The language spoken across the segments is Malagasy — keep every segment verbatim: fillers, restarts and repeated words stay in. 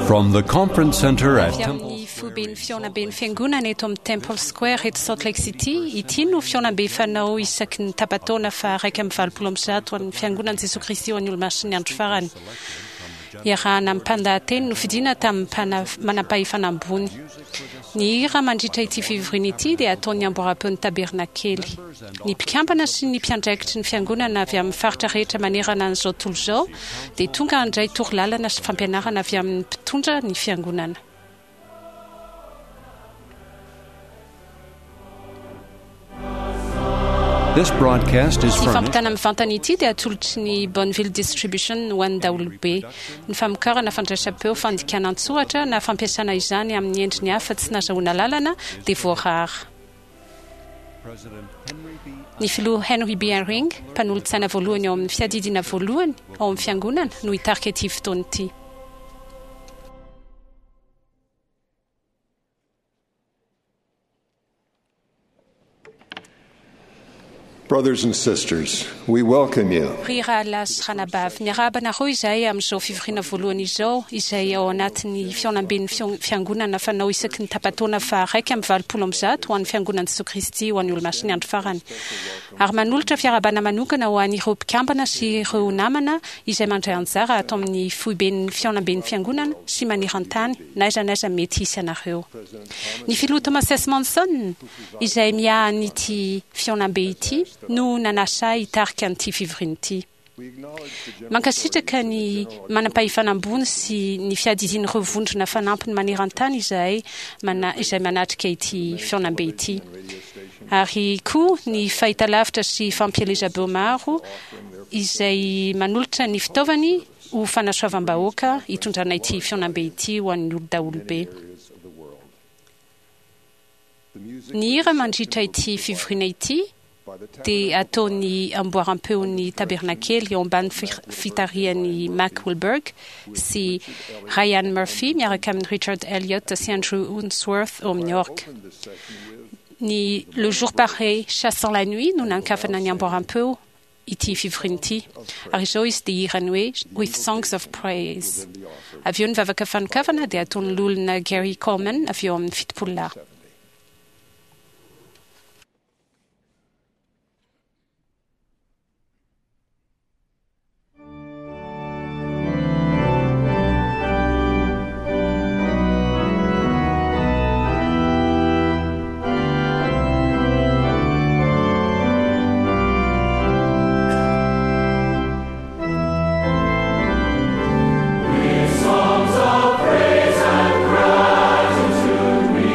From the conference center at Avy Temple amin'ny foiben'ny fihaonamben'ny fiangonana eto amin'ny Temple Square eto Salt Lake City, ity no fihaonambe fanao isaky ny tapa-taona fa iraika amby valopolo amby zato an'ny fiangonan'i Jesoa Kristy ho an'ny Olomasin'ny andro farany. Iarahana amin'ny mpandahateny nofidiana tamin'ny mpana- manam-pahefana ambony. Ny hira mandritra ity fivoriana ity dia ataon'ny amboaram-peon'ny tabernakely. Ny mpikambana sy ny mpiandraikitry ny fiangonana avy amin'ny faritra rehetra manerana an'izao tontolo izao dia tonga handray torolalana sy fampianarana avy amin'ny mpitondra ny fiangonana. This broadcast is Ity furnished fampitana mivantana ity dia atolotry ny Bonneville Distribution ho an'ny daholobe. Ny famokarana fandraisam-peo fandikana an-tsoratra na fampiasana izany amin'ny endriny hafa tsy nahazoana lalana dia voarara. Ny filoha Henry B. Eyring, mpanolotsaina voalohany ao amin'ny fiadidiana voalohany ao amin'ny fiangonana, no hitarika ity fotoana ity. Brothers and sisters, we welcome you Ry rahalahy sy ranabavy, miarahaba anareo izahay amin'izao fivoriana voalohany izao, izay ao anatin'ny fihaonamben'ny fion- fiangonana fanao isaky ny tapa-taona fa iraika amby valopolo amby zato ho an'ny fiangonan'i Jesoa Kristy ho an'ny Olomasin'ny andro farany. Ary manolotra fiarahabana manokana ho an'ireo mpikambana sy ireo namana izay mandray anjara ato amin'ny foiben'ny fihaonamben'ny fiangonana sy maneran-tany na aiza na aiza mety hisy anareo. Ny filoha Thomas S. Monson, izay miahy an'ity fihaonambe ity, no nanasa ahy hitarika an'ity fivoriana ity. Mankasitraka ny manam-pahefana ambony sy ny fiadidian'ireo vondrona fanampiny maneran-tany izahay mana, izay manatrika ity fihaonambe ity. Ary koa ny fahitalavitra sy fampielezam-peo maro izay manolotra ny fitaovany ho fanasoavam-bahoaka hitondrana ity fihaonambe ity ho an'ny olon-daholobe. Ny hira mandritra ity fivoriana ity dia ataon'ny amboaram-peon'ny tabernakely eo ambany fir- fitarihan'i Mac Wilberg sy Ryan Murphy miaraka amin'ny Richard Elliott sy Andrew Unsworth ao amin'ny orgue. Ny Le jour paraît chassant la nuit no nankafana ny amboaram-peo ity fivoriana ity. Ary izao izy dia hirany hoe With Songs of Praise. Avy eo ny vavaka fanokafana dia ataon'ny loholona Gary Coleman avy eo amin'ny fitopolo lahy. Songs of praise and gratitude we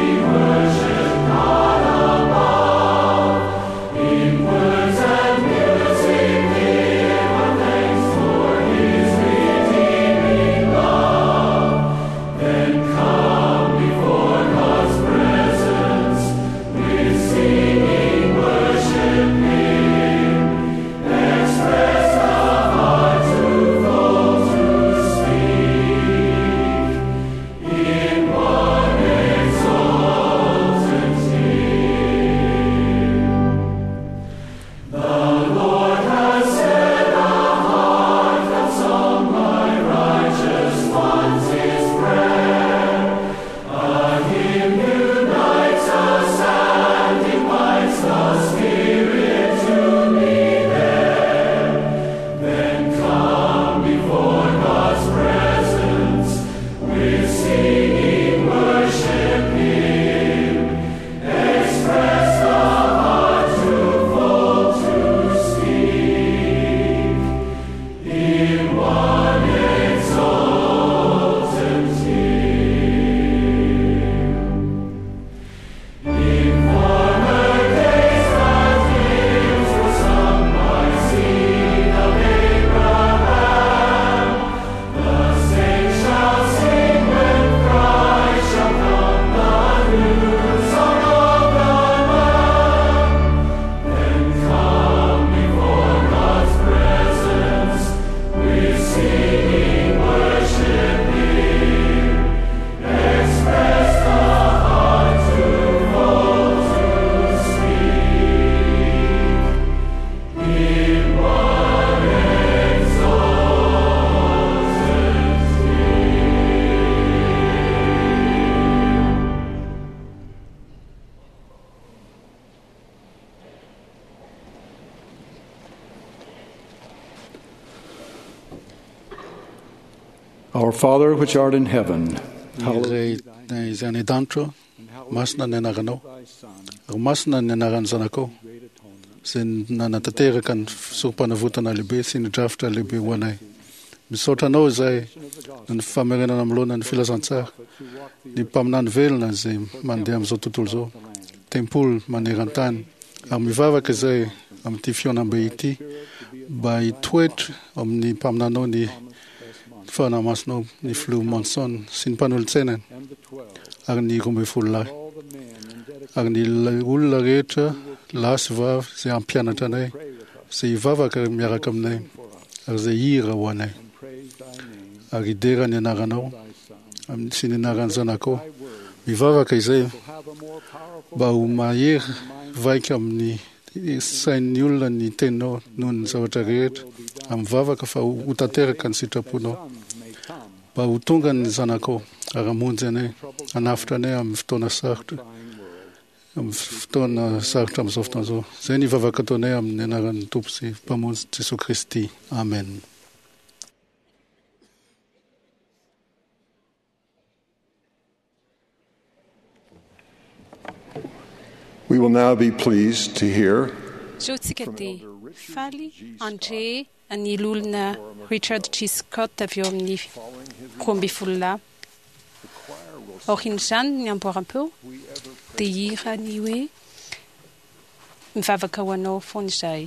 Father which art in heaven, Ray izay any an-danitra, masina ny anaranao, ary masina ny anaran'ny zanakao, izay nanatanteraka ny sorom-panavotana lehibe sy ny drafitra lehibe ho anay. Misaotra anao izay ny famerenana amloana ny filazantsara, ny mpaminany velona izay mandeha amin'izao tontolo izao, tempoly maneran-tany, ary mivavaka izay amin'ity fihaonambe ity mba hitoetra amin'ny mpaminanao ny Fanahy Masinao, ny filoha Monson sy ny mpanolotsainany ary ny roa ambin'ny folo lahy ary ny olona rehetra lahy sy vavy izay hampianatra anay, izay hivavaka miaraka aminay ary izay hira ho anay ary hidera ny anaranao sy ny anaran'ny zanakao. Mivavaka izay mba ho mahery vaika amin'ny sain'ny olona ny teninao noho ny zavatra rehetra, amin'ny vavaka fa ho tanteraka ny sitraponao, mba ho tonga ny zanakao ary hamonjy anay, hanavotra anay amin'ny fotoana sarotra, amin'ny fotoana sarotra amin'izao fotoana izao. Izay ny vavaka ataonay amin'ny anaran'ny Tompo sy Mpamonjy Jesosy Kristy. Amen. We will now be pleased to hear Zao tsika dia faly handre ny olona Richard G. Scott avy eo amin'ny roa ambin'ny folo lahy. Aorian'izany ny amboaram-peo dia hira ny hoe mivavaka ho anao foana izahay.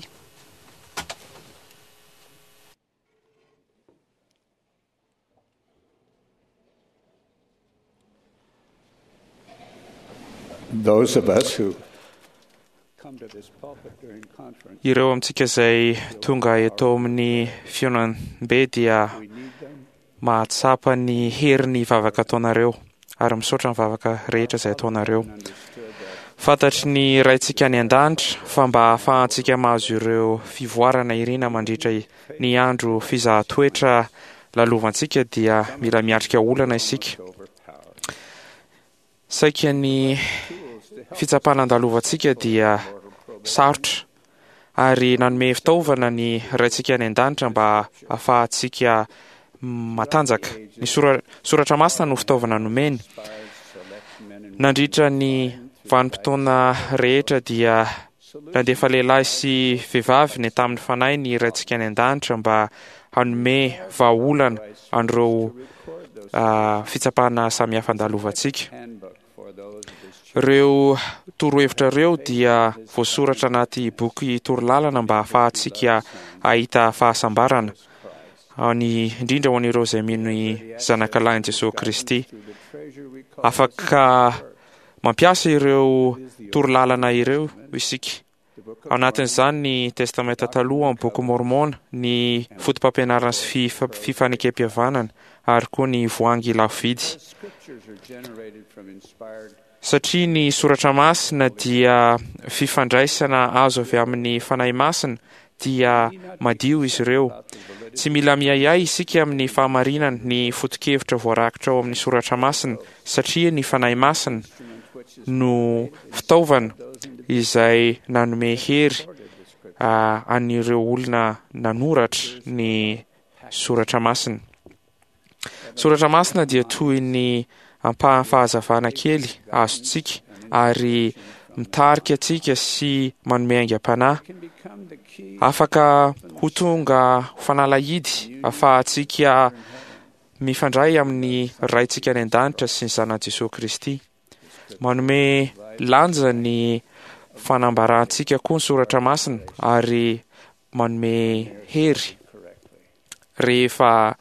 Those of us who Ireo amintsika izay tonga eto amin'ny fihaonambe dia mahatsapa ny herin'ny vavaka ataonareo ary misaotra ny vavaka rehetra izay ataonareo. Fantatry ny Raintsika any an-danitra fa mba ahafahantsika mahazo ireo fivoarana irina mandritra ny andro fizahan-toetra lalovantsika dia mila miatrika olana isika. Saika ny fitsapana andalovantsika dia sarotra ary nanome fitaovana ny Raintsika any an-danitra mba ahafahantsika matanjaka. Ny sora- soratra masina no fitaovana nomeny. Nandritra ny vanim-potoana rehetra dia nandefa lehilahy sy vehivavy ny tamin'ny fanahy ny Raintsika any an-danitra mba hanome vahaolana an'ireo ah, fitsapana samihafa andalovantsika. Ireo torohevitra ireo dia voasoratra anaty boky torolalana mba ahafahantsika hahita fahasambarana, any indrindra ho an'ireo izay mino ny zanakalahin'i Jesosy Kristy. Afaka mampiasa ireo torolalana ireo isika. Ao anatin'izany ny Testamenta Taloha, ny Boky Mormona, ny foto-pampianarana sy fifa- fifanekem-pihavanana ary koa ny voahangy lafo vidy. Satria ny soratra masina dia fifandraisana azo avy amin'ny Fanahy Masina, dia madio izy ireo. Tsy mila miahiahy isika amin'ny fahamarinana ny foto-kevitra voarakitra ao amin'ny soratra masina, satria ny Fanahy Masina no fitaovana izay nanome hery ah, an'ireo olona nanoratra ny soratra masina. Soratra masina dia toy ny ampahan'ny fahazavana kely azontsika ary mitarika antsika sy manome aingam-panahy. Afaka ho tonga ho fanalahidy ahafahantsika mifandray amin'ny Raintsika any an-danitra sy ny zanany Jesosy Kristy. Manome lanja ny fanambarantsika koa ny soratra masina ary manome hery rehefa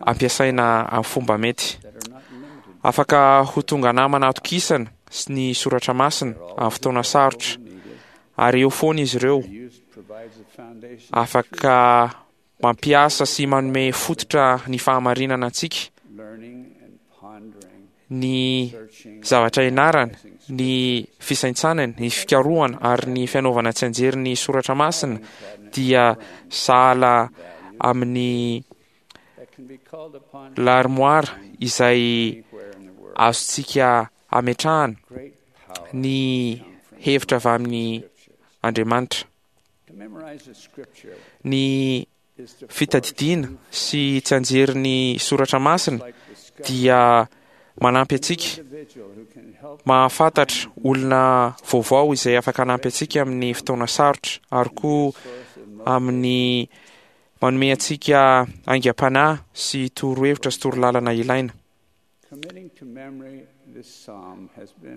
ampiasaina amin'ny fomba mety. Afaka ho tonga namana atokisana sy ny soratra masina amin'ny fotoana sarotra ary eo foana izy ireo. Afaka mampiasa sy manome fototra ny fahamarinana antsika, ny zavatra ianarana, ny fisaintsanana, ny fikarohana ary ny fianaovana tsianjery ny soratra masina dia sahala amin'ny l'armoire izay azontsika ametrahana ny hevitra avy amin'ny Andriamanitra. Ny Fitadidiana sy tsianjery ny soratra masina dia manampy antsika mahafantatra olona vaovao izay afaka hanampy antsika amin'ny fotoana sarotra, ary koa amin'ny manome antsika aingam-panahy sy torohevitra sy torolalana ilaina.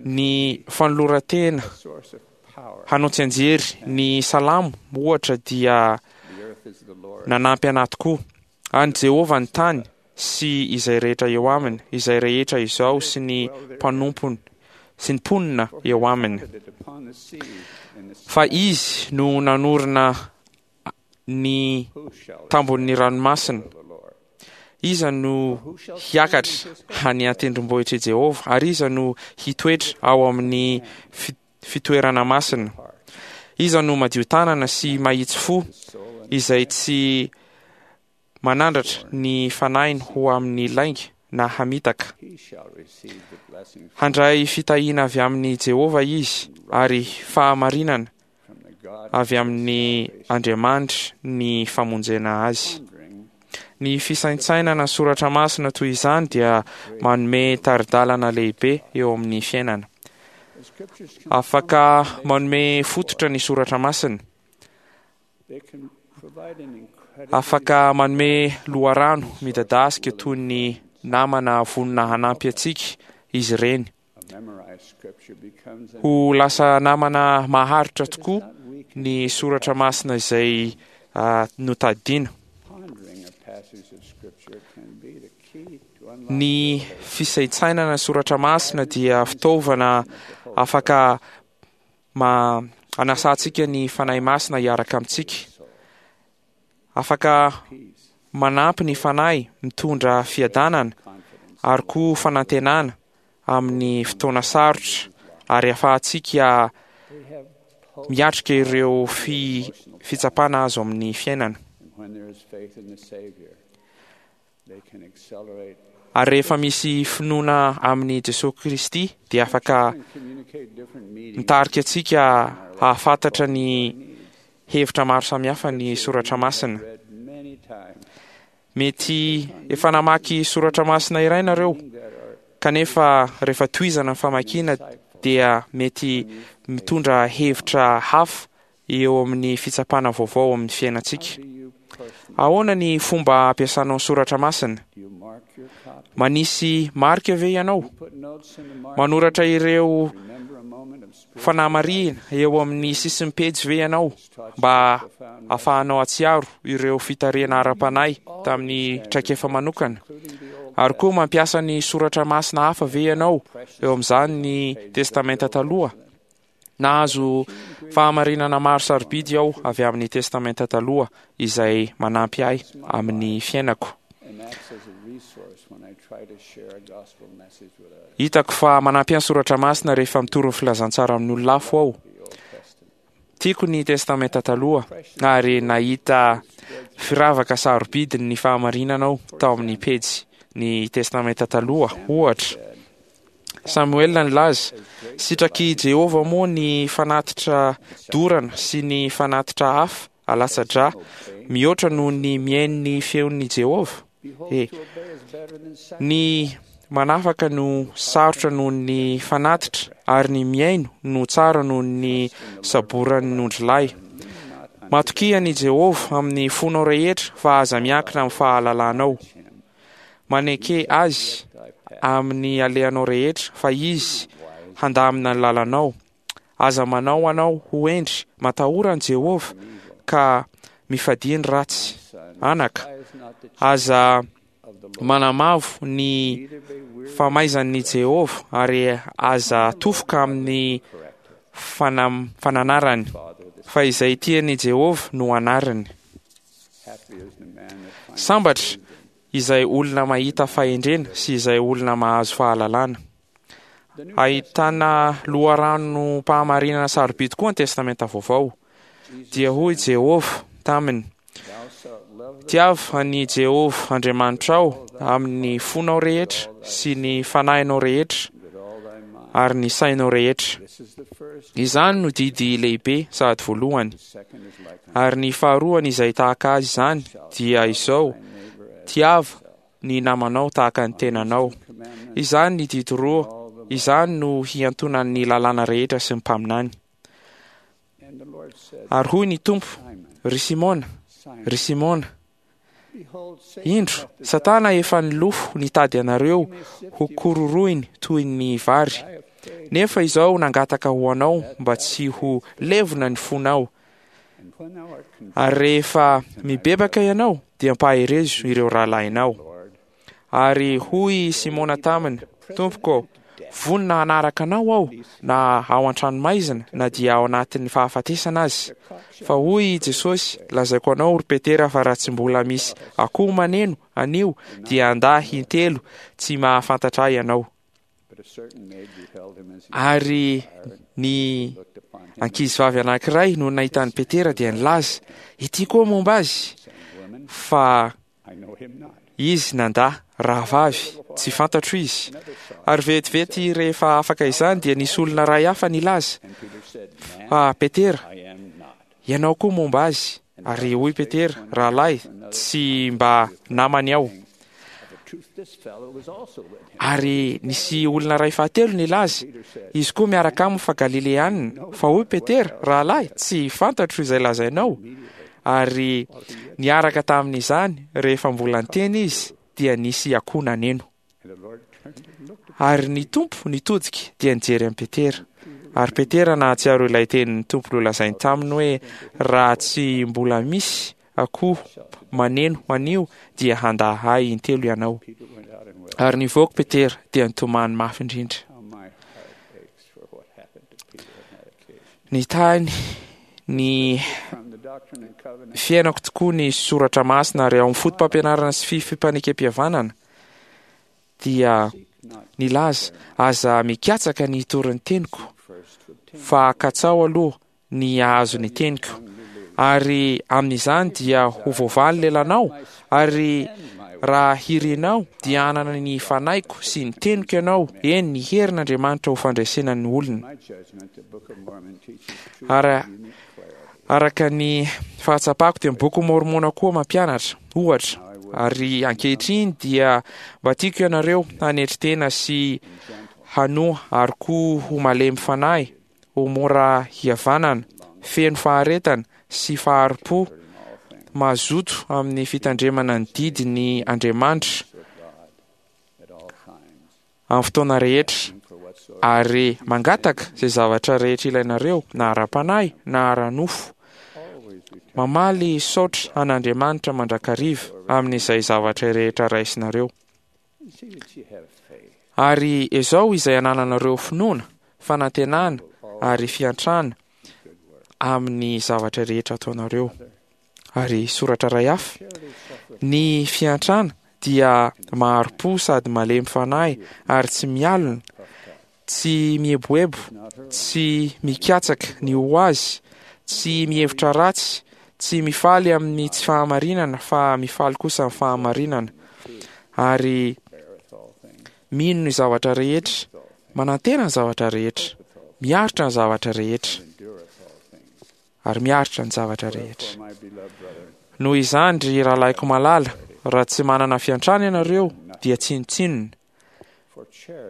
Ny fanoloran-tena hanao tsianjery ny salamo ohatra dia nanampy anahy tokoa. An'i Jehovah ny tany sy izay rehetra eo aminy, izay rehetra izao sy ny mpanompony sy ny mponina eo aminy. Fa izy no nanorina ny tambon'ny ranomasina. Iza no hiakatra any an-tendrombohitr'i Jehovah, ary iza no hitoetra ao amin'ny fitoerana masina? Iza no madio tanana sy mahitsy fo, izay tsy manandratra ny fanahiny ho amin'ny lainga na hamitaka? Handray fitahiana avy amin'i Jehovah izy, ary fahamarinana avy amin'ny Andriamanitry ny famonjena azy. Ny fisaintsainana soratra masina toy izany dia manome tari-dalana lehibe eo amin'ny fiainana. Afaka manome fototra ny soratra masina. Afaka manome loharano midadasika toy ny namana vonona hanampy antsika izy ireny. Ho lasa namana maharitra tokoa ny soratra masina izay notadidiana. Ny fisaintsainana soratra masina dia fitaovana afaka ma anasantsika ny Fanahy Masina hiaraka amintsika. Afaka manampy ny Fanahy mitondra fiadanana ary koa fanantenana amin'ny fotoana sarotra, ary ahafahantsika miatrika ireo fi- fitsapana azo amin'ny fiainana. Ary rehefa misy finoana amin'i Jesosy Kristy dia afaka mitarika antsika hahafantatra ny hevitra maro samihafa ny soratra masina. Mety efa namaky soratra masina iray nareo, kanefa rehefa tohizana ny famakiana dia mety mitondra hevitra hafa eo amin'ny fitsapana vaovao amin'ny fiainantsika. Ahoana ny fomba ampiasanao ny soratra masina? Manisy marika ve ianao? Manoratra ireo fanamarihana eo amin'ny sisin'ny pejy ve ianao mba ahafahanao hatsiaro ireo fitarihana ara-panahy tamin'ny traikefa manokana? Ary koa mampiasa ny soratra masina hafa ve ianao eo amin'izany ny Testamenta Taloha? Nahazo fahamarinana maro sarobidy aho avy amin'ny Testamenta Taloha izay manampy ahy amin'ny fiainako. Hitako fa manampy ahy ny soratra masina rehefa mitory ny filazantsara amin'ny olona hafa aho. Tiako ny Testamenta Taloha ary nahita firavaka sarobidy ny fahamarinana aho tao amin'ny pejy ny Testamenta Taloha. Ohatra, Samoela nilaza, sitrak'i Jehovah moa ny fanatitra dorana sy ny fanatitra hafa alatsa-drà mihoatra noho ny mihaino ny feon'i Jehovah? E, ny manafaka no sarotra noho ny fanatitra, ary ny mihaino no tsara noho ny saboran'ny ondrilahy. Matokia an'i Jehovah amin'ny fonao rehetra, fa aza miankina amin'ny fahalalanao. Maneke azy amin'ny alehanao rehetra, fa izy handamina ny lalanao. Aza manao anao ho hendry, matahora an'i Jehovah, ka mifadia ny ratsy. Anaka, aza manamavo ny famaizan'i Jehovah, ary aza tofoka amin'ny fanam- fananarany, fa izay tian'i Jehovah no anariny. Sambatra izay olona mahita fahendrena sy izay olona mahazo fahalalana. Ahitana loharanom-pahamarinana sarobidy koa ny Testamenta Vaovao. Dia hoy Jehovah taminy, Tiavo an'i Jehovah Andriamanitrao amin'ny fonao rehetra sy ny fanahinao rehetra ary ny sainao rehetra. Izany no didy lehibe sady voalohany. Ary ny faharoany izay tahaka azy izany dia izao: tiava ny namanao tahaka ny tenanao. Izany ny didy roa, izany no hiantonan'ny lalàna rehetra sy ny mpaminany. Ary hoy ny Tompo: Ry Simona, ry Simona, indro, Satana efa nilofo nitady anareo ho kororohiny toy ny vary. Nefa izao nangataka ho anao mba tsy ho levona ny fonao. Ary rehefa mibebaka ianao, dia ampaherezo ireo rahalahinao. Ary hoy Simona taminy: Tompoko, vonona hanaraka anao aho na ao an-tranomaizina na dia ao anatin'ny fahafatesana azy. Fa hoy Jesosy: Lazaiko anao, ry Petera, fa raha tsy mbola misy akoho maneno anio, dia handà intelo tsy mahafantatra ahy ianao. Ary ny ankizivavy anankiray no nahita an'i Petera dia nilaza: Ity koa momba azy. Fa izy nandà: Rahavavy, tsy fantatro izy. Ary vetivety rehefa afaka izany dia nisy olona iray hafa nilaza: Fa Petera, ianao koa momba azy. Ary hoy Petera: Rahalahy, tsy mba namany aho. Ary nisy olona iray fahatelo nilaza: Izy koa miaraka aminy fa Galileanina. Fa hoy Petera: Rahalahy, tsy fantatro izay lazainao. Ary niaraka tamin'izany, rehefa mbola niteny izy, dia nisy akoho naneno. Ary ny Tompo nitodika dia nijery an'i Petera. Ary Petera nahatsiaro ilay tenin'ny Tompo nolazainy taminy hoe: Raha tsy mbola misy akoho maneno anio, dia handà ahy intelo ianao. Ary nivoaka Petera dia nitomany mafy indrindra. Nitahy ny fiainako tokoa ny soratra masina, ary ao amin'ny foto-pampianarana sy fifanekem-pihavanana dia nilaza: Aza mikatsaka ny hitory ny teniko, fa katsao aloha ny hahazo ny teniko, ary amin'izany dia ho voavaly lelanao, ary raha hirinao dia hanana ny fanahiko sy ny teniko ianao, eny ny herin'Andriamanitra ho fandresena ny olona. Ary araka ny fahatsapako dia ny boky Mormona koa mampianatra ohatra. Ary ankehitriny dia mba tiako ianareo hanetry tena sy hanoa, ary koa ho malemy fanahy, ho mora hihavanana, feno faharetana sy fahari-po, mazoto amin'ny fitandremana ny didy ny Andriamanitra amin'ny fotoana rehetra, ary mangataka izay zavatra rehetra ilainareo, na ara-panahy na ara-nofo. Mamaly saotra an'Andriamanitra mandrakariva amin'izay zavatra rehetra raisinareo. Ary izao izay anananareo finoana, fanantenana ary fiantrana amin'ny zavatra rehetra ataonareo. Ary soratra iray hafa: Ny fiantrana dia mahari-po sady malemy fanahy, ary tsy mialona, tsy mieboebo, tsy mikatsaka ny ho azy, tsy mihevitra ratsy, tsy mifaly amin'ny tsy fahamarinana, fa mifaly kosa amin'ny fahamarinana, ary mino ny zavatra rehetra, manantena ny zavatra rehetra, miaritra ny zavatra rehetra, ary miaritra ny zavatra rehetra. Noho izany, ry rahalahiko malala, raha tsy manana fiantrana ianareo, dia tsinontsinona,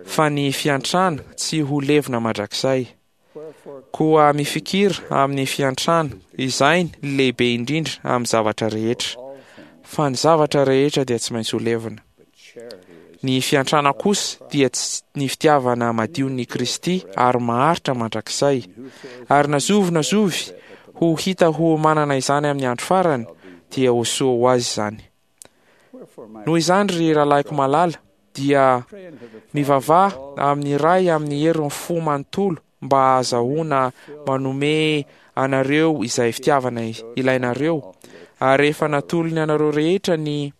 fa ny fiantrana tsy ho levona mandrakizay. Koa mifikira amin'ny fiantrana, izay ny lehibe indrindra amin'ny zavatra rehetra, fa ny zavatra rehetra dia tsy maintsy ho levona. Ny fiantrana kosa dia ny fitiavana madion'ny Kristy ary maharitra mandrakizay. Ary na zovy na zovy ho hita ho manana izany amin'ny andro farany, dia ho soa ho azy izany. Noho izany, ry rahalahiko malala, dia mivavaha amin'ny Ray amin'ny herin'ny fo manontolo mba hahazahoana manome anareo izay fitiavana ilainareo. Ary rehefa natolony anareo rehetra ny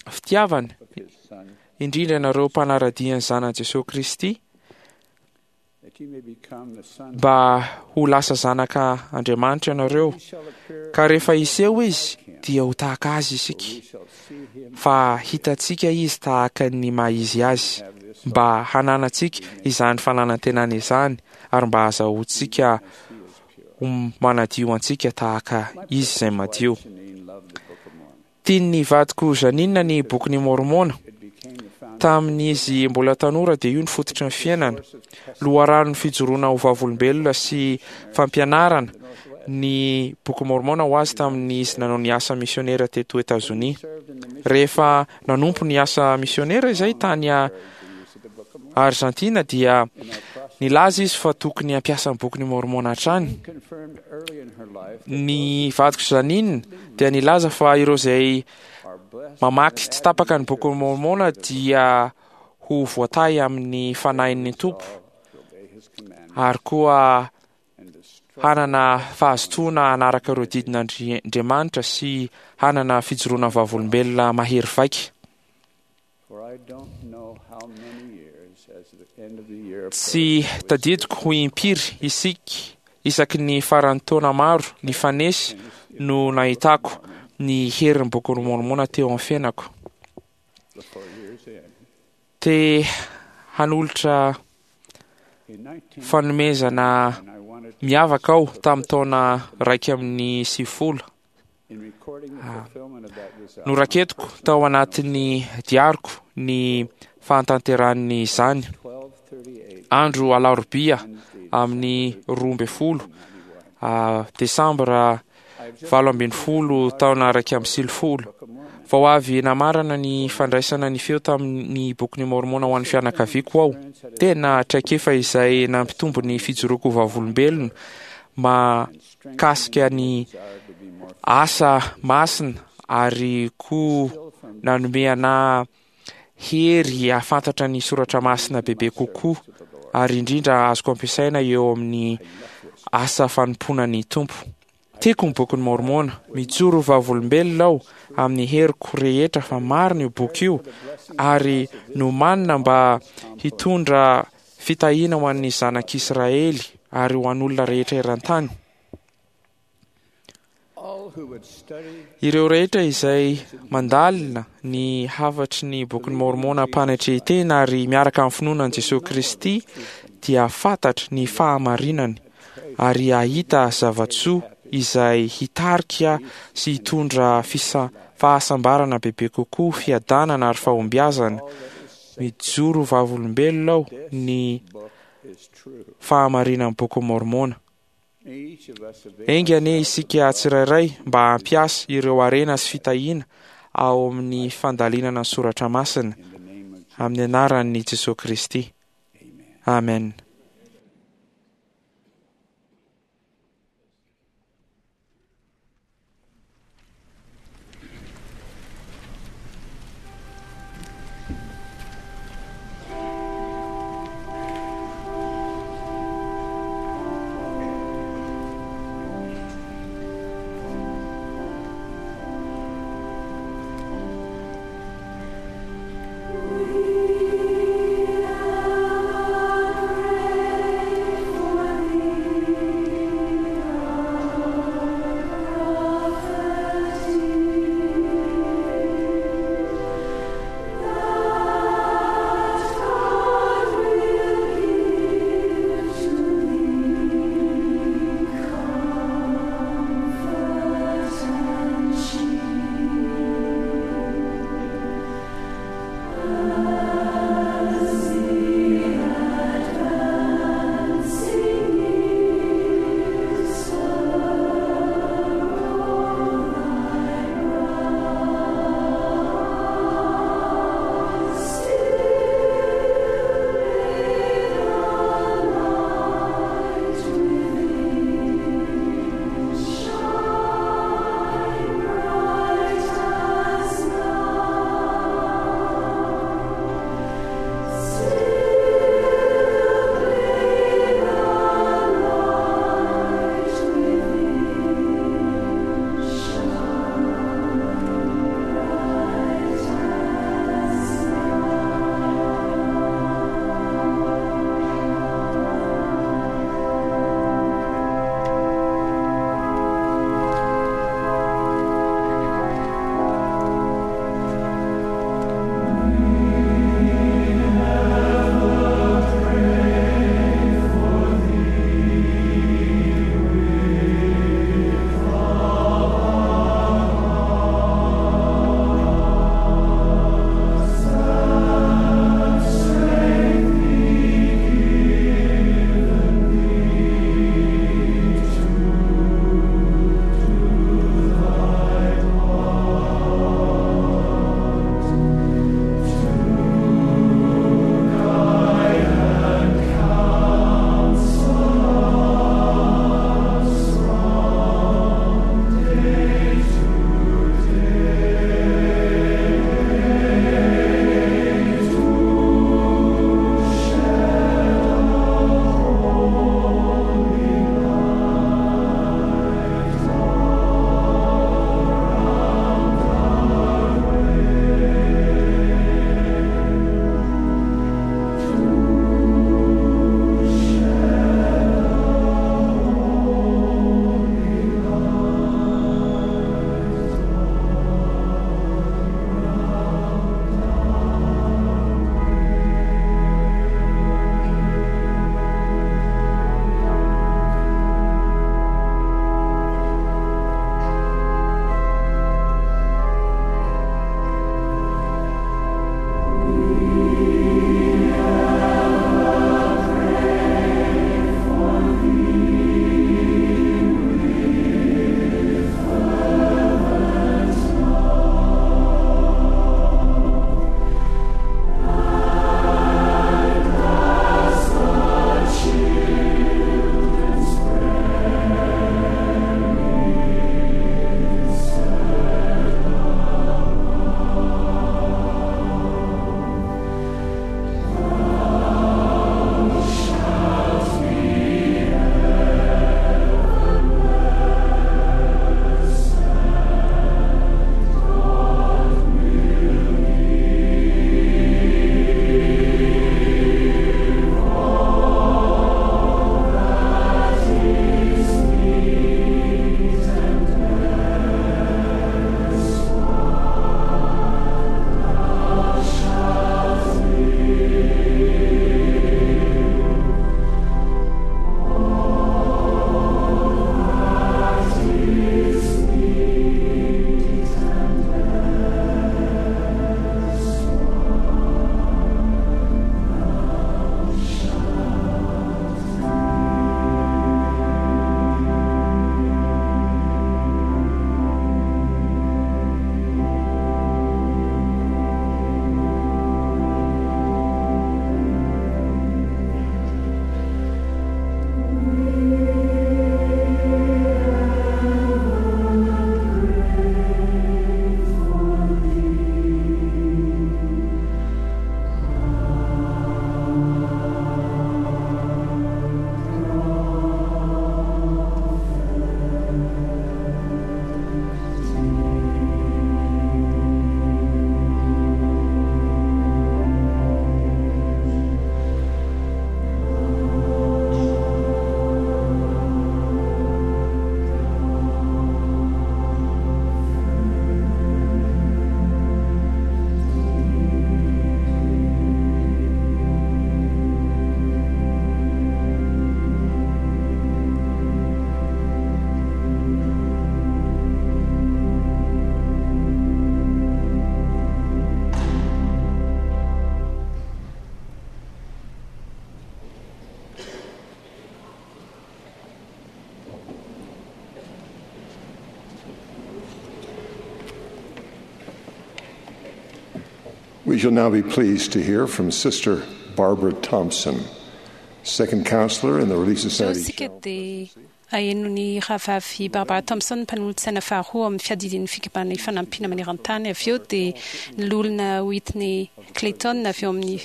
fitiavana, indrindra ianareo mpanara-dia ny zanan'i Jesosy Kristy, mba ho lasa zanaka Andriamanitra ianareo, ka rehefa hiseho izy dia ho tahaka azy isika, fa hitantsika izy tahaka ny maha izy azy. mba hananantsika izany fananantenana izany ary mba hahazoantsika ho manadio antsika tahaka izy izay madio. Tian'ny vadiko Janina ny bokin'i Môrmôna. Tamin'izy mbola tanora dia io ny fototry ny fiainana. Loharanon'ny fijoroana ho vavolombelona sy fampianarana ny boky Môrmôna ho azy tamin'izy nanao ny asa misionera teto Etazonia. Rehefa nanompo ny asa misionera izay tany Argentina dia nilaza izy fa tokony hampiasa ny bokin'i Môrmôna hatrany. Ny vadiko Janine dia nilaza fa ireo izay mamaky tsy tapaka ny bokin'i Môrmôna dia ho voatahy amin'ny fanahin'ny Tompo ary koa hanana fahazotoana hanaraka ireo didin'Andriamanitra sy hanana fijoroana vavolombelona mahery vaika. Tsy tadidiko ho impiry isika isaky ny faran'ny taona maro nifanesy no nahitako ny herin'ny bokin'i Môrmôna teo amin'ny fiainako. Te hanolotra fanomezana miavaka aho tamin'ny taona raika amin'ny sivifolo. Noraketiko tao anatin'ny diariko ny fahatanterahan'izany. Andro alarobia amin'ny roa ambin'ny folo desambra valo ambin'ny folo taona raika amby sivifolo. Vao avy namarana ny fandraisana ny feo tamin'ny bokin'i Môrmôna ho an'ny fianakaviako aho. Tena traikefa izay nampitombo ny fijoroako vavolombelona mahakasika ny asa masina ary koa nanome anahy hery hahafantatra ny soratra masina bebe kokoa ary indrindra azoko ampiasaina eo amin'ny asa fanompoana ny Tompo. Tiako ny bokin'i Môrmôna. Mijoro vavolombelona aho amin'ny heriko rehetra fa marina io boky io ary nomanina mba hitondra fitahiana ho an'ny zanak'Israely ary ho an'olona rehetra eran-tany. Ireo rehetra izay mandalina ny hafatry ny bokin'i Môrmôna am-panetren-tena ary miaraka amin'ny finoana an'i Jesoa Kristy dia fantatra ny fahamarinany ary hahita zava-tsoa izay hitarika sy hitondra fisa- fahasambarana bebe kokoa, fiadanana ary fahombiazana. Mijoro vavolombelona aho ny fahamarinan'ny bokin'i Môrmôna. Enga anie isika tsirairay mba hampiasa ireo harena sy fitahiana ao amin'ny fandalinana ny soratra masina amin'ny anaran'i Jesoa Kristy. Amen. We are We shall now be pleased to hear from Sister Barbara Thompson, second counselor in the Relief Izao Society. isika dia aheno ny rahavavy Barbara Thompson, mpanolotsaina faharoa amin'ny fiadidian'ny fikambanana ifanampiana maneran-tany. Avy eo dia ny loholona Whitney Clayton avy eo amin'ny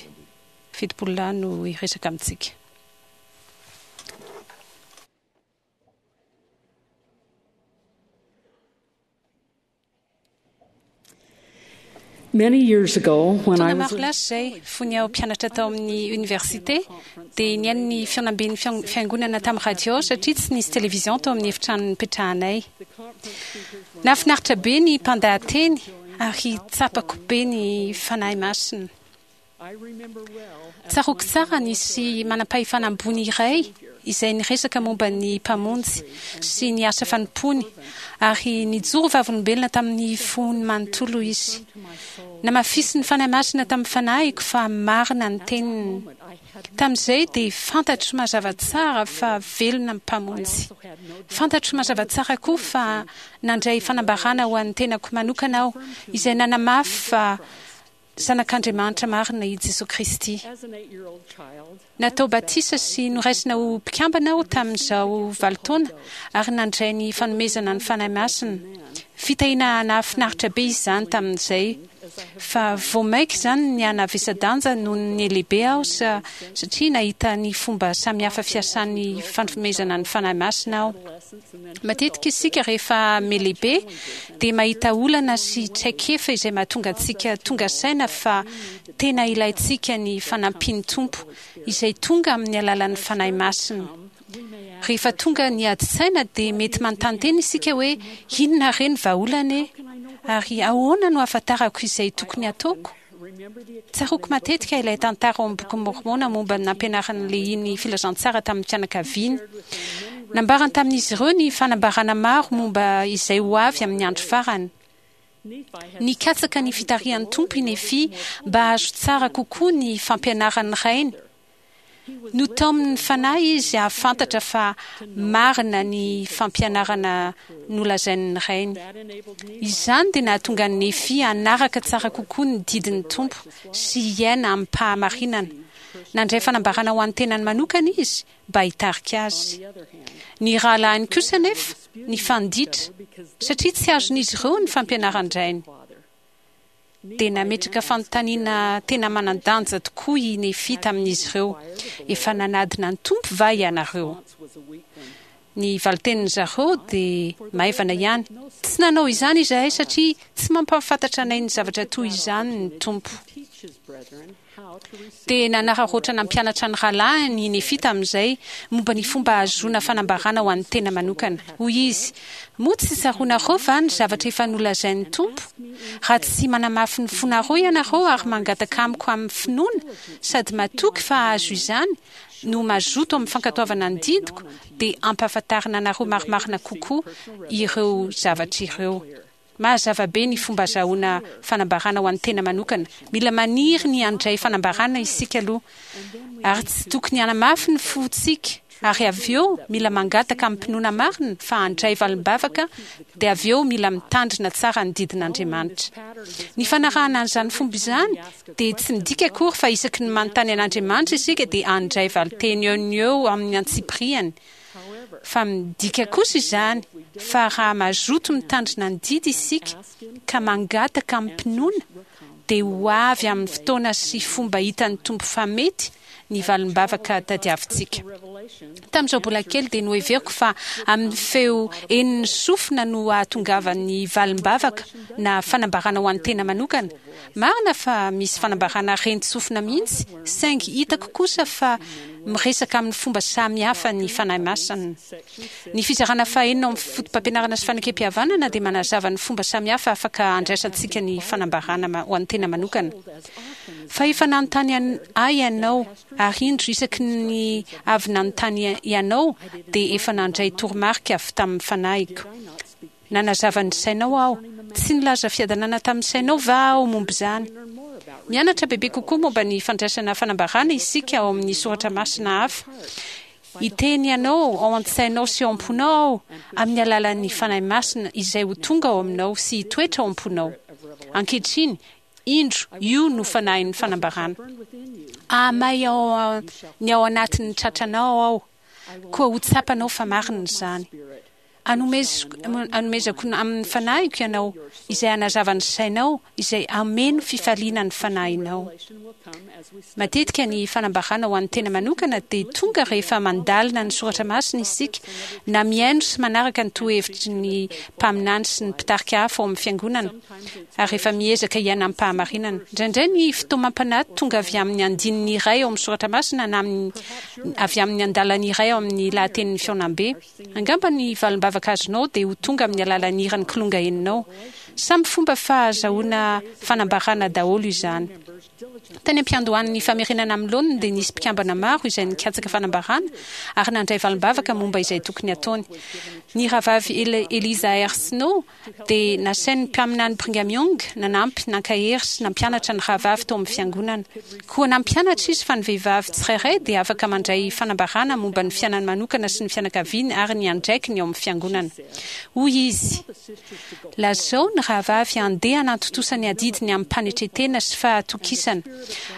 fitopolo lahy no hiresaka amintsika. Many years ago, when I Taona was maro lasa izay, fony aho mpianatra tao amin'ny université, dia nihaino ny fihaonamben'ny fian- fiangonana tamin'ny radio satria tsy nisy télévision tao amin'ny efitrano nipetrahanay. Nahafinaritra be ny mpandahateny ary tsapako be ny fanahy masina. Tsaroako tsara nisy manam-pahefana ambony iray izay niresaka momba ny mpamonjy sy ny asa fanompoany ary nijoro vavolombelona tamin'ny fony manontolo izy. Namafisy ny fanahy masina tamin'ny fanahiko fa marina ny teniny. Tamin'izay dia fantatro mazava tsara fa velona ny mpamonjy. Fantatro mazava tsara koa fa nandray fanambarana ho an'ny tenako manokana aho izay nanamafy fa zanak'Andriamanitra marina i Jesoa Kristy. as an eight-year-old child, Natao batisa sy noraisina ho mpikambana aho tamin'izao valo taona ary nandray ny fanomezana ny fanahy masina. Fitahiana nahafinaritra be izany tamin'izay. Fa vao mainka izany ny hanavesa-danja noho ny lehibe aho sa- satria nahita ny fomba samihafa fiasan'ny fanomezana ny fanahy masina aho. Matetika isika rehefa melehibe dia mahita olana sy traikefa izay mahatonga antsika tonga saina fa tena ilaintsika ny fanampian'ny Tompo izay tonga amin'ny alalan'ny fanahy masina. Rehefa tonga ny ady-tsaina dia mety manontany tena isika hoe inona re ny vahaolana e? Ary ahoana no ahafantarako izay tokony hataoko? Tsaroako matetika ilay tantara ao amin'ny boky Mormona momba ny nampianaran'ny lehiny filazantsara tamin'ny fianakaviany. Nambarany tamin'izy ireo ny fanambarana maro momba izay ho avy amin'ny andro farany. Nikatsaka ny fitarihan'ny Tompo i Nefia mba hahazo tsara kokoa ny fampianaran'ny rainy. Notaomin'ny fanahy izy hahafantatra fa marina ny fampianarana nolazain'ny rainy. Izany dia nahatonga ny Nefia hanaraka tsara kokoa ny didin'ny Tompo sy hiaina amim-pahamarinana. Nandray fanambarana ho an'ny tenany manokana izy mba hitarika azy. Ny rahalahiny kosa nefa nifanditra satria tsy azon'izy ireo ny fampianaran-drainy. Dia nametraka fanontaniana tena manan-danja tokoa i Nefia tamin'izy ireo. Efa nanadina ny Tompo va ianareo? Ny valitenin'ny zareo dia maivana ihany. Tsy nanao izany izahay satria tsy mampahafantatra anay ny zavatra toy izany ny Tompo. teach his brethren how to receive Dia nanararaotra nampianatra ny rahalahiny i Nefia tamin'izay momba ny fomba ahazoana fanambarana ho an'ny tena manokana. Hoy izy, moa tsy tsaroanareo va ny zavatra efa nolazain'ny Tompo? Raha tsy manamafy ny fonareo ianareo ary mangataka amiko amin'ny finoana sady matoky fa hahazo izany no mazoto amin'ny fankatoavana ny didiko, dia ampahafantarina anareo marimarina kokoa ireo zavatra ireo. Mazava be ny fomba azahoana fanambarana ho an'ny tena manokana. Mila maniry ny handray fanambarana isika aloha. Ary tsy tokony hanamafy ny fontsika. Ary avy eo mila mangataka amin'ny-pinoana marina fa handray valim-bavaka, dia avy eo mila mitandrina tsara ny didin'Andriamanitra. Ny fanarahana an'izany fomba izany dia tsy midika akory fa isaky ny manontany an'Andriamanitra isika dia handray valinteny eo no eo amin'ny antsipiriany. Fa midika kosa izany fa raha mazoto mitandrina ny didy isika ka mangataka amin'ny-pinoana dia ho avy amin'ny fotoana sy fomba hitan'ny Tompo fa mety ny valim-bavaka tadiavintsika. Tamin'izao mbola kely dia noheveriko fa amin'ny feo henon'ny sofina no ahatongavan'ny valim-bavaka na fanambarana ho an'ny tena manokana. Marina fa misy fanambarana ren-tsofina mihitsy, saingy hitako kosa fa miresaka amin'ny fomba samihafa ny fanahy masina. Ny fizarana fahenina ao amin'ny foto-pampianarana sy fanekempihavanana dia manazava ny fomba samihafa afaka andraisantsika ny fanambarana ma- ho an'ny tena manokana. Fa efa nanontany an- ahy ianao, ary indro isaky ny avy nanontany ianao dia efa nandray toromarika avy tamin'ny fanahiko. Nanazava ny sainao aho. Tsy nilaza fiadanana tamin'ny sainao va aho momba izany? Mianatra bebe kokoa momba ny fandraisana fanambarana isika ao amin'ny soratra masina hafa. Hiteny ianao ao an-tsainao sy ao am-ponao aho amin'ny alalan'ny fanahy masina izay ho tonga ao aminao sy hitoetra ao am-ponao. Ankehitriny, Indro, io no fanahin'ny fanambarana. Ahamay ao ny ao anatin'ny tratranao aho, koa ho tsapanao fa marina izany. Anomezako amin'ny fanahiko ianao, izay hanazava ny sainao, izay hameno fifaliana ny fanahinao. Matetika ny fanambarana ho an'ny tena manokana dia tonga rehefa mandalina ny soratra masina isika, na mihaino sy manaraka ny torohevitry ny mpaminany sy ny mpitarika hafa ao amin'ny fiangonana, ary rehefa miezaka hiaina amim-pahamarinana. Indraindray ny fitaomam-panahy tonga avy amin'ny andininy iray ao amin'ny soratra masina na avy amin'ny andalana iray ao amin'ny lahatenin'ny fihaonambe. Angamba ny valim-bavaka azonao dia ho tonga amin'ny alalan'ny hiran'ny kilonga henonao. Samy fomba fahazahoana fanambarana daholo izany. Tany am-piandohan'ny famerenana amin'ny laoniny dia nisy mpikambana maro izay nikatsaka fanambarana ary nandray valim-bavaka momba izay tokony hataony. Ny rahavavy Eliza R. Snow dia nasain'ny mpaminany Brigham Young nanampy, nankahery sy nampianatra ny rahavavy tao amin'ny fiangonana. Koa nampianatra izy fa ny vehivavy tsirairay dia afaka mandray fanambarana momba ny fiainany manokana sy ny fianakaviany ary ny andraikiny ao amin'ny fiangonana. Hoy izy, Lazao ny rahavavy handeha hanantontosa ny adidiny amim-panetren-tena sy fahatokisana,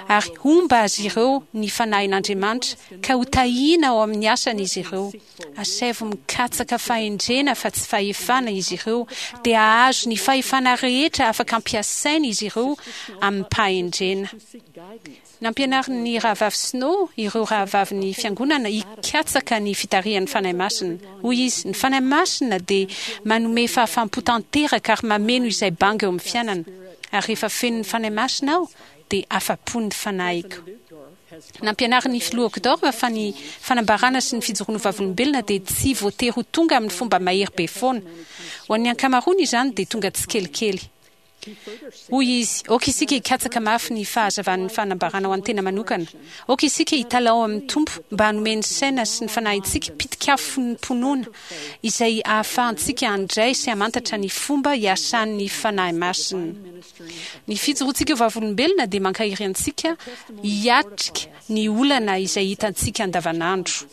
ary homba azy ireo ny Fanahin'Andriamanitra, ka hotahiana ao amin'ny asany izy ireo. Asaivo mikatsaka fahendrena fa tsy fahefana izy ireo, dia hahazo ny fahefana rehetra afaka ampiasaina izy ireo amim-pahendrena. Nampianarin'ny Rahavavy Snow ireo rahavavin'ny Fiangonana hikatsaka ny fitarihan'ny Fanahy Masina. Hoy izy, Ny Fanahy Masina dia manome fahafaham-po tanteraka ary mameno izay banga eo amin'ny fiainana. Ary rehefa feno ny Fanahy Masina aho, dia afa-po ny fanahiko. Nampianarin'ny Filoha Uchtdorf fa ny fanambarana sy ny fijoroana ho vavolombelona dia tsy voatery ho tonga amin'ny fomba mahery be foana. Ho an'ny ankamaroany izany dia tonga tsikelikely. Hoy izy, Aoka isika hikatsaka mafy ny fahazavan'ny fanambarana ho an'ny tena manokana. Aoka isika hitalaho amin'ny Tompo mba hanome ny saina sy ny fanahintsika pitik'afom-pinoana izay ahafahantsika handray sy hamantatra ny fomba iasan'ny Fanahy Masina. Ny fijoroantsika ho vavolombelona dia mankahery antsika hiatrika ny olana izay hitantsika andavanandro.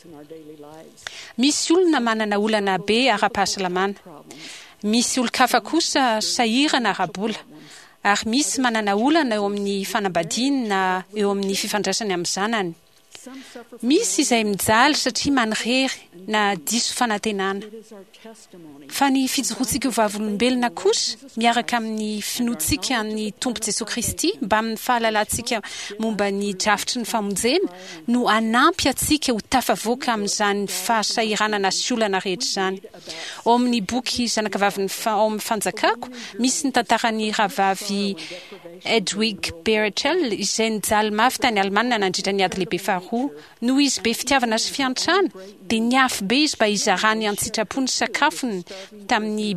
Misy olona manana olana be ara-pahasalamana. Misy olon-kafa kosa sahirana ara-bola. Ary misy manana olana eo amin'ny fanambadiany na eo amin'ny fifandraisany amin'ny zanany. Misy izay mijaly satria manirery na diso fanantenana. Fa ny fijoroantsika ho vavolombelona kosa, miaraka amin'ny finoantsika ny Tompo Jesoa Kristy mbamin'ny fahalalantsika momba ny drafitry ny famonjena, no hanampy antsika ho tafavoaka amin'izany fahasahiranana sy olana rehetra izany. Ao amin'ny boky Zanakavavin'ny ao amin'ny Fanjakako, misy ny tantaran'ny rahavavy Hedwig Berchel izay nijaly mafy tany Alemana nandritra ny Ady Lehibe Faharoa. Noho izy be fitiavana sy fiantrana, dia niafy be izy mba hizarany an-tsitrapo ny sakafony tamin'ny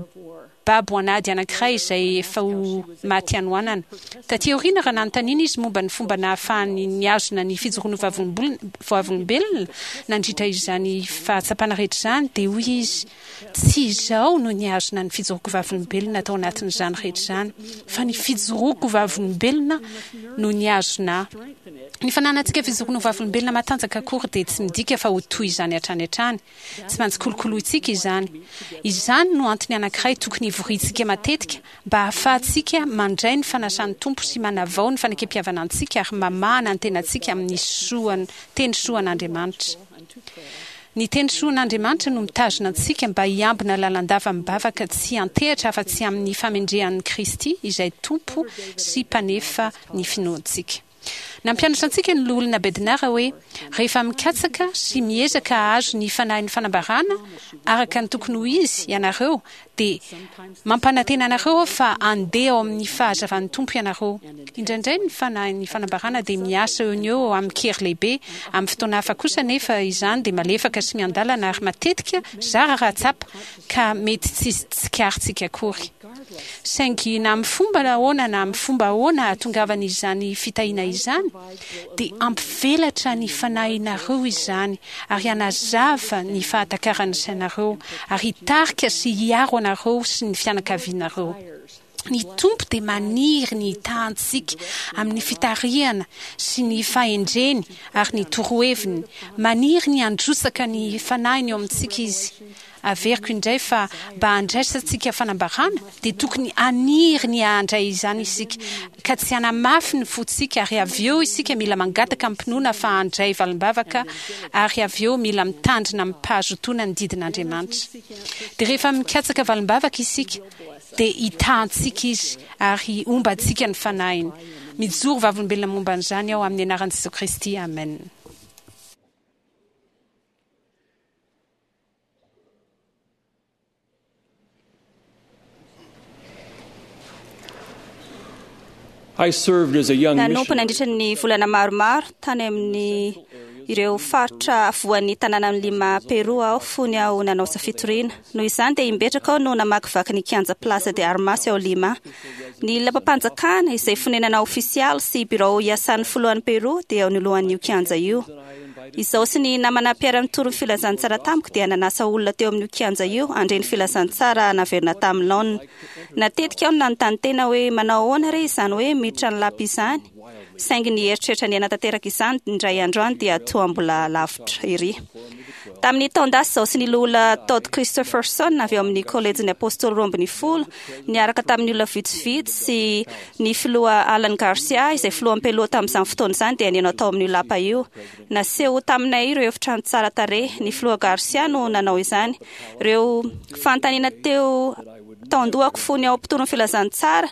babo an'ady anankiray izay efa ho maty hanoanana. Tatỳ aoriana, raha nanontaniana izy momba ny fomba nahafahany nihazona ny fijoroany ho vavolombelona nandritra izany fahatsapana rehetra izany, dia hoy izy, Tsy izaho no nihazona ny fijoroako vavolombelona tao anatin'izany rehetra izany, fa ny fijoroako vavolombelona no nihazona ahy. Ny fananantsika fijoroana ho vavolombelona matanjaka akory dia tsy midika fa ho toy izany hatrany hatrany. Tsy maintsy kolokolointsika izany. Izany no antony anankiray tokony hivoriantsika matetika mba hahafahantsika mandray ny fanasan'ny Tompo sy manavao ny fanekempihavanantsika ary mamahana ny tenantsika amin'ny soan teny soan'Andriamanitra. Ny teny soan'Andriamanitra no mitazona antsika mba hiambina lalandava amim-bavaka tsy hiantehatra afa-tsy amin'ny famendrehan'i Kristy izay Tompo sy Mpanefa ny finoantsika. Nampianatra antsika ny Loholona Bednar hoe rehefa mikatsaka sy miezaka hahazo ny fanahin'ny fanambarana araka ny tokony ho izy ianareo dia mampanantena anareo aho fa handeha ao amin'ny fahazavan'ny Tompo ianareo. Indraindray ny fanahin'ny fanambarana dia miasa eo no eo amin-kery lehibe, amin'ny fotoana hafa kosa anefa izany dia malefaka sy miandalana ary matetika zara raha tsapa ka mety tsy tsikaritsika akory. Saingy na amin'ny fomba ahoana na amin'ny fomba ahoana hahatongavan'izany fitahiana izany, dia hampivelatra ny fanahinareo izany ary hanazava ny fahatakaran'ny sainareo ary hitarika sy hiaro anareo sy ny fianakavianareo. Ny Tompo dia maniry ny hitahantsika amin'ny fitarihana sy ny fahendreny ary ny toroheviny. Maniry ny handrotsaka ny Fanahiny eo amintsika Izy. Averiko indray fa mba handraisantsika fanambarana dia tokony haniry ny handray izany isika, ka tsy hanamafy ny fontsika, ary avy eo isika mila mangataka amim-pinoana fa handray valim-bavaka, ary avy eo mila mitandrina amim-pahazotoana ny didin'Andriamanitra. Dia rehefa mikatsaka valim-bavaka isika dia hitahantsika izy ary hombantsika ny fanahiny. Mijoro vavolombelona momba an'izany aho amin'ny anaran'i Jesosy Kristy. Amen. I served as a young Nanompo missionary nandritra ny volana maromaro tany amin'ny ireo faritra afovoan'ny tanànan'i Lima, Peru aho fony aho nanao asa fitoriana. Noho izany dia imbetraka aho no namakivaky ny kianja Plaza de Armas ao Lima. Ny lapam-panjakana izay fonenana ofisialy sy birao iasan'ny filohan'i Peru dia eo anoloan'io kianja io. Izaho sy ny namana mpiara-mitory ny filazantsara tamiko dia nanasa olona teo amin'io kianja io handre ny filazantsara naverina tamin'ny laonina. Natetika aho no nanontany tena hoe manao ahoana re izany hoe miditra ny lapa izany, saingy ny eritreritra ny hanatanteraka izany indray andro any dia toa mbola lavitra ery. Tamin'ny taon-dasa izaho sy ny loholona Todd Christopherson avy ao amin'ny kolejin'ny Apôstôly roa ambin'ny folo niaraka tamin'ny olona vitsivitsy sy ny filoha Alan Garcia izay filohan'ny Peloa tamin'izany fotoana izany dia nihaino tao amin'io lapa io. Naseho taminay ireo efitrano tsara tarehy. Ny filoha Garcia no nanao izany. Ireo fanontaniana teo tao an-dohako fony ao mpitory ny filazantsara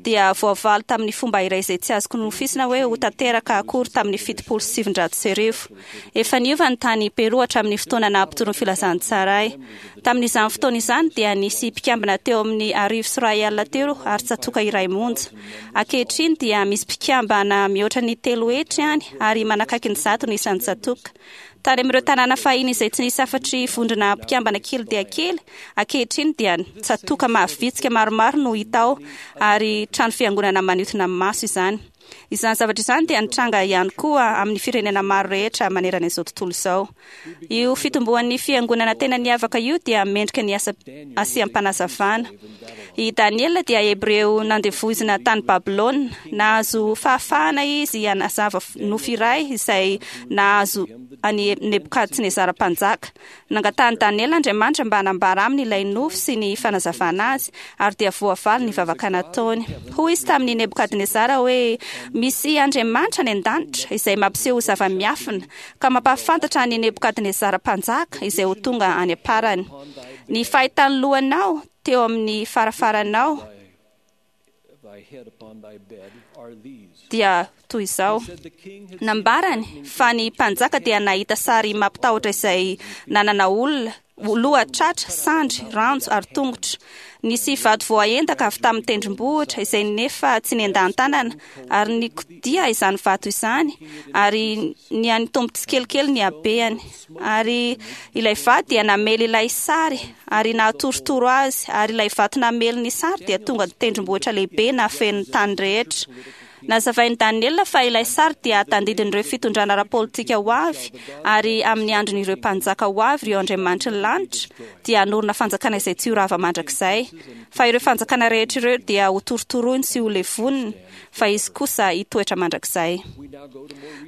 dia voavaly tamin'ny fomba iray izay tsy azoko nofisina hoe ho tanteraka akory tamin'ny fitopolo sy sivinjato sy arivo. Efa niova ny tany Peru hatramin'ny fotoana naha-mpitory ny filazantsara ahy. Tamin'izany fotoana izany dia nisy mpikambana teo amin'ny arivo sy iray alina teo ary tsatoka iray monja. Ankehitriny dia misy mpikambana mihoatra ny telo hetsy any ary manakaiky ny zato ny isan'ny tsatoka. Tany amin'ireo tanàna fahiny izay tsy nisy afa-tsy vondrona mpikambana kely dia kely, ankehitriny dia tsatoka mahavitsika maromaro no hita ao ary trano fiangonana manintona ny maso izany. Izany zavatra izany dia nitranga ihany koa amin'ny firenena maro rehetra manerana izao tontolo izao. Io fitomboan'ny fiangonana tena niavaka io dia mendrika ny asa asiam-panazavana. I Daniela dia Hebreo nandevoizina tany Babylona. Nahazo fahafahana izy hanazava nofy iray izay nahazo an'i Nebokadnezara mpanjaka. Nangatahan'i Daniela Andriamanitra mba hanambara aminy ilay nofy sy ny fanazavana azy, ary dia voavaly ny vavaka nataony. Hoy izy tamin'i Nebokadnezara hoe misy Andriamanitra any an-danitra izay mampiseho zava-miafina ka mampahafantatra an'i Nebokadnezara mpanjaka izay ho tonga any am-parany. Ny fahitan'ny lohanao teo amin'ny farafaranao thy head upon thy bed are these. dia toy izao. Said the king had Nambarany fa ny mpanjaka dia nahita sary mampitahotra izay nanana olona, loha, tratra, sandry, ranjo ary tongotra. Nisy vato voaendaka avy tamin'ny tendrombohitra izay nefa tsy nendahan-tanana, ary nikodia izany vato izany, ary nihanitombo tsikelikely ny habehany. Ary ilay vato dia namely ilay sary ary nahatorotoro azy, ary ilay vato namely ny sary dia tonga tendrombohitra lehibe nahafeno ny tany rehetra. Nazavain'i Daniela fa ilay sary dia tandidin'ireo fitondrana ara-politika ho avy, ary amin'ny andron'ireo mpanjaka ho avy ireo andriamanitry ny lanitra dia hanorina fanjakana izay tsy ho rava mandrakizay. Fa ireo fanjakana rehetra ireo dia ho torotoroiny sy ho levoniny, fa izy kosa hitoetra mandrakizay.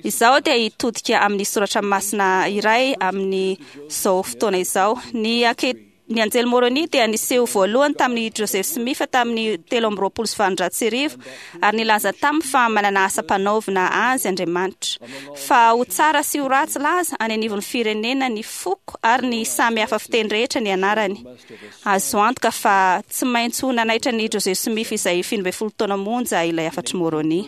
Izaho dia hitodika amin'ny soratra masina iray amin'izao fotoana izao. Ny anke Ny anjely Moroni dia niseho voalohany tamin'i Joseph Smith tamin'ny telo amby roapolo sy valonjato sy arivo ary nilaza taminy fa manana asa mpanaovina azy Andriamanitra. Fa ho tsara sy ho ratsy laza any anivon'ny firenena ny foko ary ny samy hafa fiteny rehetra ny anarany. Azo antoka fa tsy maintsy ho nanaitra ny Joseph Smith izay fito ambin'ny folo taona monja ilay hafatr'i Moroni.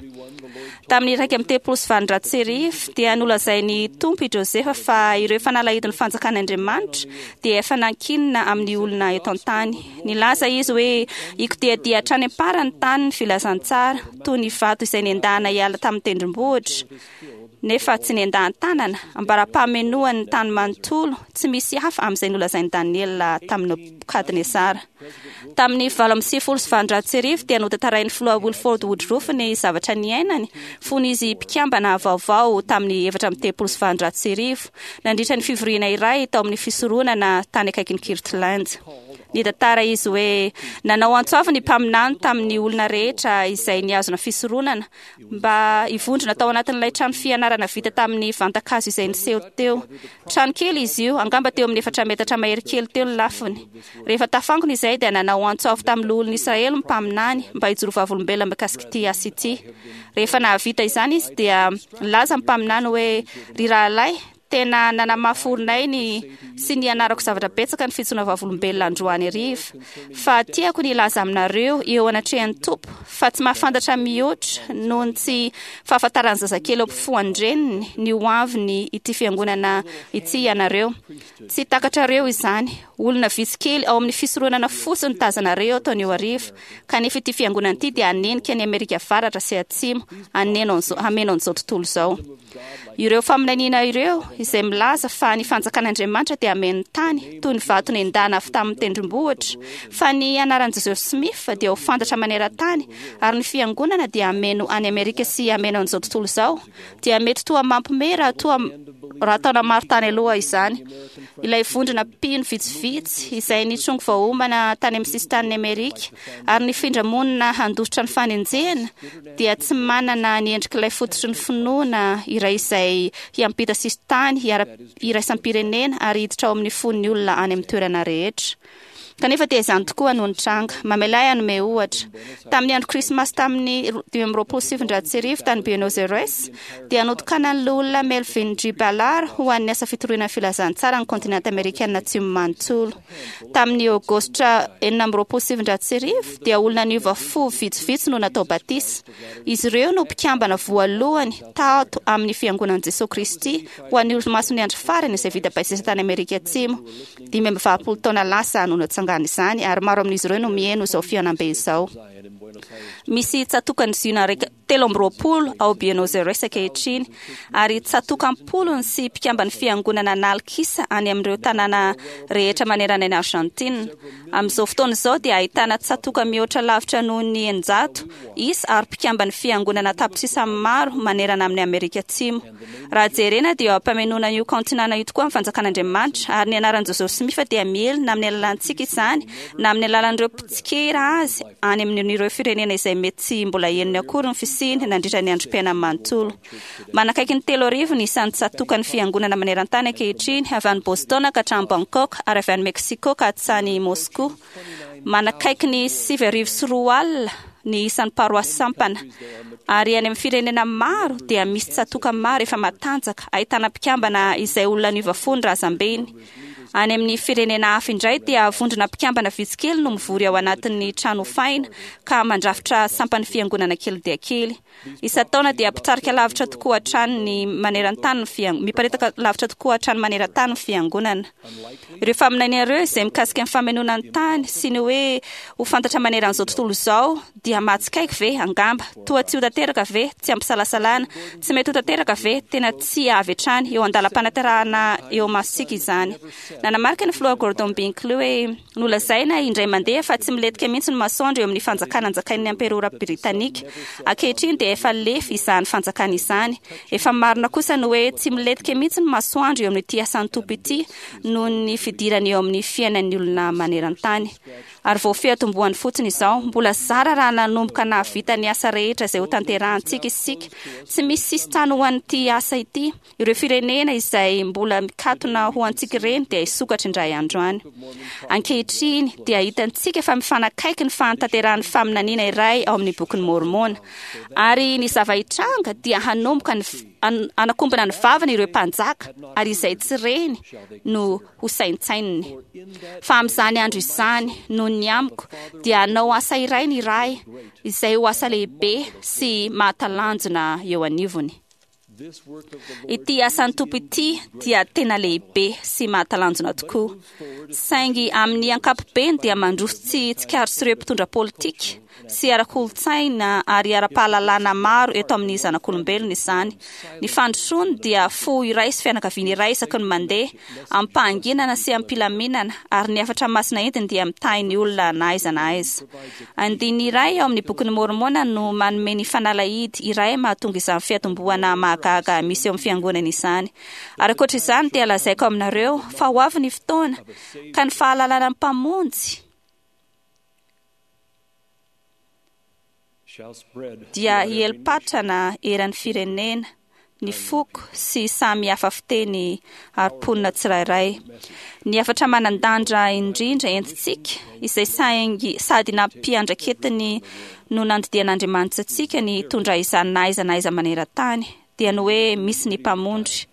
Tamin'ny iraika amby telopolo sy valonjato sy arivo dia nolazain'ny Tompo i Joseph fa ireo fanalahidin'ny fanjakan'Andriamanitra dia efa nankinina amin'ny olona eto an-tany. Nilaza izy hoe hikodiadia hatrany am-parany tany ny filazantsara, toy ny vato izay nendahana hiala tamin'ny tendrombohitra, nefa tsy nendahan-tanana, ambara-pamenoan'ny tany manontolo, tsy misy hafa amin'izay nolazain'i Daniela tamin'i Nebokadnezara. Tamin'ny valo amby sivifolo sy valonjato sy arivo dia notantarain'ny filoha Wilford Woodruff ny zavatra niainany fony izy mpikambana vaovao tamin'ny efatra amby telopolo sy valonjato sy arivo nandritra ny fivoriana iray tao amin'ny fisoronana tany akaikin'i Kirtland. Nitantara izy hoe nanao antso avo ny mpaminany tamin'ny olona rehetra izay nihazona fisoronana mba hivondrona tao anatin'ilay trano fianarana vita tamin'ny vantakazo izay niseho teo. Trano kely izy io, angamba teo amin'ny efatra metatra mahery kely teo ny lafiny. Rehefa tafangona izay dia nanao antso avo tamin'ny loholon'ny Israely ny mpaminany mba hijoro vavolombelona mikasika ity asa ity. Rehefa nahavita izany izy dia nilaza ny mpaminany hoe ry rahalahy, tena nanamafy orinay ny sy ny anarako zavatra betsaka ny fitsoana vavolombelona androany hariva, fa tiako ny hilaza aminareo eo anatrehan'ny Tompo fa tsy mahafantatra mihoatra noho ny tsy fahafantaran'ny zazakely eo ampofoan-dreniny ny ho aviny ity fiangonana ity ianareo. Tsy takatrareo izany. Olona vitsy kely ao amin'ny fisoronana fotsiny tazanareo ataon'io hariva, kanefa ity fiangonana ity dia hanenika ny Amerika Avaratra sy Atsimo, haneno an'izao hameno an'izao tontolo izao. Ireo faminaniana ireo izay milaza fa ny fanjakan'Andriamanitra dia hameno ny tany toy ny vato nendahana avy tamin'ny tendrombohitra, fa ny anaran'i Joseph Smith dia ho fantatra maneran-tany ary ny fiangonana dia hameno any Amerika sy hameno an'izao tontolo izao, dia mety toa mampiomehy raha toa raha taona maro tany aloha izany. Ilay vondrona mpino vitsivitsy izay nitrongy voaomana tany amin'ny sisin-tanin'i Amerika ary nifindra monina handositra ny fanenjehana dia tsy manana ny endrik'ilay fototry ny finoana iray izay hiampita sisin-tany iraisam-pirenena ary hiditra ao amin'ny fon'ny olona any amin'ny toerana rehetra. Kanefa dia izany tokoa no nitranga. Mamela ahy hanome ohatra. Tamin'ny andro Krismasy tamin'ny dimy amby roapolo sy sivinjato sy arivo tany Buenos Aires, dia notokanan'ny loholona Melvin G. Ballard ho an'ny asa fitoriana ny filazantsara ny kontinenta amerikana atsimo manontolo. Tamin'ny aogositra enina amby roapolo sy sivinjato sy arivo, dia olona niova fo vitsivitsy no natao batisa. Izy ireo no mpikambana voalohany tato amin'ny fiangonan'i Jesosy Kristy ho an'ny olomasin'ny andro farany izay vita batisa tany Amerika Atsimo. Dimy amby valopolo taona lasa no natsangana izany ary maro amin'izy ireo no mihaino izao fihaonambe izao. Misy tsatòkan'ny Ziona telo amby roapolo ao Buenos Aires ankehitriny ary tsatòka am-polony sy mpikamban'ny fiangonana an'alikisa any amin'ireo tanàna rehetra manerana an'i Argentine. Amin'izao fotoana izao dia ahitana tsatòka mihoatra lavitra noho ny eninjato isa ary mpikamban'ny fiangonana tapitrisa maro manerana amin'ny Amerika Atsimo. Raha jerena dia eo am-pamenoana io kaontinana io tokoa ny fanjakan'Andriamanitra ary ny anaran'i Joseph Smith dia miely na amin'ny alalantsika izany na amin'ny alalan'ireo mpitsikera azy any amin'ireo firenena izay mety tsy mbola henony akory ny fisiany nandritra ny androm-piainany manontolo. Manakaiky ny telo arivo ny isan'ny tsatòkan'ny fiangonana maneran-tany ankehitriny, avy any Boston ka hatrany Bangkok ary avy any Mexico ka hatrany Moscou. Manakaiky ny sivy arivo sy roa alina ny isan'ny paroasy sampana. Ary any amin'ny firenena maro dia misy tsatòka maro efa matanjaka ahitana mpikambana izay olona niova fo ny razambeny. Any amin'ny firenena hafa indray dia vondrona mpikambana vitsy kely no mivory ao anatin'ny trano hofaina ka mandrafitra sampan'ny fiangonana kely dia kely. Isan-taona dia mpitarika lavitra tokoa hatrany ny maneran-tany ny fiang- miparitaka lavitra tokoa hatrany maneran-tany ny fiangonana. Ireo faminaniana ireo izay mikasika ny famenoana ny tany sy ny hoe ho fantatra maneran'izao tontolo izao dia mahatsikaiky ve angamba? Toa tsy ho tanteraka ve? Tsy ampisalasalana. Tsy mety ho tanteraka ve? Tena tsy avy hatrany eo an-dalam-panaterahana eo masontsika izany. Nanamarika ny filoha Gordon Binkley hoe nolazaina indray mandeha fa tsy milentika mihitsy ny masoandro eo amin'ny fanjakana anjakain'ny amperora britanika. Ankehitriny dia efa lefy izany fanjakana izany. Efa marina kosa ny hoe tsy milentika mihitsy ny masoandro eo amin'ity asan'ny Tompo ity noho ny fidirany eo amin'ny fiainan'ny olona maneran-tany. Ary vao fiatombohany fotsiny izao, mbola zara raha nanomboka nahavita ny asa rehetra izay ho tanterahantsika isika. Tsy misy sisin-tany ho an'ity asa ity. Ireo firenena izay mbola mikatona ho antsika ireny dia hisokatra indray andro any. Ankehitriny dia hitantsika fa mifanakaiky ny fahatanterahan'ny faminaniana iray ao amin'ny bokin'i Môrmôna. Ary ny zava-hitranga dia hanomboka ny hanakombona ny vavany ireo mpanjaka ary izay tsy reny no ho saintsaininy. Fa amin'izany andro izany, noho ny amiko, dia hanao asa iray ny Ray izay ho asa lehibe sy mahatalanjona eo anivony. Ity asan'ny Tompo ity dia tena lehibe sy mahatalanjona tokoa. Saingy amin'ny ankapobeny dia mandroso tsy tsikaritr'ireo mpitondra politika sy ara-kolontsaina ary ara-pahalalana maro eto amin'ny zanak'olombelona izany. Ny fandrosoany dia fo iray sy fianakaviana iray isaky ny mandeha, amim-pahanginana sy amim-pilaminana, ary ny hafatra masina entiny dia mitahy ny olona na aiza na aiza. Andininy iray ao amin'ny bokin'ny Môrmôna no manome ny fanalahidy iray mahatonga izany fiatombohana mahagaga misy eo amin'ny fiangonana izany. Ary ankoatra izany dia lazaiko aminareo fa ho avy ny fotoana ka ny fahalalana ny Mpamonjy shall spread dia throughout every hieli-patrana eran'ny firenena, ny foko sy samy hafa fiteny ary mponina tsirairay. Ny hafatra manan-danja indrindra entintsika, izay saingy sady nampiandraketiny no nandidian'Andriamanitra antsika ny hitondra izany na aiza na aiza maneran-tany, dia ny hoe misy ny Mpamonjy.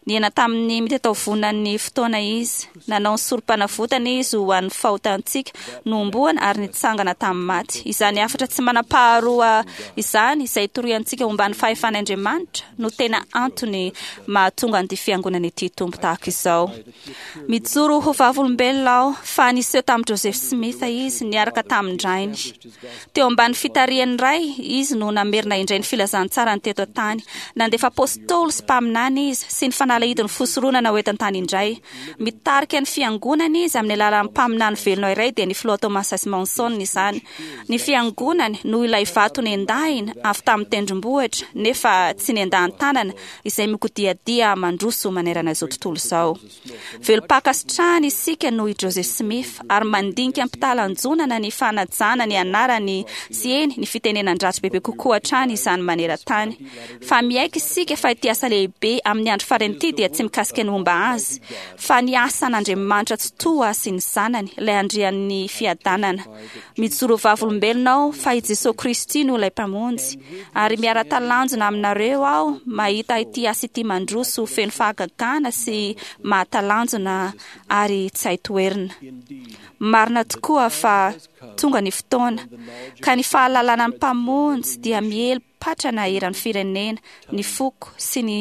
Niaina tamin'ny mitataovonan'ny fotoana izy, nanao ny sorom-panavotana izy ho an'ny fahotantsika, nohomboana ary nitsangana tamin'ny maty. Izany hafatra tsy manam-paharoa izany, izay toriantsika momba ny fahefan'Andriamanitra, no tena antony mahatonga an'ity fiangonana ity Tompo tahaka izao. Mijoro ho vavolombelona aho fa niseho tamin'i Joseph Smith izy niaraka tamin-drainy. Teo ambany fitarihan'ny ray izy no namerina indray ny filazantsarany teto an-tany. Nandefa apôstôly sy mpaminany izy sy ny fanalahidin'ny fisoronana ho eto an-tany indray. Mitarika ny fiangonana izy amin'ny alalan'ny mpaminany velona iray dia ny filoha Thomas S. Monson izany. Ny fiangonany no ilay vato nendahina avy tamin'ny tendrombohitra nefa tsy nendahan-tanana izay mikodiadia mandroso manerana izao tontolo izao. Velom-pankasitrahana isika noho i Joseph Smith ary mandinika am-pitalanjonana ny fanajana ny anarany sy eny ny fitenenan-dratsy bebe kokoa hatrany izany maneran-tany. Fa miaiky isika fa ity asa lehibe amin'ny andro farany ity dia tsy mikasika ny momba azy, fa ny asan'Andriamanitra Tsitoha sy ny zanany, ilay andrian'ny fiadanana. Mijoro vavolombelona aho fa i Jesoa Kristy no ilay Mpamonjy, ary miara-talanjona aminareo aho mahita ity asa ity mandroso feno fahagagana sy mahatalanjona ary tsy hay toherina. Marina tokoa fa tonga ny fotoana, ka ny fahalalana ny Mpamonjy dia miely patrana eran'ny firenena, ny foko sy ny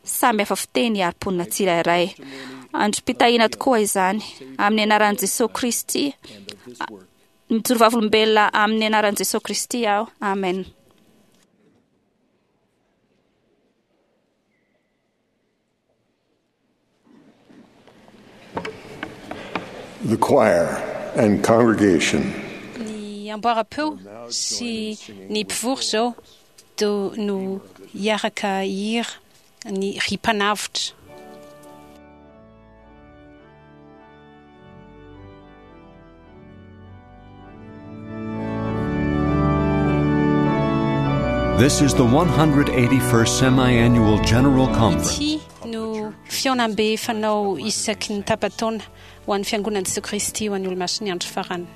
samy hafa fiteny ary mponina tsirairay. Androm-pitahiana tokoa izany, amin'ny anaran'i Jesoa Kristy. Mijoro vavolombelona amin'ny anaran'i Jesoa Kristy aho. Amen. The choir and congregation Ny amboara-peo sy ny mpivory izao do no hiaraka hira ny ry Mpanavotra. This is the one hundred eighty-first Semi-Annual General Conference. Ity no fihaonambe fanao isaky ny tapa-taona ho an'ny fiangonan'i Jesoa Kristy ho an'ny olomasin'ny andro farany. Thank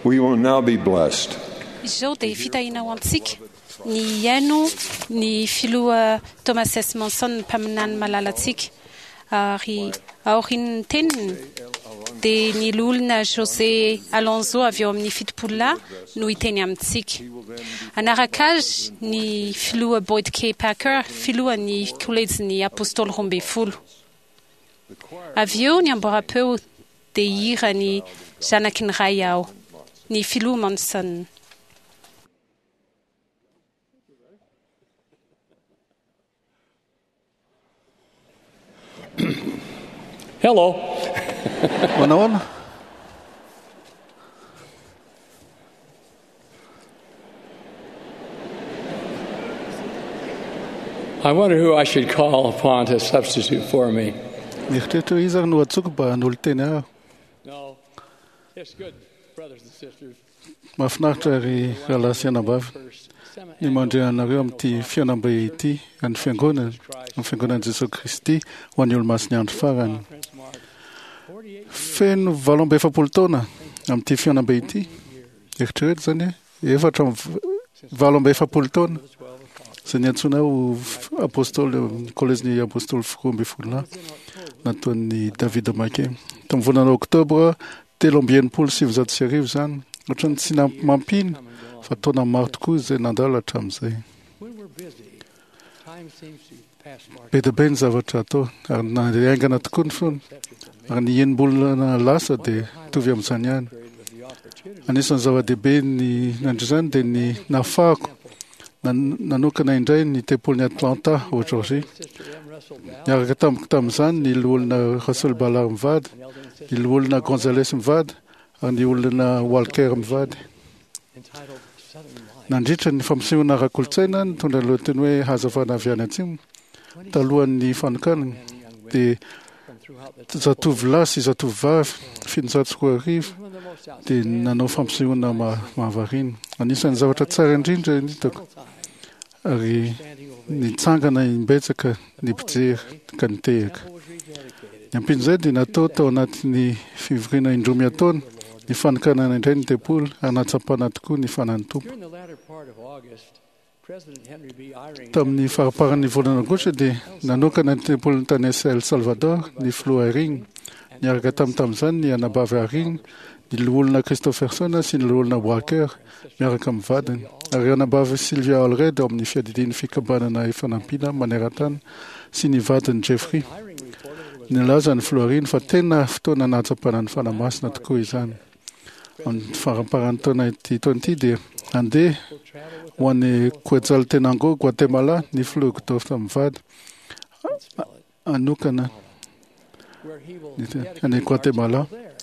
We will now be blessed. Izao dia fitahiana ho antsika ny hihaino ny filoha Thomas S. Monson, mpaminany malalantsika, ary aorian'ny teniny dia ny loholona José Alonso avy eo amin'ny fitopolo lahy no hiteny amintsika. Anaraka azy ny filoha Boyd K. Packer, filohan'ny kolejin'ny apôstôly roa ambin'ny folo. Avy eo ny amboaram-peo dia hira ny zanaky ny ray aho, ny filoha Monson. Hello. Manahoana? I wonder who I should call upon to substitute for me. Mieritreritra hoe iza ary no antsoko mba hanolo-teny aho. No, it's good, brothers and sisters. Mahafinaritra ry rahalahy sy anabavy ny mandre anareo amin'ity fihaonambe ity an'ny fiangonana, amin'ny fiangonan'i Jesosy Kristy ho an'ny olomasin'ny andro farany. Feno valo amby efapolo taona amin'ity fihaonambe ity. Eritrereto izany hoe efatra amby valo amby efapolo taona izay niantsoana ho apôstôly kolejin'ny apôstôly roa ambin'ny folo lahy nataon'ny David Mackay. Tamin'ny volana oktobra telo amby enimpolo sy sivinjato sy arivo izany. Ohatran'ny tsy mampino fa taona maro tokoa izay nandalo hatramin'izay. When we're busy, time seems to pass more Be dia be ny zavatra atao ary nandeha tokoa ny fotoana. Ary ny enim-bolana lasa dia mitovy amin'izany ihany. Anisan'ny zava-dehibe ny nandritra izany dia ny nahafahako nan- nanokana indray ny tempolin'i Atlanta ao Georgie. Niaraka tamiko tamin'izany ny loholona Russell Ballard mivady, ny loholona Gonzales mivady ary ny olona Walker mivady. entitled Southern Light. Nandritra ny fampisehoana ara-kolontsaina nitondra ny lohateny hoe hazavana avy any atsimo talohan'ny fanokanana dia zatovolahy sy zatovovavy fitonjato sy roa arivo dia nanao fampisehoana ma- mahavariana. Anisan'ny zavatra tsara indrindra ny hitako ary nitsangana imbetsaka ny mpijery ka nitehaka. Ny ampin'izay dia natao tao anatin'ny fivoriana indroa miataona ny fanokanana indray ny tempoly ary nahatsapana tokoa ny fanan'ny Tompo. During the latter part of August, President Henry B. Eyring Tamin'ny faramparan'ny volana aogositra dia nanokana ny tempoliny tany El Salvador ny filoha Eyring. Niaraka tamin'ny tamin'izany ny anabavy Eyring, ny loholona Christopherson sy ny loholona Walker miaraka amin'ny vadiny. Ary anabavy Sylvia Allred ao amin'ny fiadidian'ny fikambanana ifanampiana maneran-tany sy ny vadiny Jeffrey. Nilaza ny filoha Eyring fa tena fotoana nahatsapana ny Fanahy Masina tokoa izany. Amin'ny faramparan'ny taona ity taona ity dia handeha ho any Quetzaltenango, Guatemala, ny filoha Uchtdorf mivady hanokana where he will ny te- dedicate any our Guatemala temple there.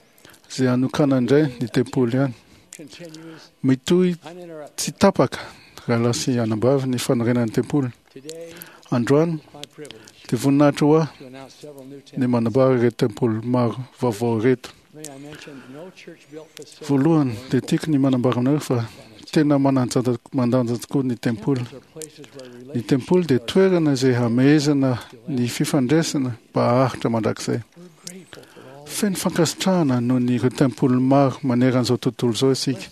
izay hanokana indray ny tempoly any. Continues Mitohy uninterrupted. tsy tapaka rahalahy sy anabavy ny fanorenan'ny tempoly. Today, Androany my privilege dia voninahitra ho ahy to announce several new ny temples. manambara ireto tempoly maro vaovao ireto. May I mention no church-built facility Voalohany more dia tiako ny manambara aminareo fa tena mananja- mandanja tokoa ny tempoly. Temples are places where Ny tempoly dia toerana izay hamehezana ny fifandraisana mba haharitra mandrakizay. We're grateful for all Feno fankasitrahana noho ny ireo tempoly maro maneran'izao tontolo izao isika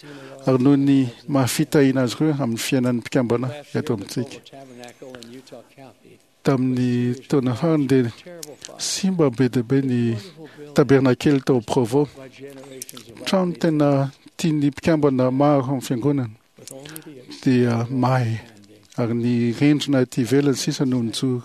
ary noho ny mahafitahina azy ireo amin'ny fiainan'ny mpikambana Last year, eto the amintsika. Provo Tabernacle in Utah County, Tamin'ny taona farany dia terrible fire simba be dia be ny tabernakely tao Provo. by generations of Trano tena tian'ny mpikambana maro amin'ny fiangonana with only the dia may ary ny rindrina aty ivelany sisa no nijoro.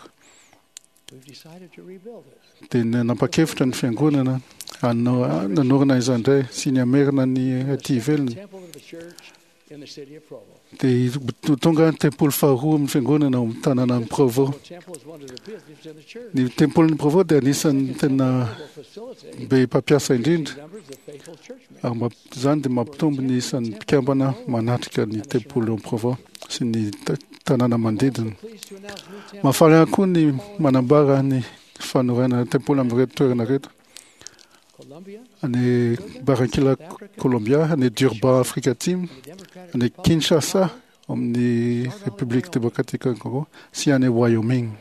We've decided to rebuild it. Dia nanapa-kevitra ny fiangonana hanao- nanorina izany indray sy ny hamerina ny aty ivelany. Temple of the church in the city of Provo. Dia ho tonga ny tempoly faharoa amin'ny fiangonana ao amin'ny tanànan'i Provo. The temple is one of the busiest in the church. Ny tempolin'i Provo dia anisan'ny tena Will facilitate be mpampiasa indrindra numbers of faithful church members. ary mamp- izany dia mampitombo ny isan'ny mpikambana manatrika ny tempoly ao Provo sy ny ta- tanàna manodidina. Pleased to announce new temple Mahafaly ihany koa ny manambara ny fanorenana tempoly amin'ireto toerana ireto. Colombia, Any Barranquilla, Colombia, any Durban, Afrika Atsimo, and the Democratic any Republic Kinshasa, amin'ny République Démocratique du Congo sy any Wyoming.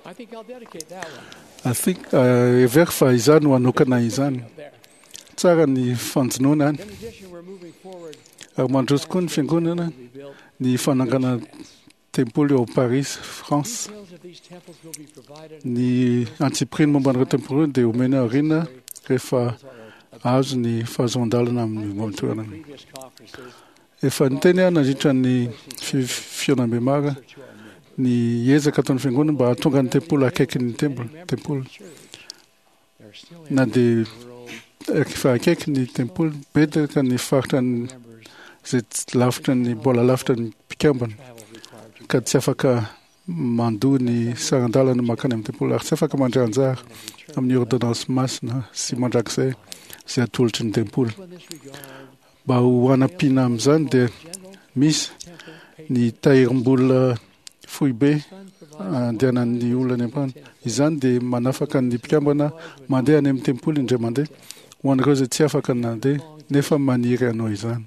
I think I'll dedicate that one I think uh, heveriko fa izany no hanokana izany. up there. Tsara ny fanjonoana any. Ary mandroso koa ny fiangonana ny fananganana tempoly ao Paris, France. Ny antsipiriany momba an'ireo tempoly ireo dia omena aoriana rehefa azo ny fahazoan-dalana amin'ny toerana. Efa niteny aho nandritra ny fihaonambe maro ny ezaka ataon'ny fiangonana mba hahatonga ny tempoly akaiky ny tempoly. Na dia efa akaiky ny tempoly, betsaka ny faritra izay lavitra ny mbola lavitra ny mpikambana ka tsy afaka mandoa ny saran-dalana mankany amin'ny tempoly ary tsy afaka mandray anjara amin'ny ordonnance masina sy mandrakizay izay atolotry ny tempoly. Mba ho hanampiana amin'izany dia misy ny tahirim-bola foibe andehanan'ny olona any am-pany. Izany dia manafaka ny mpikambana mandeha any amin'ny tempoly indray mandeha ho an'ireo izay tsy afaka nandeha nefa maniry hanao izany.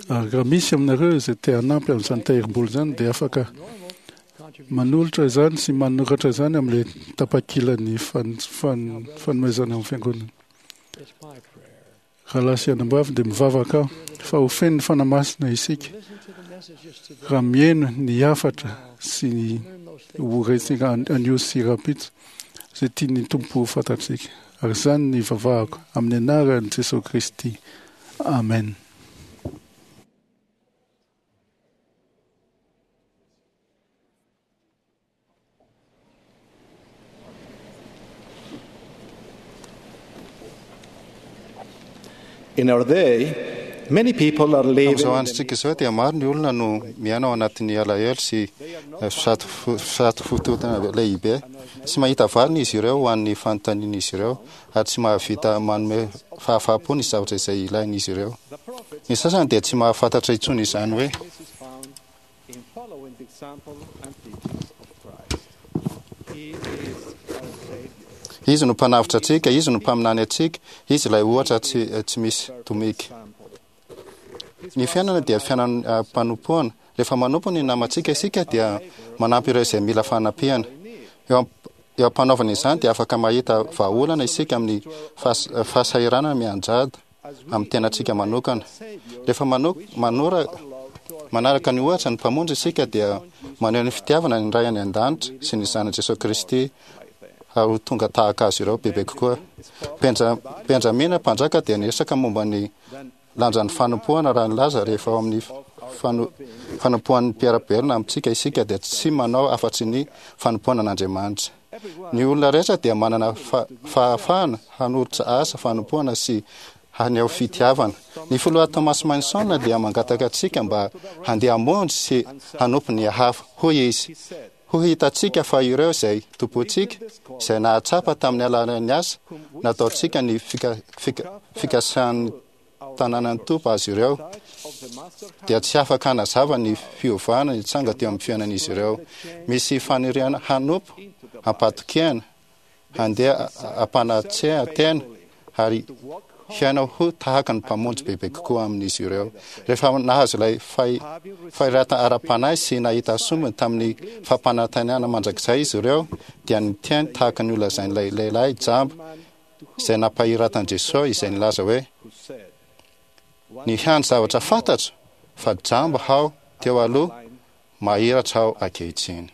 Ary raha misy aminareo izay te hanampy amin'izany tahirim-bola izany dia afaka manolotra izany sy manoratra izany amin'ilay tapakilan'ny fanomezana amin'ny fiangonana. Rahalahy sy anabavy dia mivavaka aho fa ho feno ny Fanahy Masina isika raha mihaino ny hafatra sy ny ho rentsika anio sy rahampitso izay tian'ny Tompo ho fantatsika. Ary izany ny ivavahako amin'ny anaran'i Jesosy Kristy. Amen. In our day, many people are living Amin'izao androntsika izao dia maro ny olona no miaina ao anatin'ny alahelo sy satofotoana lehibe. Tsy mahita valiny izy ireo ho an'ny fanontanian'izy ireo ary tsy mahavita manome fahafahampo ny zavatra izay ilain'izy ireo. Ny sasany dia tsy mahafantatra intsony izany hoe in following the example and teachings of Christ. He is our Savior. Izy no mpanavotra antsika, izy no mpaminany antsika, izy ilay ohatra tsy, tsy misy tomika. Ny fiainana dia fiainam-panompoana. Rehefa manompo ny namantsika isika dia manampy ireo izay mila fanampiana. Eo eo am-panaovana izany dia afaka mahita vahaolana isika amin'ny fahasahiranana mianjady amin'ny tenantsika manokana. Rehefa manora manaraka ny ohatra ny Mpamonjy isika dia maneho ny fitiavana ny Ray any an-danitra sy ny Zanany Jesosy Kristy ary ho tonga tahaka azy ireo bebe kokoa. Benjamina mpanjaka dia niresaka momba ny lanjan'ny fanompoana raha nilaza rehefa ao amin'ny fanompoan'ny mpiara-belona amintsika isika dia tsy manao afa-tsy ny fanompoana an'Andriamanitra. Ny olona rehetra dia manana fahafahana hanolotra asa fanompoana sy haneho fitiavana. Ny filoha Thomas Manson dia mangataka antsika mba handeha hamonjy sy hanompo ny hafa. Hoy izy, ho hitantsika fa ireo izay tompontsika, izay nahatsapa tamin'ny alalan'ny asa nataontsika ny fikasan'ny tanànan'ny Tompo azy ireo, dia tsy afaka hanazava ny fiovana nitsanga teo amin'ny fiainan'izy ireo. Misy faniriana hanompo am-patokiana, handeha am-panatrehan-tena ary hiaina ho tahaka ny Mpamonjy bebe kokoa amin'izy ireo. Rehefa nahazo ilay fahirata ara-panahy sy nahita sombiny tamin'ny fampanantenana mandrakizay izy ireo, dia niteny tahaka ny nolazain'ilay lehilahy jamba izay nampahiratan'i Jesosy izay nilaza hoe, Ny hany zavatra fantatro fa jamba aho teo aloha, mahiratra aho ankehitriny.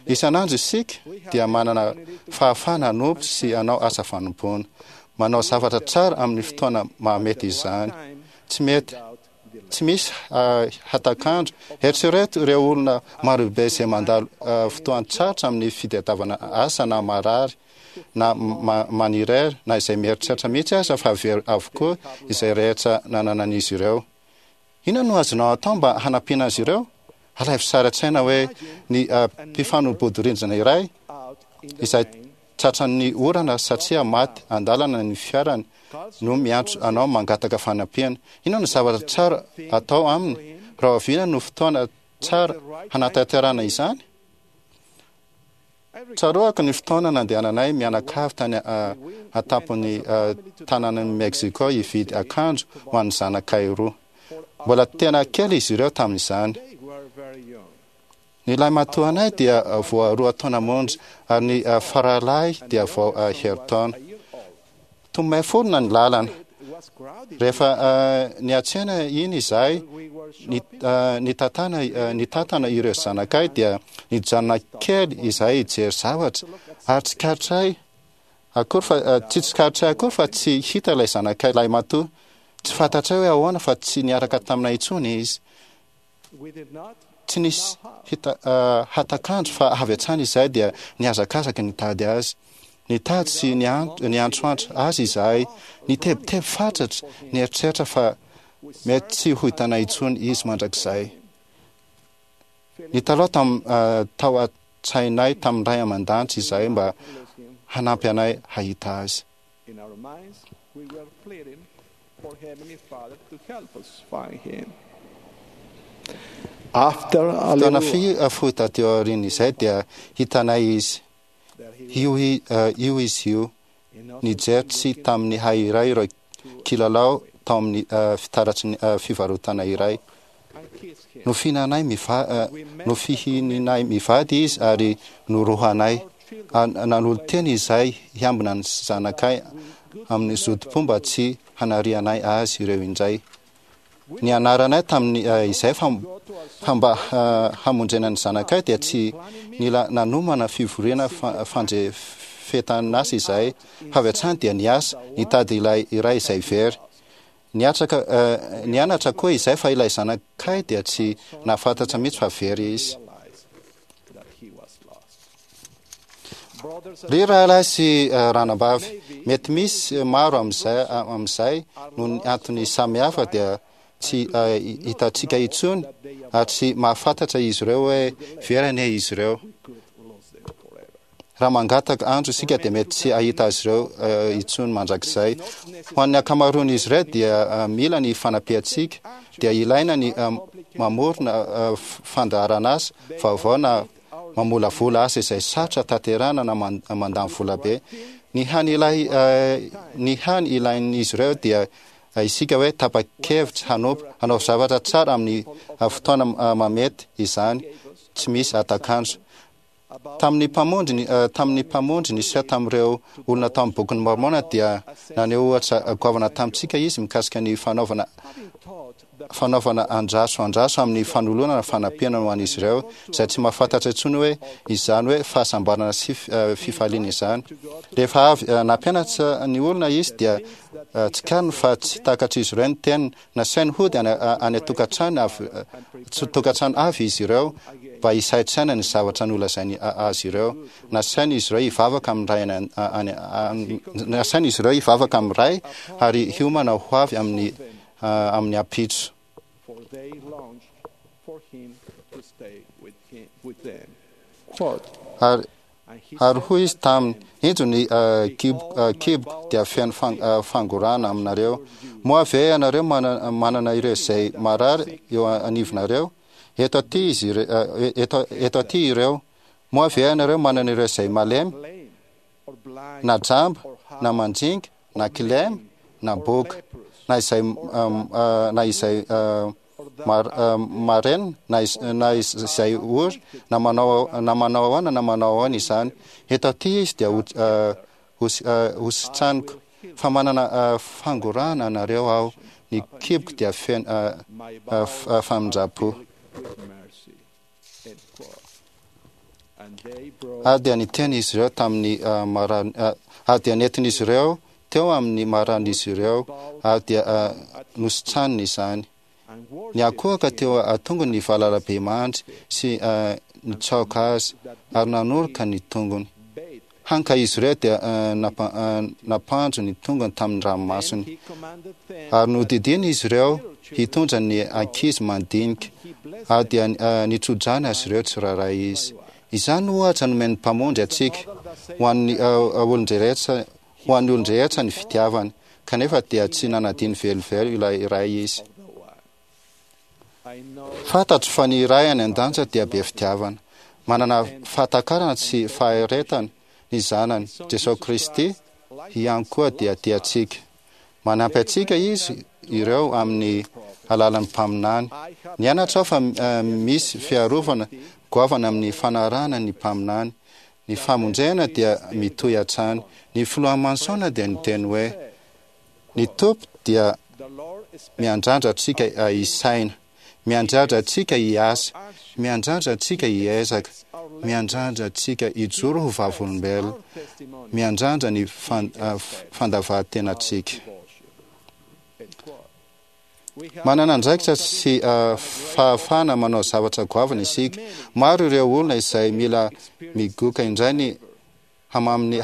Isan'andro isika dia manana fahafahana hanompo sy hanao asa fanompoana. Manao zavatra tsara amin'ny fotoana mahamety izany. Tsy mety tsy misy hatak'andro. Eritrereto ireo olona marobe izay mandalo fotoan-tsarotra amin'ny fitadiavana asa na marary na manirery na izay mieritreritra mihitsy aza fa very avokoa izay rehetra nananan'izy ireo. Inona no azonao atao mba hanampiana azy ireo? Alaivo sary an-tsaina hoe ny mpifanolo-bodirindrina iray izay tratran'ny orana satria maty an-dalana ny fiarany no miantso anao mangataka fanampiana. Inona no zavatra tsara atao aminy? Rahoviana no fotoana tsara hanatanterahana izany? Tsaroako ny fotoana nandehananay mianakavy tany an-tampon'ny tanànan'i Mexico hividy akanjo ho an'ny zanakay roa. Mbola tena kely izy ireo tamin'izany. Ny lahimatoanay dia vao roa taona monja ary ny faralahy dia vao herintaona. Tomay forona ny lalana. Rehefa niantsena iny izahay, nitatana nitatana ireo zanakay dia nijanona kely izahay hijery zavatra ary tsikaritray akory fa tsy tsikaritray akory fa tsy hita ilay zanakay lahimatoa. Tsy fantatray hoe ahoana fa tsy niaraka taminay intsony izy. Tsy nisy hita hatak'andro fa avy hatrany izahay dia nihazakazaka nitady azy. Nitady sy niantsoantso azy izahay, nitebiteby fatratra, nieritreritra fa mety tsy ho hitanay intsony izy mandrakizay. Nitalaho tam tao an-tsainay tamin'ny Ray aman-danitra izahay mba hanampy anay hahita azy. In our minds, we were pleading for Heavenly Father to help us find him. After a Fotoana little fi fohy taty aorian'izay dia hitanay izy. Io io izy io, nijery tsy tamin'ny hay iray ireo kilalao tao amin'ny fitaratry ny fivarotana iray. Nofihinanay miva nofihininay mivady izy ary norohanay. Nanolo-tena izahay hiambina ny zanakay amin'ny zotom-po mba tsy hanarianay azy ireo indray. Nianaranay tamin'ny izay fa fa mba hamonjena ny zanakay dia tsy nila nanomana fivoriana fandrefetan'asa izahay fa avy hatrany dia niasa nitady ilay iray izay very. Niatraka nianatra koa izahay fa ilay zanakay dia tsy nahafantatra mihitsy fa very izy. Ry rahalahy sy ranabavy, mety misy maro amin'izay amin'izay noho ny antony samihafa dia tsy hitantsika intsony ary tsy mahafantatra izy ireo hoe very anie izy ireo. Raha mangataka andro isika dia mety tsy hahita azy ireo intsony mandrakizay. Ho an'ny ankamaroan'izy ireo dia mila ny fanampiantsika, dia ilaina ny mamorona fandaharan'asa vaovao na mamolavola asa izay sarotra tanterahana na mandany vola be. Ny hany ilay ny hany ilain'izy ireo dia isika hoe tapa-kevitra hanompo, hanao zavatra tsara amin'ny fotoana mamety izany, tsy misy hatak'andro. Tamin'ny Mpamonjy ny tamin'ny Mpamonjy niseho tamin'ireo olona tao amin'ny Bokin'i Môrmôna dia naneho ohatra goavana tamintsika Izy mikasika ny fanaovana fanaovana andraso andraso amin'ny fanolorana fanampiana ho an'izy ireo izay tsy mahafantatra intsony hoe izany hoe fahasambarana sy fifaliana izany. Rehefa avy nampianatra ny olona Izy dia tsikariny fa tsy takatr'izy ireo ny teniny. Nasainy hody any any an-tokantrano avy tokantrano avy izy ireo mba hisaintsaina ny zavatra nolazainy azy ireo. Nasainy izy ireo hivavaka amin'ny Ray any any nasainy izy ireo hivavaka amin'ny Ray ary hiomana ho avy amin'ny amin'ny ampitso. For they longed for him to stay with him, with them. Quote, Ary Ary hoy izy taminy, Injo ny kiboko dia feno fangorahana aminareo. Moa ve ianareo manana ireo izay marary eo anivonareo? Eto aty izy eto, eto aty ireo. Moa ve ianareo manana ireo izay malemy, na jamba, na mandringa, na kilema, na boka, na izay na izay marenina na na izay ory na manao na manao ahoana na manao ahoana izany. Eto aty izy dia ho ho sitraniko fa manana fangorahana anareo aho, ny kiboko dia feno famindram-po. Ary dia niteny izy ireo tamin'ny marary, ary dia nentin'izy ireo teo amin'ny mararin'izy ireo, ary dia nositraniny izany. Niankohoka teo an-tongony ny valalabemandry sy nitsaoka azy, ary nanoroka ny tongony. Hany ka izy ireo dia nampandro ny tongony tamin'ny ranomasony. Ary nodidiany izy ireo hitondra ny ankizy mandinika, ary dia nitso-drano azy ireo tsirairay izy. Izany no ohatra nomen'ny Mpamonjy antsika, ho an'ny olon-drehetra, ho an'ny olon-drehetra ny fitiavany, kanefa dia tsy nanadino velively ilay iray izy. Fantatro fa ny Ray any An-danitra dia be fitiavana. Manana fahatakarana sy faharetana ny Zanany, Jesosy Kristy, ihany koa dia tia antsika. Manampy antsika Izy ireo amin'ny alalan'ny mpaminany. Nianatra aho fa misy fiarovana goavana amin'ny fanarahana ny mpaminany. Ny famonjena dia mitohy hatrany. Ny filoha Monson dia niteny hoe ny Tompo dia miandrandra antsika hisaina, miandrandra antsika hiasa, miandrandra antsika hiezaka, miandrandra antsika hijoro ho vavolombelona, miandrandra ny fandavan-tenantsika. Manana andraikitra sy fahafahana manao zavatra goavana isika. Maro ireo olona izay mila migoka indray ny hamamin'ny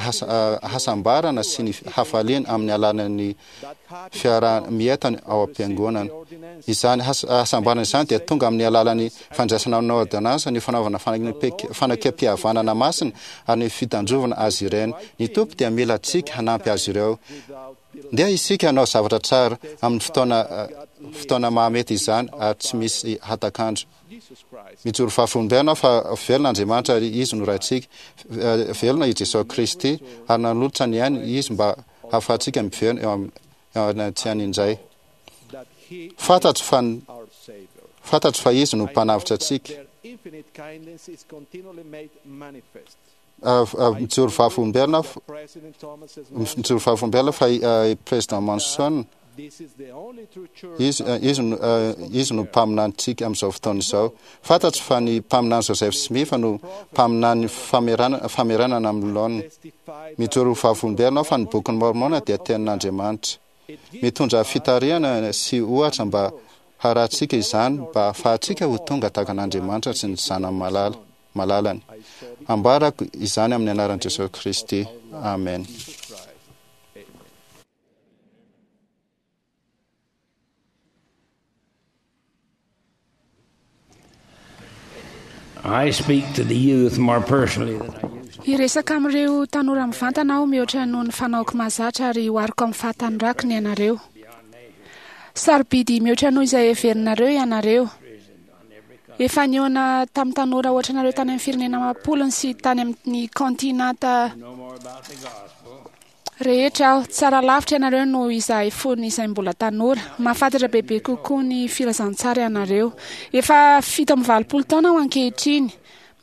hasambarana sy ny hafaliana amin'ny alalan'ny fiaraha-mientana ao am-piangonana. Izany hasambarana izany dia tonga amin'ny alalan'ny fandraisana ny ôrdônansa, ny fanaovana fanekempihavanana masina ary ny fitandrovana azy ireny. Ny Tompo dia mila antsika hanampy azy ireo. Ndeha isika hanao zavatra tsara amin'ny fotoana fotoana mahamety izany ary tsy misy hatak'andro. Mijoro vavolombelona aho fa velona Andriamanitra ary Izy no Raintsika. Velona i Jesoa Kristy ary nanolotra ny ainy Izy mba hahafahantsika miverina eo anatrehany indray. Fantatro fa fantatro fa Izy no Mpanavotra antsika. Mijoro vavolombelona mijoro vavolombelona fa i Président Monson izy izy no izy no mpaminanintsika amin'izao fotoana izao. Fantatro fa ny mpaminany Joseph Smith no mpaminany famerana famerenana amin'ny laoniny. Mijoro vavolombelona aho fa ny Bokin'i Môrmôna dia tenin'Andriamanitra. Mitondra fitarihana sy ohatra mba harahantsika izany mba hahafahantsika ho tonga tahaka an'Andriamanitra sy ny Zanany malala. Malalany. Ambarako izany amin'ny anaran'i Jesosy Kristy. Amen. I speak to the youth more personally than I used to. Hiresaka amin'ireo tanora mivantana aho mihoatra noho ny fanaoko mahazatra ary ohariko amin'ny fahatanorako ny anareo. Sarobidy mihoatra noho izay heverinareo ianareo. Efa nihaona tamin'ny tanora ohatranareo tany amin'ny firenena amam-polony sy tany amin'ny kaontinanta rehetra aho. Tsara lavitra ianareo noho izahay fony izay mbola tanora. Mahafantatra bebe kokoa ny filazantsara ianareo. Efa fito amby valopolo taona aho ankehitriny.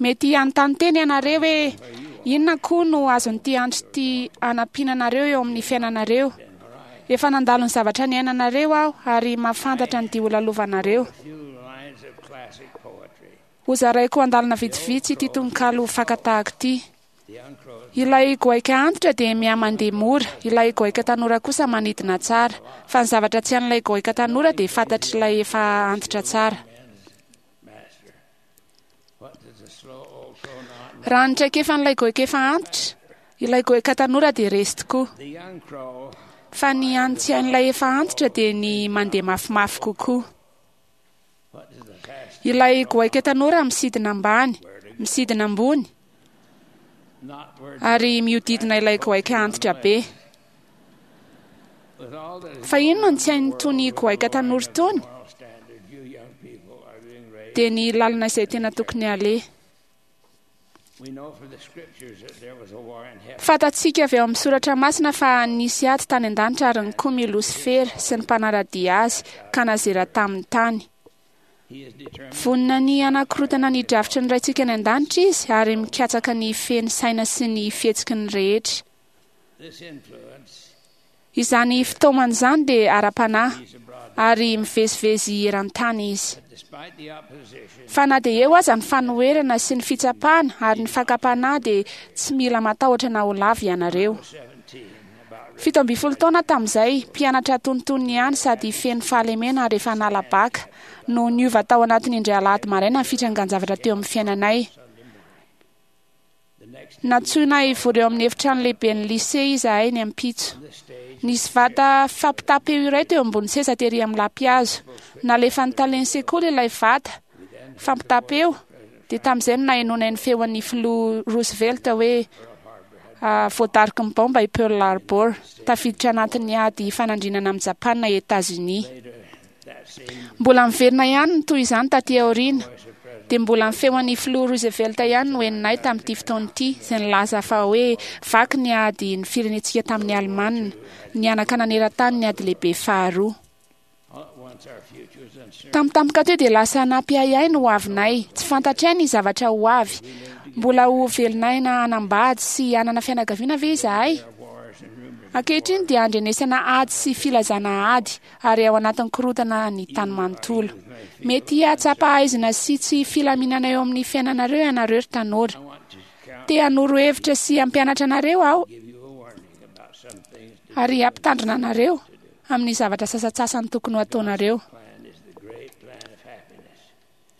Mety hanontany tena ianareo hoe inona koa no azon'ity andro ity hanampiana anareo eo amin'ny fiainanareo. Efa nandalo ny zavatra niainanareo aho ary mahafantatra ny dia holalovanareo. Hozaraiko andalana vitsivitsy ity tononkalo fakan-tahaka ity. Ilay goaika antitra dia mihamandeha mora, ilay goaika tanora kosa manidina tsara. Fa ny zavatra tsy hain'ilay goaika tanora dia fantatr'ilay efa antitra tsara. Raha ny traikefan'ilay goaika efa antitra, ilay goaika tanora dia resy tokoa. Fa ny hany tsy hain'ilay efa antitra dia ny mandeha mafimafy kokoa. Ilay goaika tanora misidina ambany, misidina ambony, ary mihodidina ilay goaika antitra be. Fa inona no tsy hain'itony goaika tanora itony? Dia ny lalana izay tena tokony haleha. Fantatsika avy ao amin'ny Soratra Masina fa nisy ady tany an-danitra ary nikomy i Losifera sy ny mpanara-dia azy ka nazera tamin'ny tany. Vonona ny hanakorotana ny drafitry ny Raintsika any an-danitra izy ary mikatsaka ny hifehy ny saina sy ny fihetsiky ny rehetra. Izany fitaomana izany dia ara-panahy, ary mivezivezy eran-tany izy. Fa na dia eo aza ny fanoherana sy ny fitsapana ary ny fakam-panahy dia tsy mila matahotra na ho lavo ianareo. Fito ambin'ny folo taona tamin'izay, mpianatra antonontonony ihany sady feno fahalemena ary efa nala baka, no niova tao anatin'ny indray alahady maraina ny fitrangan-javatra teo amin'ny fiainanay. Nantsoina hivory eo amin'ny efitrano lehiben'ny lycée izahay ny ampitso. Nisy vata fampitam-peo iray teo ambony seza tery amin'ny lampihazo. Nalefan'ny talen'ny sekoly ilay vata fampitam-peo, dia tamin'izay no nahenoanay ny feon'ny filoha Roosevelt hoe voadaroky ny baomba i Pearl Harbor, tafiditra anatin'ny ady ifanandrinana amin'i Japana i Etazonia. Mbola miverina ihany ny toy izany taty aoriana, dia mbola ny feon'ny filoha Roosevelt ihany no henonay tamin'ity fotoana ity, izay nilaza fa hoe vaky ny ady ny firenentsika tamin'ny Alemana, nihanaka naneran-tany ny ady lehibe faharoa. Tampotampoka teo dia lasa nampiahiahy ny hoavinay. Tsy fantatray ny zavatra ho avy. Mbola ho velon'aina hanambady sy hanana fianakaviana ve izahay? Ankehitriny dia andrenesana ady sy filazana ady ary ao anatin'ny korontana ny tany manontolo. Mety hahatsapa haizina sy tsy filaminana eo amin'ny fiainanareo ianareo ry tanora. Te hanoro hevitra sy hampianatra anareo aho ary hampitandrina anareo amin'ny zavatra sasantsasany tokony ho ataonareo.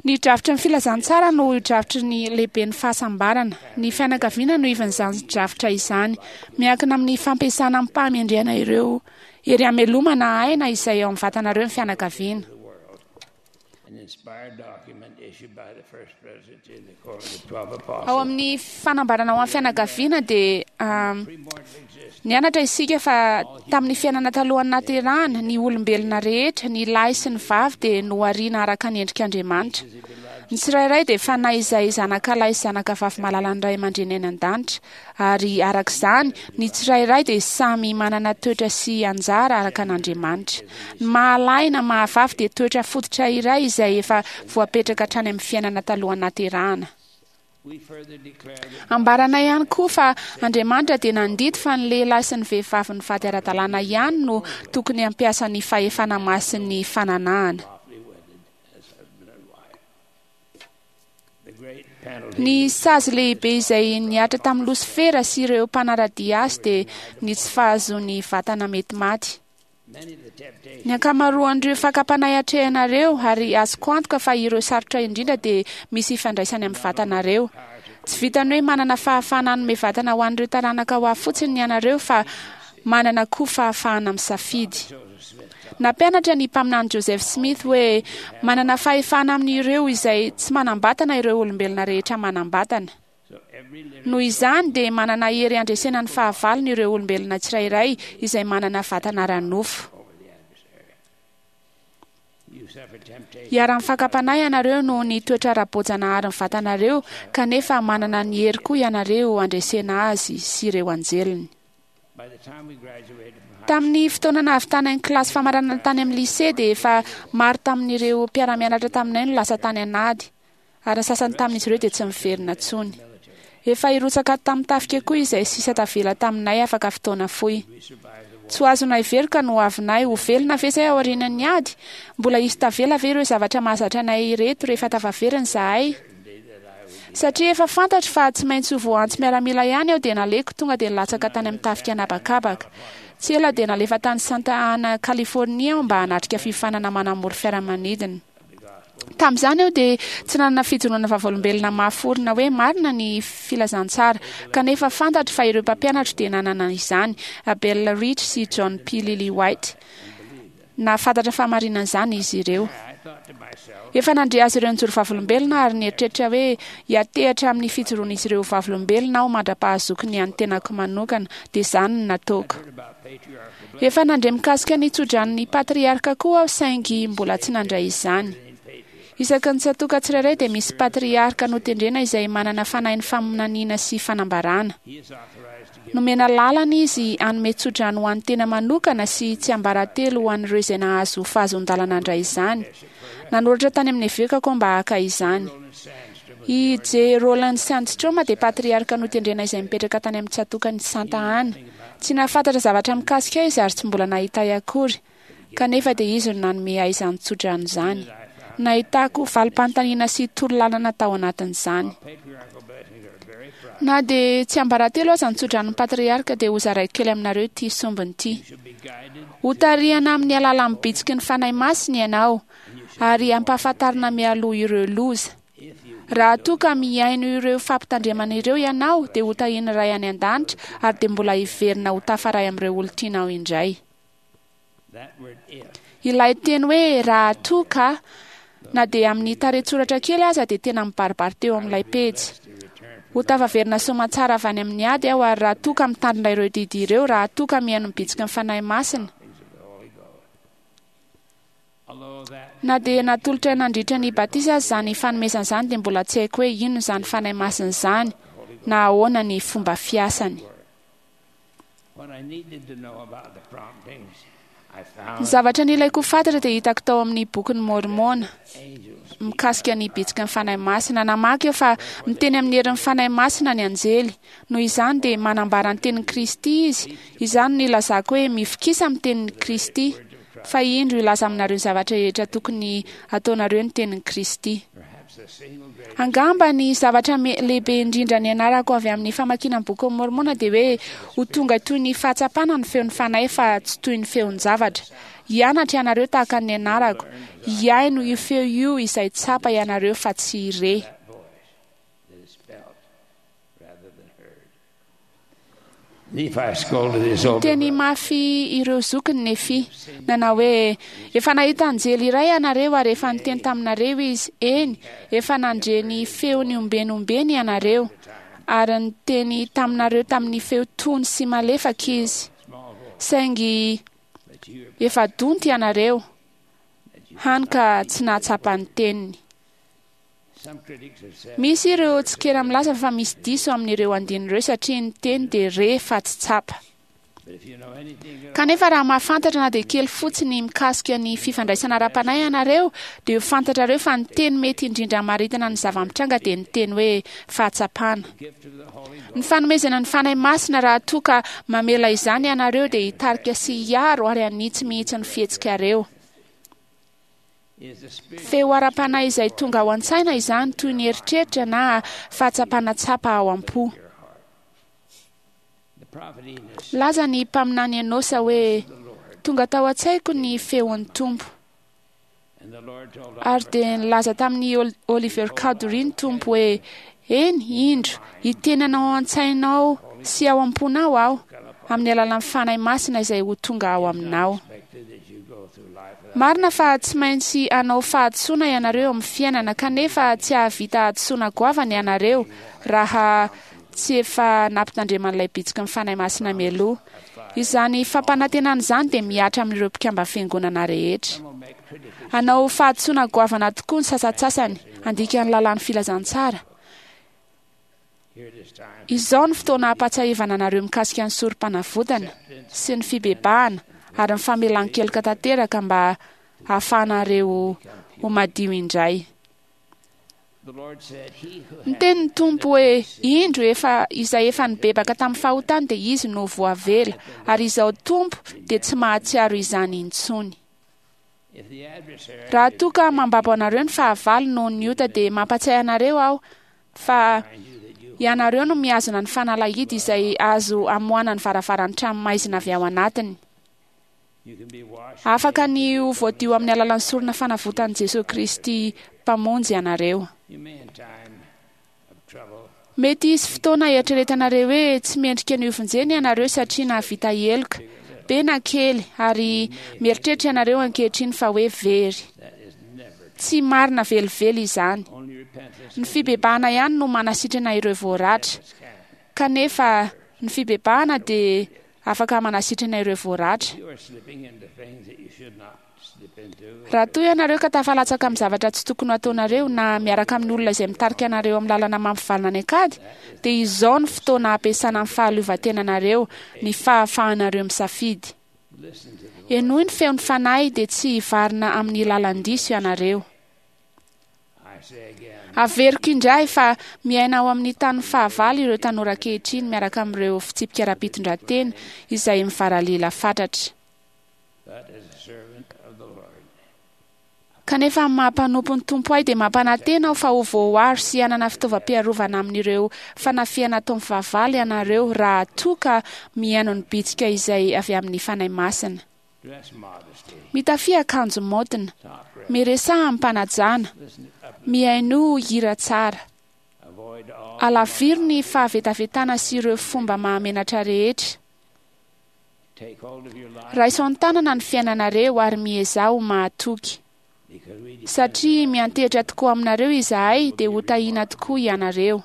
Ny drafitry ny filazantsara no drafitry ny lehiben'ny fahasambarana. Ny fianakaviana no ivon'izany drafitra izany. Miankina amin'ny fampiasana amim-pahamendrehana ireo hery hamelomana aina izay ao amin'ny vatanareo ny fianakaviana. Ao amin'ny fanambarana ho an'ny fianakaviana dia nianatra isika fa tamin'ny fiainana talohan'ny nahaterahana, ny olombelona rehetra, ny lahy sy ny vavy dia nohariana araka ny endrik'Andriamanitra. Ny tsirairay dia fanahy izay zanaka lahy sy zanaka vavy malalan'ny ray aman-dreny any an-danitra, ary araka izany, ny tsirairay dia samy manana toetra sy anjara araka an'Andriamanitra. Ny mahalahy na mahavavy dia toetra fototra iray izay efa voapetraka hatrany amin'ny fiainana talohan'ny nahaterahana. Ambaranay ihany koa fa Andriamanitra dia nandidy fa ny lehilahy sy ny vehivavy nivady ara-dalàna ihany no tokony hampiasa ny fahefana masin'ny fananahana. Ny sazy lehibe izay nihatra tamin'ny Losifera sy ireo mpanara-dia azy dia ny tsy fahazoany vatana mety maty. Ny ankamaroan'ireo fakam-panahy atrehinareo, ary azoko antoka fa ireo sarotra indrindra dia misy ifandraisany amin'ny vatanareo. Tsy vitan'ny hoe manana fahafahana hanome vatana ho an'ireo taranaka ho avy fotsiny ianareo fa manana koa fahafahana misafidy. Nampianatra ny mpaminany Joseph Smith hoe manana fahefana amin'ireo izay tsy manam-batana ireo olombelona rehetra manam-batana. Noho izany dia manana hery handresena ny fahavalony ireo olombelona tsirairay izay manana vatana ara-nofo. Iharan'ny fakam-panahy ianareo noho ny toetra ara-boajanaharin'ny vatanareo, kanefa manana ny hery koa ianareo handresena azy sy ireo anjeliny. Tamin'ny fotoana nahavitana ny kilasy famaranana tany amin'ny lycée dia efa maro tamin'ireo mpiara-mianatra taminay no lasa tany an'ady, ary ny sasany tamin'izy ireo dia tsy miverina intsony. Efa hirotsaka tamin'ny tafika koa izay sisa tavela taminay afaka fotoana fohy. Tsy ho azonay veroka no hoavinay, ho velona ve izay aorian'ny ady? Mbola hisy tavela ve ireo zavatra mahazatra anay ireto rehefa tafaverina izahay? Satria efa fantatro fa tsy maintsy ho voaantso miaramila ihany aho dia naleko tonga dia nilatsaka tany amin'ny tafika an'habakabaka. Tsy ela dia nalefa tany Santa Ana, Californie aho mba hanatrika fiofanana manamory fiaramanidina. Tamin'izany aho dia tsy nanana fijoroana vavolombelona mafy orina hoe marina ny filazantsara, kanefa fantatro fa ireo mpampianatro dia nanana izany, Abel Rich sy John P. Lillywhite. Nahafantatra fahamarinan'izany izy ireo. Efa nandre azy ireo nijoro vavolombelona ary nieritreritra hoe hiatehatra amin'ny fijoroan'izy ireo vavolombelona aho mandra-pahazoko ny an'ny tenako manokana, dia izany no nataoko. Efa nandre mikasika ny tsodranon'ny patriarka koa aho saingy mbola tsy nandray izany. Isaky ny tsatoka tsirairay dia misy patriarka notendrena izay manana fanahin'ny faminaniana sy fanambarana. Nomena lalana izy hanome tsodrano ho an'ny tena manokana sy tsiambaratelo ho an'ireo izay nahazo fahazoan-dalana handray izany. Nanoratra tany amin'ny evekako aho mba haka izany. I J. Roland Sandstrom dia patriarka notendrena izay mipetraka tany amin'ny tsatokan'i Santa Ana. Tsy nahafantatra zavatra mikasika ahy izy ary tsy mbola nahita ahy akory, kanefa dia izy no nanome ahy izany tsodrano izany. Nahitako valim-panontaniana sy torolalana tao anatin'izany. Na dia tsiambaratelo aza ny tsodranon'ny patriarka dia hozaraiko kely aminareo ity sombiny ity. Hotarihana amin'ny alalan'ny bitsiky ny Fanahy Masina ianao ary hampahafantarina mialoha ireo loza. Raha toa ka mihaino ireo fampitandremana ireo ianao dia hotahian'ny Ray any an-danitra ary dia mbola hiverina ho tafaray amin'ireo olon-tianao indray. Ilay teny hoe raha toa ka, na dia amin'ny tarehin-tsoratra kely aza dia tena mibaribary teo amin'ilay pejy. Ho tafaverina soamantsara avy any amin'ny ady aho ary raha toa ka mitandrina ireo didy ireo, raha toa ka mihaino ny bitsiky ny Fanahy Masina. Na dia natolotra nandritra ny batisa aza izany fanomezana izany dia mbola tsy haiko hoe inona izany Fanahy Masina izany na ahoana ny fomba fiasany. What I needed to know about the promptings Ny zavatra nilaiko ho fantatra dia hitako tao amin'ny bokin'ny Môrmôna mikasika ny bitsiky ny Fanahy Masina. Namaky aho fa miteny amin'ny herin'ny Fanahy Masina ny anjely. Noho izany dia manambara ny tenin'i Kristy izy. Izany no ilazako hoe mifikisa amin'ny tenin'i Kristy. Fa indro hilaza aminareo ny zavatra rehetra tokony ataonareo ny tenin'i Kristy. Angamba ny zavatra lehibe indrindra nianarako avy amin'ny famakiana ny bokin'ny Môrmôna dia hoe ho tonga toy ny fahatsapana ny feon'ny Fanahy fa tsy toy ny feon-javatra. Hianatra ianareo tahaka ny nianarako. Hihaino io feo io izay tsapa ianareo fa tsy re. Niteny mafy ireo zokiny Nefy, nanao hoe: "Efa nahita anjely iray ianareo ary efa niteny taminareo izy. Eny, efa nandre ny feony ombenombeny ianareo, ary niteny taminareo tamin'ny feo tony sy malefaka izy. Saingy efa donto ianareo, hany ka tsy nahatsapa ny teniny." Misy ireo tsikera milaza fa misy diso amin'ireo andininy ireo satria ny teny dia re fa tsy tsapa. Kanefa raha mahafantatra na dia kely fotsiny mikasika ny fifandraisana ara-panahy ianareo, dia ho fantatrareo fa ny teny mety indrindra hamaritana ny zava-mitranga dia ny teny hoe fahatsapana. Ny fanomezana ny Fanahy Masina raha toa ka mamela izany ianareo dia hitarika sy hiaro ary hanitsy mihitsy ny fihetsikareo. Feo ara-panahy izay tonga ao an-tsaina izany toy ny eritreritra na fahatsapana tsapa ao am-po. Laza ny mpaminany Enôsa hoe: "Tonga tao an-tsaiko ny feon'ny Tompo." Ary dia nilaza tamin'i Oliver Cowdery ny Tompo hoe: "Eny, indro, hiteny anao ao an-tsainao sy ao am-ponao aho, amin'ny alalan'ny Fanahy Masina izay ho tonga ao aminao." Marina fa tsy maintsy hanao fahadisoana ianareo amin'ny fiainana, kanefa tsy hahavita hadisoana goavana ianareo raha tsy efa nampitandreman'ilay bitsiky ny Fanahy Masina mialoha. Izany fampanantenana izany dia mihatra amin'ireo mpikamba fiangonana rehetra. Hanao fahadisoana goavana tokoa ny sasantsasany handika ny lalàn'ny filazantsara. Izao ny fotoana hampatsiahivana anareo mikasika ny sorom-panavotana sy ny fibebahana ary ny famelan-keloka tanteraka mba hahafahanareo ho madio indray. Niteny ny Tompo hoe: "Indro, efa izay efa nibebaka tamin'ny fahotany dia izy no voavela, ary izao Tompo dia tsy mahatsiaro izany intsony." Raha toa ka mambabo anareo ny fahavalo noho ny ota, dia mampatsiahy anareo aho fa ianareo no mihazona ny fanalahidy izay azo amoahana ny varavaran'ny trano maizina avy ao anatiny. Afaka ny ho voadio amin'ny alalan'ny sorona fanavotan'i Jesosy Kristy Mpamonjy ianareo. Mety hisy fotoana eritreretanareo hoe tsy mendrika ny hovonjena ianareo satria nahavita heloka, be na kely, ary mieritreritra ianareo ankehitriny fa hoe very. Tsy marina velively izany. Ny fibebahana ihany no manasitrana ireo voaratra. Kanefa ny fibebahana dia afaka manasitrana ireo voaratra. Raha toa ianareo ka tafalatsaka amin'ny zavatra tsy tokony hataonareo na miaraka amin'ny olona izay mitarika anareo amin'ny lalana mampivalona any an-kady, dia izao ny fotoana hampiasana ny fahaleovantenanareo, ny fahafahanareo misafidy. Henoy ny feon'ny Fanahy dia tsy hivarina amin'ny lalan-diso ianareo. Averiko indray fa miaina ao amin'ny tany fahavalo ireo tanora ankehitriny miaraka amin'ireo fitsipika ara-pitondran-tena izay mivaralila fatratra. Kanefa amin'ny maha-mpanompo ny Tompo ahy dia mampanantena aho fa ho voaaro sy hanana fitaovam-piarovana amin'ireo fanafihana ataon'ny fahavalo ianareo raha toa ka mihaino ny bitsika izay avy amin'ny Fanahy Masina. Mitafia akanjo maotina, miresaha amim-panajana, mihainoa hira tsara. Alaviro ny fahavetavetana sy ireo fomba mahamenatra rehetra. Raiso an-tanana ny fiainanareo ary miezaha ho mahatoky. Satria miantehitra tokoa aminareo izahay dia ho tahiana tokoa ianareo.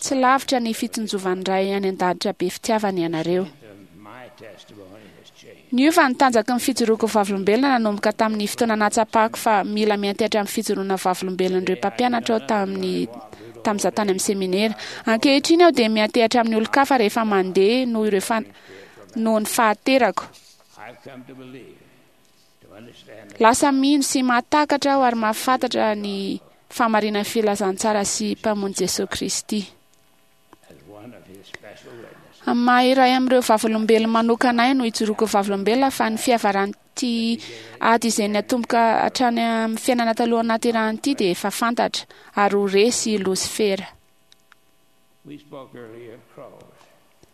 Tsy lavitra ny fitsinjovan'ny Ray any an-danitra be fitiavana ianareo. Niova ny tanjaky ny fijoroako vavolombelona nanomboka tamin'ny fotoana nahatsapako fa mila miantehitra amin'ny fijoroana vavolombelon'ireo mpampianatra aho tamin'ny tamin'izaho tany amin'ny seminera. Ankehitriny aho dia miantehitra amin'ny olon-kafa rehefa mandeha noho ireo fan noho ny fahaterako. Lasa mino sy mahatakatra aho ary mahafantatra ny fahamarinan'ny filazantsara sy Mpamonjy Jesosy Kristy. Amin'ny maha iray amin'ireo vavolombelona manokana ahy no ijoroako vavolombelona fa ny fiavaran'ity ady izay niatomboka hatrany amin'ny fiainana talohan'ny nahaterahana ity dia efa fantatra ary ho resy i Losifera.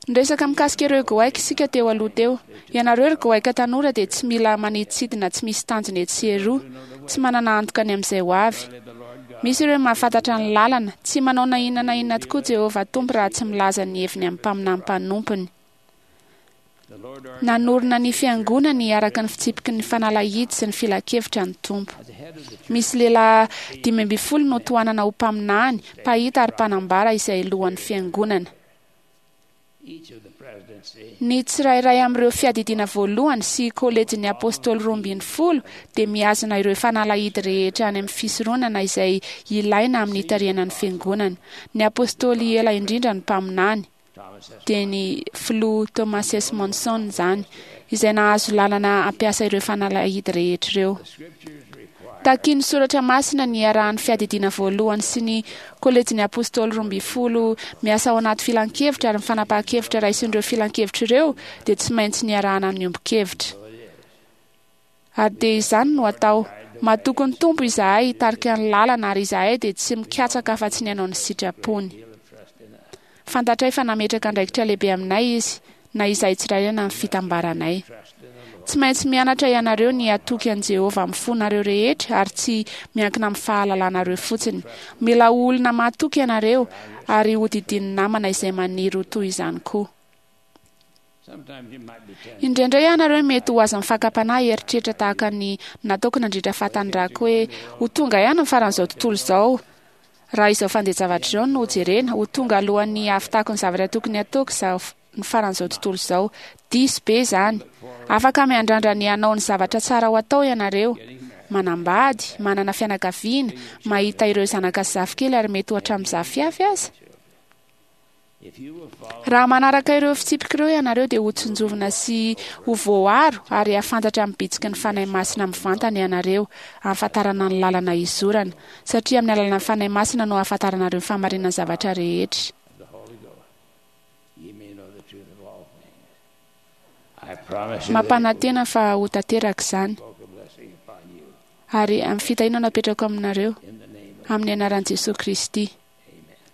Niresaka mikasika ireo goaika isika teo aloha teo. Ianareo ry goaika tanora dia tsy mila manidintsidina tsy misy tanjona etsy sy eroa, tsy manana antoka ny amin'izay ho avy. Misy ireo mahafantatra ny lalana, tsy manao na inona na inona tokoa Jehovah Tompo raha tsy milaza ny heviny amin'ny mpaminany mpanompony. Nanorina ny fiangonany araka ny fitsipiky ny fanalahidy sy ny filankevitra ny Tompo. Misy lehilahy dimy ambin'ny folo no tohanana ho mpaminany, mpahita ary mpanambara izay lohan'ny fiangonana. Ny tsirairay amin'ireo fiadidiana voalohany sy kolejin'ny apôstôly roa ambin'ny folo dia mihazona ireo fanalahidy rehetra any amin'ny fisoronana izay ilaina amin'ny hitarihana ny fiangonana. Ny apôstôly ela indrindra ny mpaminany dia ny filoha Thomas S. Monson izany, izay nahazo lalana hampiasa ireo fanalahidy rehetra ireo. Takian'ny soratra masina ny iarahan'ny fiadidiana voalohany sy ny kolejin'ny apôstôly roa ambin'ny folo miasa ao anaty filankevitra ary ny fanapahan-kevitra raisin'ireo filankevitra ireo dia tsy maintsy niarahana amin'ny ombon-kevitra. Ary dia izany no atao. Matoky ny Tompo izahay hitarika ny lalana ary izahay dia tsy mikatsaka afa-tsy ny hanao ny sitrapony. Fantatray fa nametraka andraikitra lehibe aminay izy, na izahay tsirairay na ny fitambaranay. Tsy maintsy mianatra ianareo ny hatoky an'i Jehovah amin'ny fonareo rehetra ary tsy miankina amin'ny fahalalanareo fotsiny. Mila olona mahatoky ianareo ary hodidin'ny namana izay maniry ho toy izany koa. Indraindray ianareo mety ho azon'ny fakam-panahy eritreritra tahaka ny nataoko nandritra fahatanirako hoe ho tonga ihany ny faran'izao tontolo izao. Raha izao fandeha-javatra izao no jerena, ho tonga alohan'ny hahavitako ny zavatra tokony hataoko izao ny faran'izao tontolo izao. Diso be izany. Afaka miandrandra ny hanao ny zavatra tsara ho atao ianareo. Manambady, manana fianakaviana, mahita ireo zanaka sy zafikely ary mety ho hatramin'ny zafiafy aza. Raha manaraka ireo fitsipika ireo ianareo dia ho tsinjovina sy ho voaro ary hahafantatra amin'ny bitsiky ny Fanahy Masina mivantana ianareo hahafantarana ny lalana izorana, satria amin'ny alalan'ny Fanahy Masina no hahafantaranareo ny fahamarinan'ny zavatra rehetra. Mampanantena fa ho tanteraka izany. Ary amin'ny fitahiana no apetrako aminareo, amin'ny anaran'i Jesosy Kristy.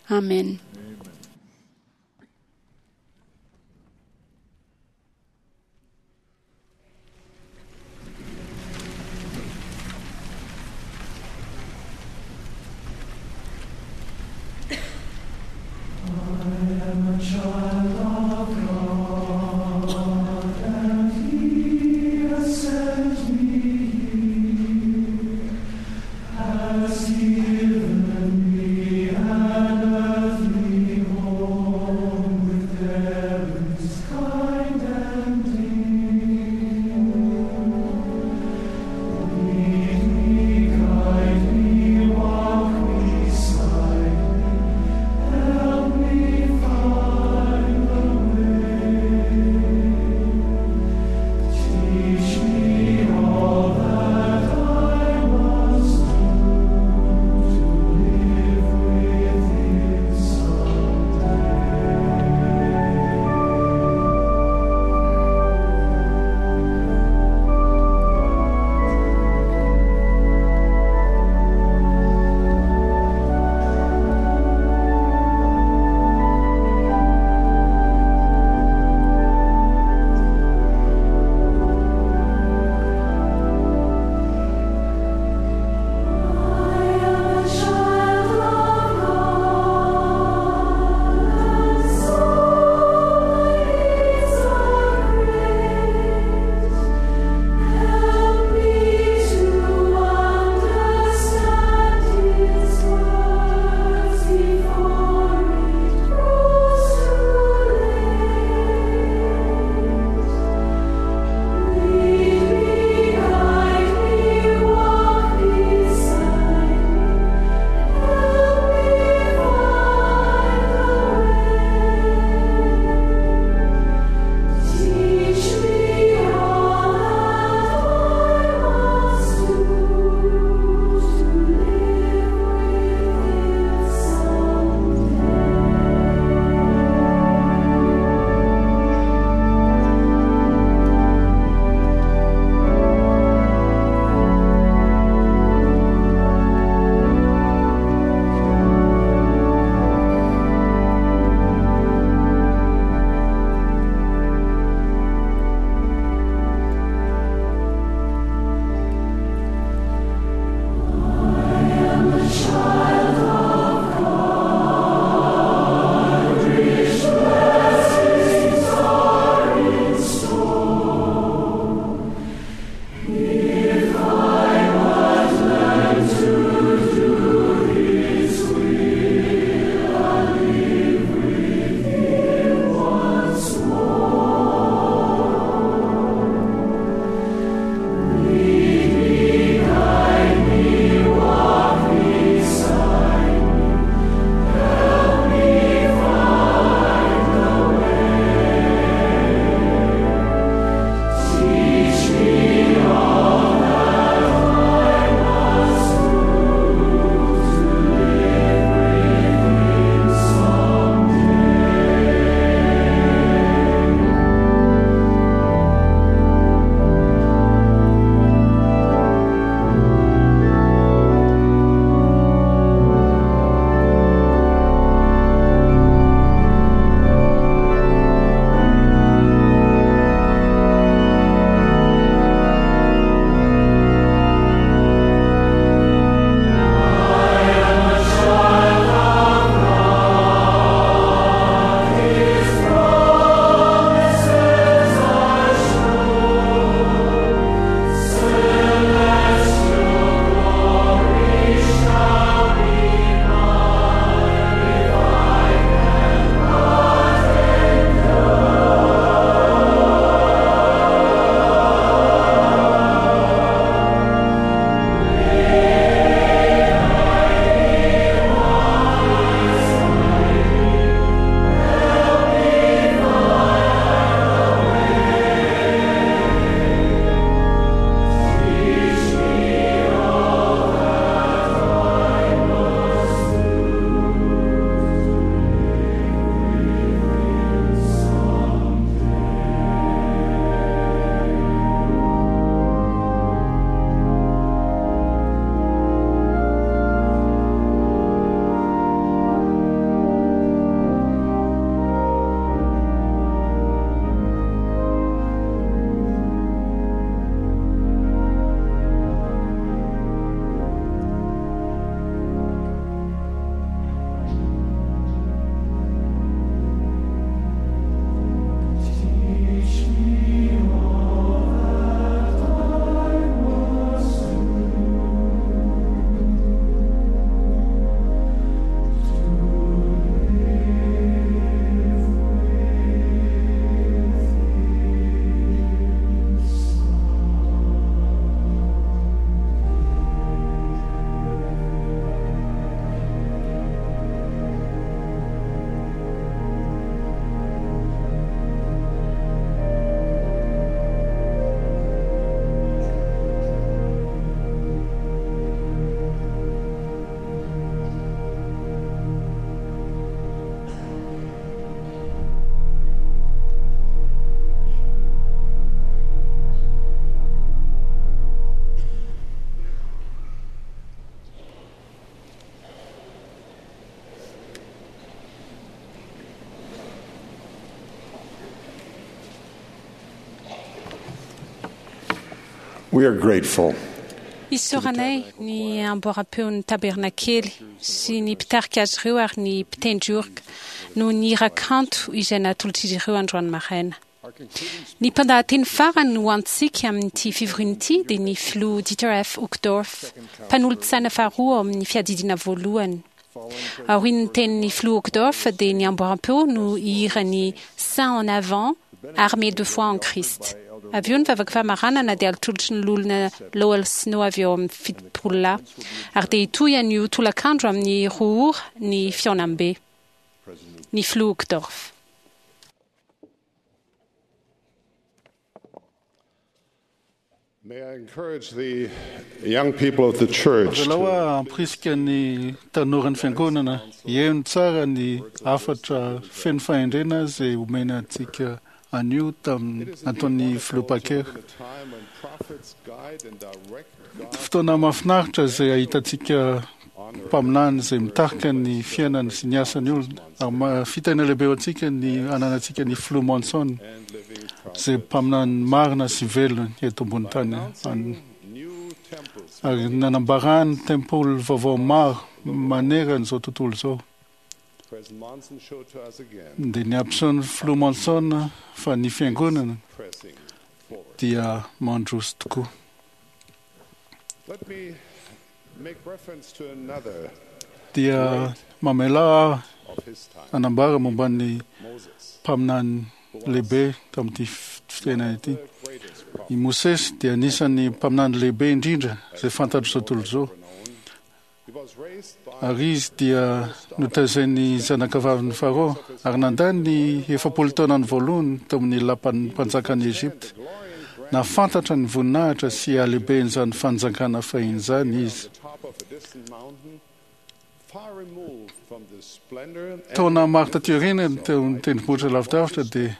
Amen. I am a child of God, and He has sent me here, has given me an earthly We are grateful Isaoranay ny amboaram-peon'ny tabernakely sy ny mpitarika azy ireo ary ny mpitendry orga noho ny hira kanto izay natolotr'izy ireo androany maraina. Ny mpandahateny farany ho antsika amin'ity fivoriana ity dia ny filoha Dieter F. Uchtdorf, mpanolotsaina faharoa ao amin'ny fiadidiana voalohany. Aorian'ny tenin'ny filoha Uchtdorf dia ny amboaram-peo no hihira ny Saint en avant, armé de foi en Christ. Avy eo ny vavaka famaranana dia atolotry ny loholona Lowell Snow avy eo amin'ny fitopololahy. Ary dia hitohy anio tolakandro amin'ny roa ora ny fihaonambe. Ny filoha Uchtdorf. May I encourage the young people of the church Avelao aho hampirisika ny tanoran'ny fiangonana hihaino tsara ny hafatra feno fahendrena izay omena antsika anio tamin'ny nataon'ny filoha Packer. Fotoana mahafinaritra izay ahitantsika mpaminany izay mitarika ny fiainany sy ny asan'ny olona. Ary ma- fitahiana lehibe ho antsika ny ananantsika ny filoha Monson izay mpaminany marina sy velona eto ambony tany. An- Ary nanambarany tempoly vaovao maro manerana izao tontolo izao. President Monson showed to us again Dia ny ampisehoan'ny filoha Monson fa ny fiangonana pressing forward. dia mandroso tokoa. Let me make reference to another Dia mamela aho of his time, hanambara momba ny Moses, mpaminany lehibe tamin'ity fitena ity. I Mosesy dia anisan'ny mpaminany lehibe indrindra izay fantatr'izao tontolo izao. He was raised by Ary izy dia notazain'ny zanakavavin'ny Farao ary nandany ny efapolo taonany voalohany tao amin'ny lapan'ny mpanjakan'i Egypta. Nahafantatra ny voninahitra sy halehiben'izany fanjakana fahiny izany izy. the top of a distant mountain, far removed from the splendor and Taona maro taty aoriana teo amin'ny tendrombohitra lavidavitra dia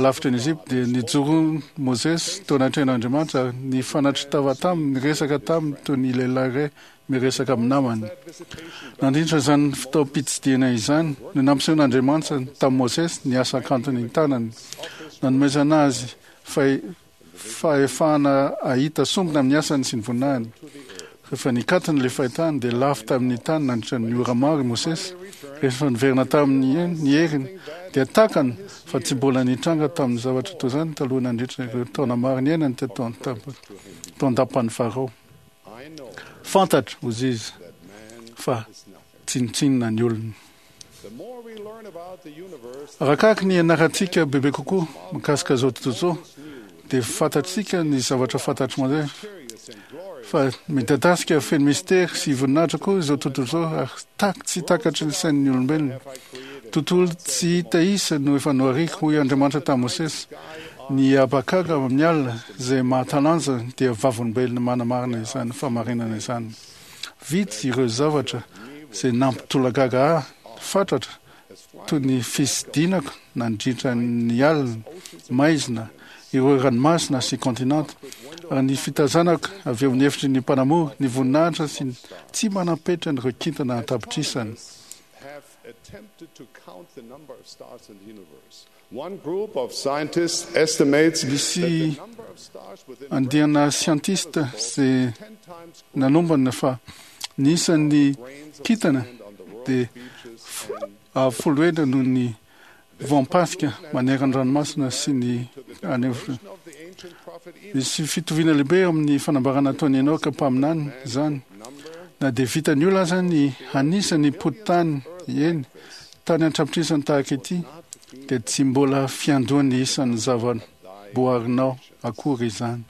lavitra ny Egypta dia nijoro Mosesy teo anatrehan'Andriamanitra ary nifanatri-tava taminy, niresaka taminy toy ny lehilahy iray miresaka amin'ny namany. Nandritra izany fotoam-pitsidihana izany no nampisehoan'Andriamanitra tamin'i Mosesy ny asa kantony tanany. Nanomezana azy fahe- fahefana hahita sombina amin'ny asany sy ny voninahiny. Rehefa nikatona ilay fahitany dia lavo tamin'ny tany nandritra ny ora maro i Mosesy. Rehefa niverina tamin'ny ny heriny dia takany fa tsy mbola nitranga tamin'ny zavatra toy izany taloha nandritra ireo taona maro niainany teto an-tamp- tao an-dapan'ny Farao. I know Fantatro, hoy izy, that man fa is nothing. tsinontsinona ny olona. The more we learn about the universe, Arakaraky ny ianarantsika bebe kokoa mikasika izao tontolo izao dia fantatsika ny zavatra fantatry mandeha mysterious and glorious fa midadasika feno mistery sy voninahitra koa izao tontolo izao ary tak tsy takatry ny sain'ny olombelona. Tontolo tsy hita isa no efa nohariko, hoy Andriamanitra tamin'i Mosesy. Ny habakaka amin'ny alina izay mahatalanja dia vavolombelona manamarina izany fahamarinana izany. Vitsy ireo zavatra izay nampitolagaga ahy fatratra toy ny fisidinako nandritra ny alina maizina ireo ranomasina sy kontinanta ary ny fitazanako avy eo amin'ny efitry ny mpanamory ny voninahitra sy ny tsy manam-petra ireo kintana an-tapitrisany. have attempted to count the number of stars in the universe. One group of scientists estimates that Misy the number of stars within a andiana siantista izay nanombana fa ny isan'ny kintana dia f- avo folo heny noho ny voam-pasika manerana ny ranomasina sy ny any amin'ny of the ancient prophet Enoch, Misy fitoviana lehibe amin'ny fanambarana ataon'i Enoka mpaminany izany. Na dia vitan'ny olona aza ny hanisa ny pototany eny tany an-trapitrisany tahaka ity dia tsy mbola fiandohan'ny isan'ny zava-boarinao akory izany.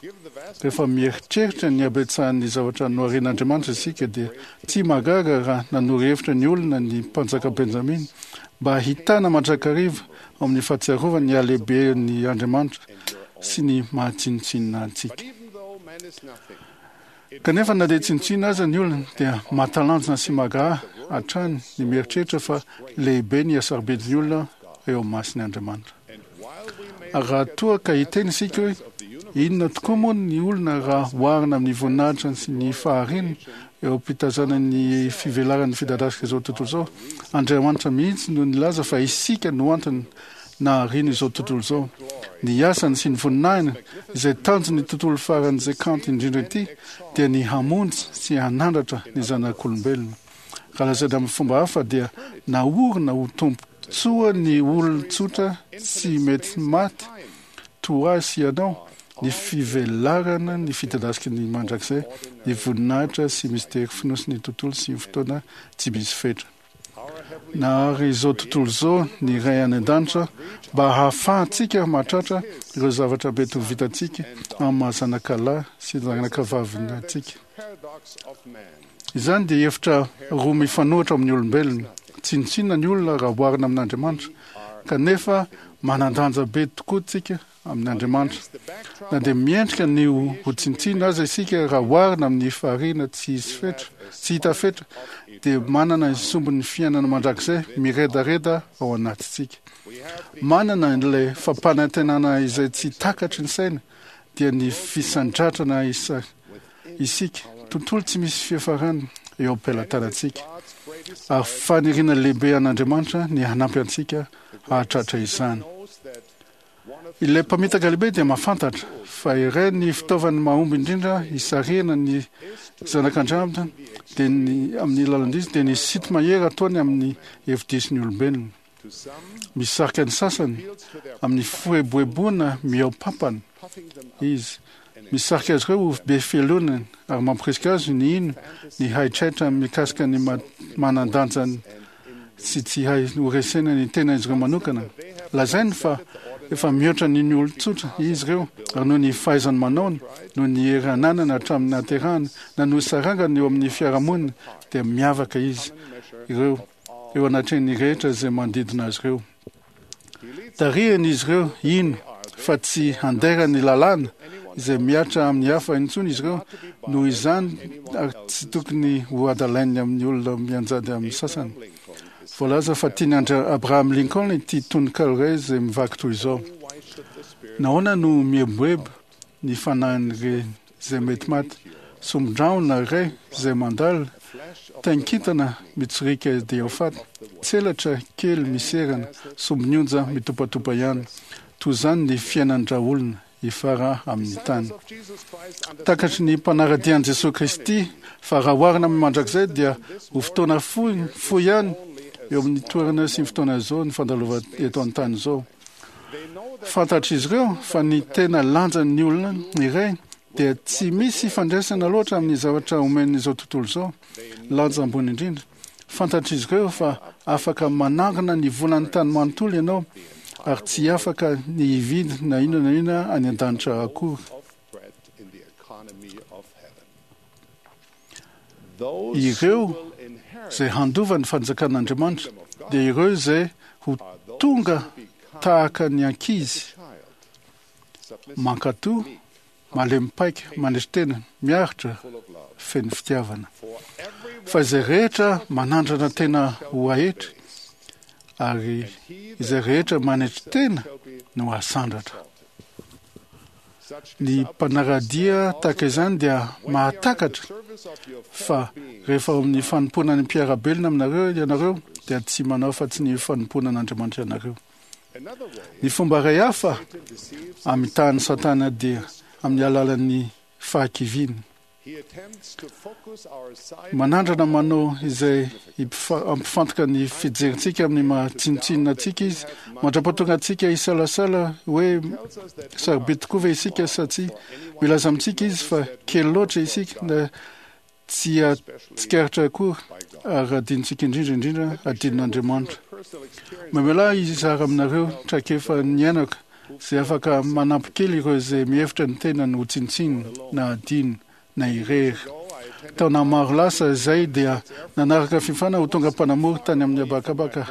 given the vast Rehefa mieritreritra ny habetsahan'ny zavatra noharin'Andriamanitra isika dia tsy mahagaga raha nanoro hevitra ny olona ny mpanjaka Benjamina mba hahitana mandrakariva ao amin'ny fahatsiarovana ny halehiben'ny Andriamanitra sy ny mahatsinontsinona antsika. even though man is nothing, Kanefa na dia tsinontsinona aza ny olona dia mahatalanjona sy mahagaga hatrany ny mieritreritra fa lehibe ny hasarobidin'ny olona eo amin'ny mason'ny Andriamanitra. and while we may Ary raha toa ka hiteny isika hoe inona tokoa moa ny olona raha oharina amin'ny voninahitra sy ny fahariana eo am-pitazana ny fivelaran'ny fidadasika izao tontolo izao, Andriamanitra mihitsy no nilaza fa isika no antony nahariana izao tontolo izao. Ny asany sy ny voninahiny, izay tanjon'ny tontolo faran'izay kanto indrindra ity, dia ny hamonjy sy hanandratra ny zanak'olombelona. Raha lazaina amin'ny fomba hafa dia naorina ho tombontsoa ny olon-tsotra tsy mety maty toa ahy sy ianao ny fivelarana ny fidadasiky ny mandrakizay, ny voninahitra sy mistery fonosin'ny tontolo sy ny fotoana tsy misy fetra. Nahary izao tontolo izao ny Ray any An-danitra mba hahafahantsika mahatratra ireo zavatra mety ho vitantsika amin'ny maha zanakalahy sy zanakavaviny antsika. Izany dia hevitra roa mifanohitra amin'ny olombelona. Tsinontsinona ny olona raha oharina amin'Andriamanitra, kanefa manan-danja be tokoa tsika amin'Andriamanitra. Na dia miendrika ny ho tsinontsinona aza isika raha oharina amin'ny fahariana tsy hisy fetra, tsy hita fetra, dia manana ny sombin'ny fiainana mandrakizay miredareda ao anatintsika. Manana ilay fampanantenana izay tsy takatry ny saina, dia ny fisandratrana isika, tontolo tsy misy fiafarana eo am-pelatanantsika. Ary faniriana lehibe an'Andriamanitra ny hanampy antsika hahatratra izany. Ilay mpamitaka lehibe dia mahafantatra fa iray ny fitaovany mahomby indrindra hisarihana ny zanak'Andriamanitra dia ny amin'ny lalan-diso dia ny sinto-mahery ataony amin'ny hevi-dison'ny olombelona. Misarika ny sasany amin'ny fieboeboana mihoa-pampana izy. Misarika azy ireo ho be fialonana ary mampirisika azy ny hino ny haitraitra mikasika ny manan-danjany sy tsy hay horesena ny tenan'izy ireo manokana. Lazainy fa efa mihoatra ny ny olon-tsotra izy ireo ary noho ny fahaizany manaony, noho ny hery ananany hatramin'ny nahaterahany, na noho sarangany eo amin'ny fiarahamonina dia miavaka izy ireo eo anatrehan'ny rehetra izay manodidina azy ireo. Tarihiny izy ireo hino fa tsy handaira ny lalàna izay mihatra amin'ny hafa intsony izy ireo, noho izany ary tsy tokony ho hadalainy amin'ny olona mianjady amin'ny sasany. Voalaza fa tian'i Abraham Lincoln ity tononkalo iray izay mivaky toy izao, Nahoana no mieboebo ny fanahin'ireny izay mety maty, sombin-drahona iray izay mandalo, tain-kintana mitsoriaka dia ho faty, tselatra kely miserana, sombin'onja mitopatopa ihany. Toy izany ny fiainan-dRaolona hifara amin'ny tany. Takatry ny mpanara-dia an'i Jesoa Kristy fa raha oharina amin'ny mandrakizay dia ho fotoana fohy fohy ihany eo amin'ny toerana sy ny fotoana izao ny fandalovana eto an-tany izao. Fantatr'izy ireo fa ny tena lanjan'ny olona iray dia tsy misy ifandraisana loatra amin'ny zavatra omen'izao tontolo izao lanja ambony indrindra. Fantatr'izy ireo fa afaka manangona ny volan'ny tany manontolo ianao ary tsy afaka ny hividy na inona na inona any an-danitra akory. Ireo izay handova ny fanjakan'Andriamanitra dia ireo izay ho tonga tahaka ny ankizy, mankatò, malemy paika, manetry tena, miaritra, feno fitiavana. Fa izay rehetra manandrana tena ho ahetry ary izay rehetra manetry tena no hasandratra. Ny mpanara-dia tahaka izany dia mahatakatra fa rehefa ao amin'ny fanompoana ny mpiara-belona aminareo ianareo dia tsy manao afa-tsy ny fanompoana an'Andriamanitra ianareo. Ny fomba iray hafa amitahan'i Satana dia amin'ny alalan'ny fahakiviana. Manandrana manao izay hampifantoka ny fijerintsika amin'ny maha tsinontsinona antsika izy, mandra-pahatonga antsika hisalasala hoe sarobidy tokoa ve isika sa tsia. Milaza amintsika izy fa kely loatra isika na tsy tsikaritra akory ary adinontsika indrindra indrindra adinon'Andriamanitra. Mamelà ahy hizara aminareo traikefa niainako izay afaka manampy kely ireo izay mihevitra ny tenany ho tsinontsinona na adino na irery. Taona maro lasa izay dia nanaraka fifana ho tonga mpanamory tany amin'ny habakabaka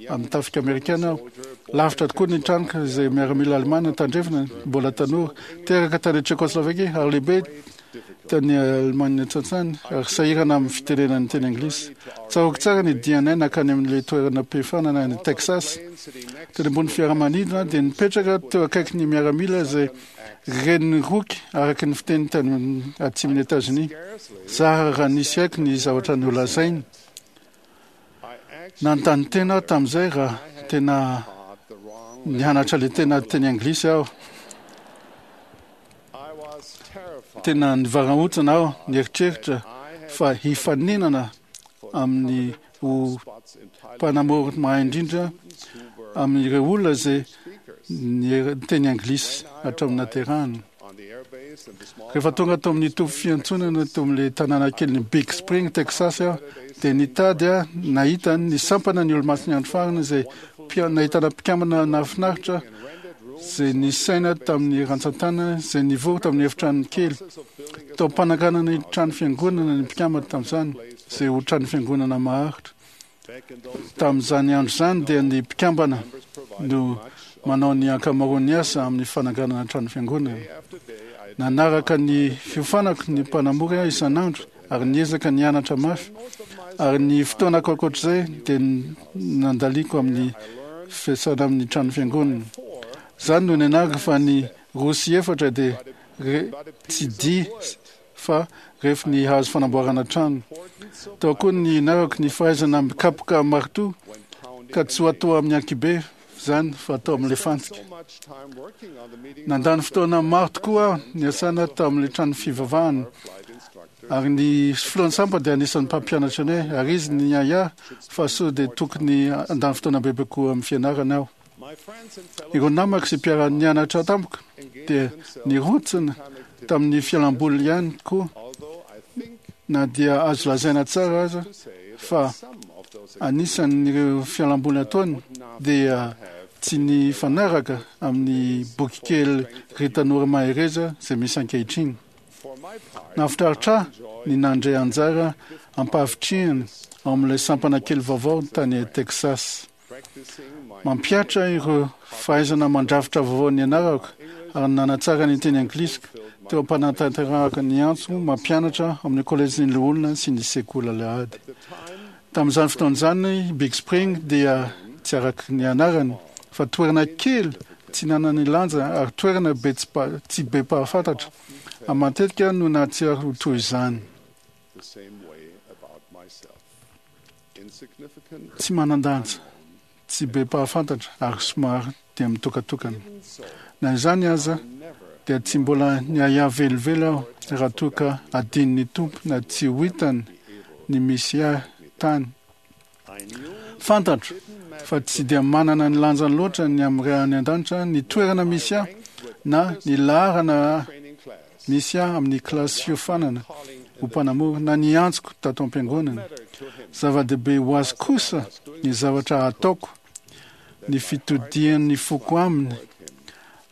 amin'ny tafika amerikana aho. Lavitra tokoa ny tranoko izay miaramila alemana tandrefana, mbola tanora, teraka tany Tchécoslovaquie ary lehibe tany Allemagne tsantsany ary sahirana amin'ny fitenenana ny teny anglisy. Tsaroako tsara ny dianay nankany amin'ilay toerana am-pifanana any Texas. Teny ambony fiaramanidina dia nipetraka teo akaiky ny miaramila izay ren'ny roky araka ny fiteny tany atsimon'i Etazonia. Zara raha nisy haiko ny zavatra nolazainy. Nanontany tena aho tamin'izay raha tena Nianatra le tena teny anglisy aho. Tena nivarahontsana aho nieritreritra fa hifaninana amin'ny ho mpanamory mahay indrindra amin'ireo olona izay niteny anglisy hatramin'ny naterahany. Rehefa tonga tao amin'ny toby fiantsonana tao amin'ilay tanàna kelin'i Big Spring, Texas aho, dia nitady aho nahita ny sampana ny Olomasin'ny Andro Farany izay nahitana mpikambana nahafinaritra izay nisaina tamin'ny rantsan-tanana izay nivory tamin'ny efitrano kely. Tao am-pananganana ny trano fiangonana ny mpikambana tamin'izany, izay ho trano fiangonana maharitra. Tamin'izany andro izany dia ny mpikambana no manao ny ankamaroan'ny asa amin'ny fananganana trano fiangonana. Nanaraka ny fiofanako ny mpanamory aho isan'andro ary niezaka nianatra mafy, ary ny fotoanako ankoatr'izay dia nandaliako amin'ny fiasana amin'ny trano fiangonana. Izany no nianarako fa ny roa sy efatra dia tsy dia fa rehefa ny hazo fanamboarana trano. Tao koa ny nianarako ny fahaizana mikapoka maritoa ka tsy ho atao amin'ny ankibe izany fa atao amin'ilay fantsika. Nandany fotoana maro tokoa aho niasana tamin'ilay trano fivavahana, ary ny filohan'ny sampa dia anisan'ny mpampianatra anay, ary izy niahiahy fa sao dia tokony handany fotoana bebe kokoa amin'ny fianarana aho. Ireo namako sy mpiara-nianatra tamiko dia nirontsina tamin'ny fialamboly ihany koa, na dia azo lazaina tsara aza fa anisan'ireo fialamboly ataony dia tsy nifanaraka amin'ny bokikely Ry Tanora Mahereza izay misy ankehitriny. Nahafinaritra ahy ny nandray anjara am-pahavitrihana ao amin'ilay sampana kely vaovao tany Texas. Mampihatra ireo fahaizana mandrafitra vaovao nianarako ary nanatsara ny teny anglisiko teo am-panatanterahako ny antso mampianatra amin'ny kolejin'ny loholona sy ny sekoly alahady. Tamin'izany fotoana izany, Big Spring dia tsy araka ny anarany fa toerana kely tsy nanana lanja ary toerana be tsy be mpahafantatra, ary matetika no nahatsiaro ho toy izany. Tsy manan-danja, tsy be mpahafantatra ary somary dia mitokatokana. Na izany aza, dia tsy mbola niahiahy velively aho raha toa ka adinon'ny Tompo na tsy ho hitany ny misy ahy tany. Fantatro fa tsy dia manana ny lanjany loatra ny amin'ny Ray any An-danitra ny toerana misy ahy na ny laharana misy ahy amin'ny kilasy fiofanana ho mpanamory na ny antsoko tato am-piangonana. Zava-dehibe ho azy kosa ny zavatra ataoko, ny fitodian'ny foko aminy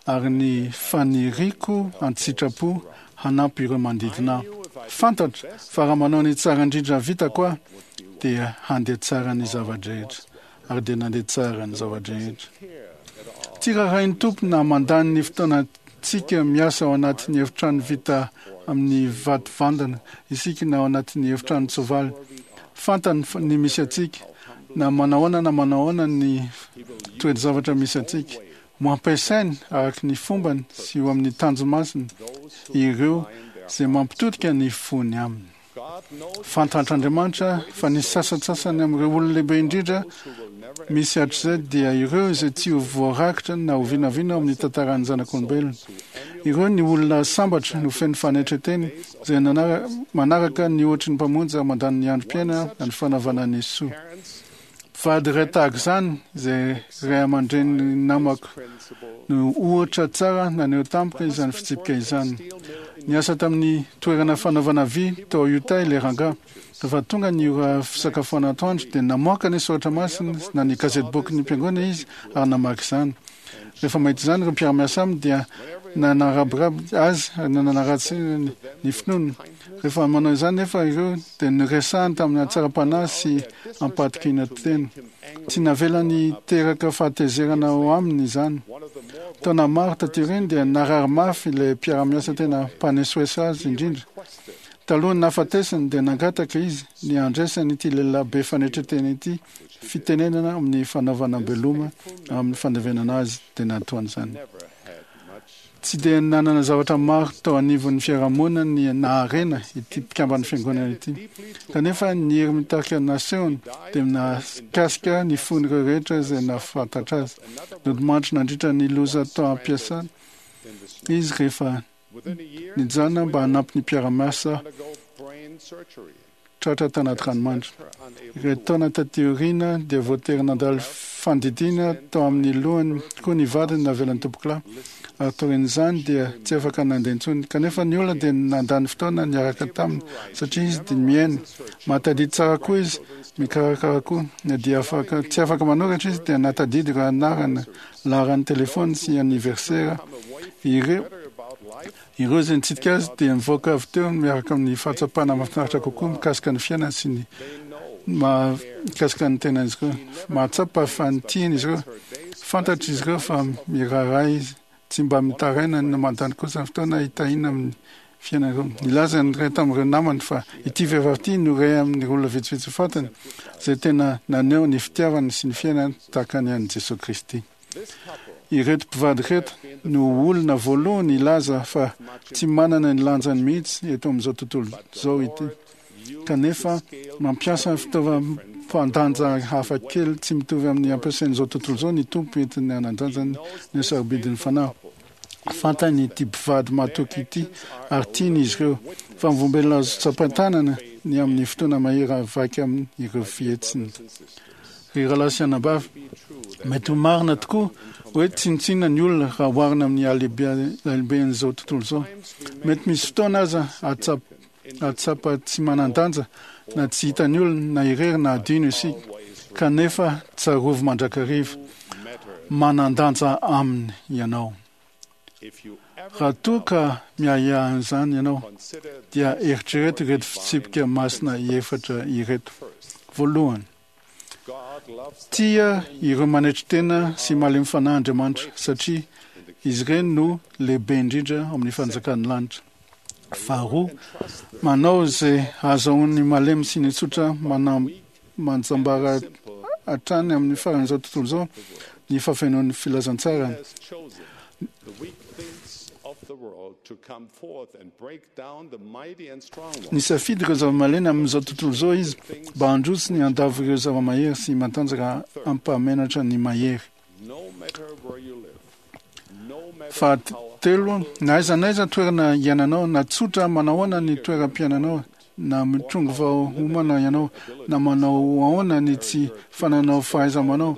ary ny faniriako an-tsitrapo hanampy ireo manodidina ahy. Fantatro fa raha manao ny tsara indrindra vitako aho dia handeha tsara ny zava-drehetra. Ary dia nandeha tsara ny zava-drehetra. Tsy raharahin'ny Tompo na mandany ny fotoanantsika miasa ao anatin'ny efitrano vita amin'ny vato vandana isika na ao anatin'ny efitranon-tsoavaly. Fantany ny misy antsika, na manahoana na manahoana ny toe-javatra misy antsika. Ho ampiasainy araka ny fombany sy ho amin'ny tanjo-masiny ireo izay mampitodika ny fony aminy. Fantatr'Andriamanitra fa ny sasantsasany amin'ireo olona lehibe indrindra misy hatrizay dia ireo izay tsy ho voarakitra na oviana oviana ao amin'ny tantaran'ny zanak'olombelona. Ireo ny olona sambatra no feno fanetren-tena izay manaraka ny ohatry ny Mpamonjy ary mandany ny androm-piainana ny fanaovana ny soa. Mpivady iray tahaka izany, izay ray aman-drenin'ny namako, no ohatra tsara naneho tampoka izany fitsipika izany. Niasa tamin'ny toerana fanaovana vy tao Utah ilay rangahy. Rehefa tonga ny ora fisakafoana atoandro, dia namoaka ny Soratra Masina na ny gazetibokin'ny Mpiangonana izy ary namaky izany. Rehefa mahita izany ireo mpiara-miasa aminy dia nanarabiraby azy ary nanaratsy ny finoany. Rehefa manao izany nefa ireo dia noresahany tamin'ny hatsaram-panahy sy am-pahatokiana tena. Tsy navelany hiteraka fahatezerana ao aminy izany. Taona maro taty aoriana dia narary mafy ilay mpiara-miasa tena mpanesoeso azy indrindra. Talohan'ny nahafatesany dia nangataka izy ny handraisany ity lehilahy be fanetren-tena ity fitenenana amin'ny fanaovana beloma amin'ny fandevenana azy dia nataony izany. Tsy dia nanana zavatra maro tao anivon'ny fiarahamonina ny naharena ity mpikamban'ny fiangonana ity. Kanefa ny hery mitarika nasehony dia nahakasika ny fon'ireo rehetra izay nahafantatra azy. Nodimandry nandritra ny loza tao am-piasana izy rehefa nijanona mba hanampy ny mpiara-miasa tratra tanaty ranomandry. Iray taona taty aoriana dia voatery nandalo fandidiana tao amin'ny lohany koa ny vadiny navelan'ny tompokolahy, ary taorian'izany dia tsy afaka nandeha intsony. Kanefa ny olona dia nandany fotoana niaraka taminy satria izy dia mihaino. Mahatadidy tsara koa izy, mikarakara koa. Na dia afaka tsy afaka manoratra izy dia nahatadidy ireo anarana, laharan'ny telefaony sy aniversera ireo. Ireo izay nitsidika azy dia nivoaka avy teo miaraka amin'ny fahatsapana mahafinaritra kokoa mikasika ny fiainany sy ny mahakasika ny tenan'izy ireo. Mahatsapa fa tiany izy ireo. Fantatr'izy ireo fa miraharaha izy. Tsy mba mitaraina na mandany kosa ny fotoana hitahiana amin'ny fiainana ireo. Nilaza ny iray tamin'ireo namany fa ity vehivavy ity no iray amin'ireo olona vitsivitsy fantany izay tena naneho ny fitiavany sy ny fiainany tahaka ny an'i Jesoa Kristy. Ireto mpivady ireto no olona voalohany hilaza fa tsy manana ny lanjany mihitsy eto amin'izao tontolo izao ity, kanefa mampiasa fitaovam-pandanja hafa kely tsy mitovy amin'ny ampiasain'izao tontolo izao ny Tompo entiny hanandanjany ny hasarobidin'ny fanahy. Fantany ity mpivady mahatoky ity ary tiany izy ireo. Vavolombelona azo tsapain-tanana ny amin'ny fotoana mahery vaika amin'ireo fihetsiny. Ry rahalahy sy anabavy, mety ho marina tokoa hoe tsinontsinona ny olona raha oharina amin'ny halehiben'izao tontolo izao. Mety misy fotoana aza hahatsapa tsy manan-danja na tsy hitan'ny olona na irery na adino isika, kanefa tsarovy mandrakariva, manan-danja aminy ianao. Raha toa ka miahiahy an'izany ianao, dia eritrereto ireto fitsipika masina efatra ireto. Voalohany, tia ireo manetry tena sy malemy fanahy Andriamanitra, satria izy ireny no lehibe indrindra ao amin'ny fanjakan'ny lanitra. Faharoa, manao izay hahazahoan'ny malemy sy ny tsotra manjambara hatrany amin'ny faran'izao tontolo izao ny fahafenoan'ny filazantsarany. Nisafidy ireo zava-malemy amin'izao tontolo izao izy mba handroso ny handavo ireo zava-mahery sy matanjaka hampahamenatra ny mahery. Fahatelo, na aiza na aiza toerana iainanao, na tsotra manahoana ny toeram-piainanao, na mitrongy vao homana ianao, na manao ahoana ny tsy fananao fahaiza-manao,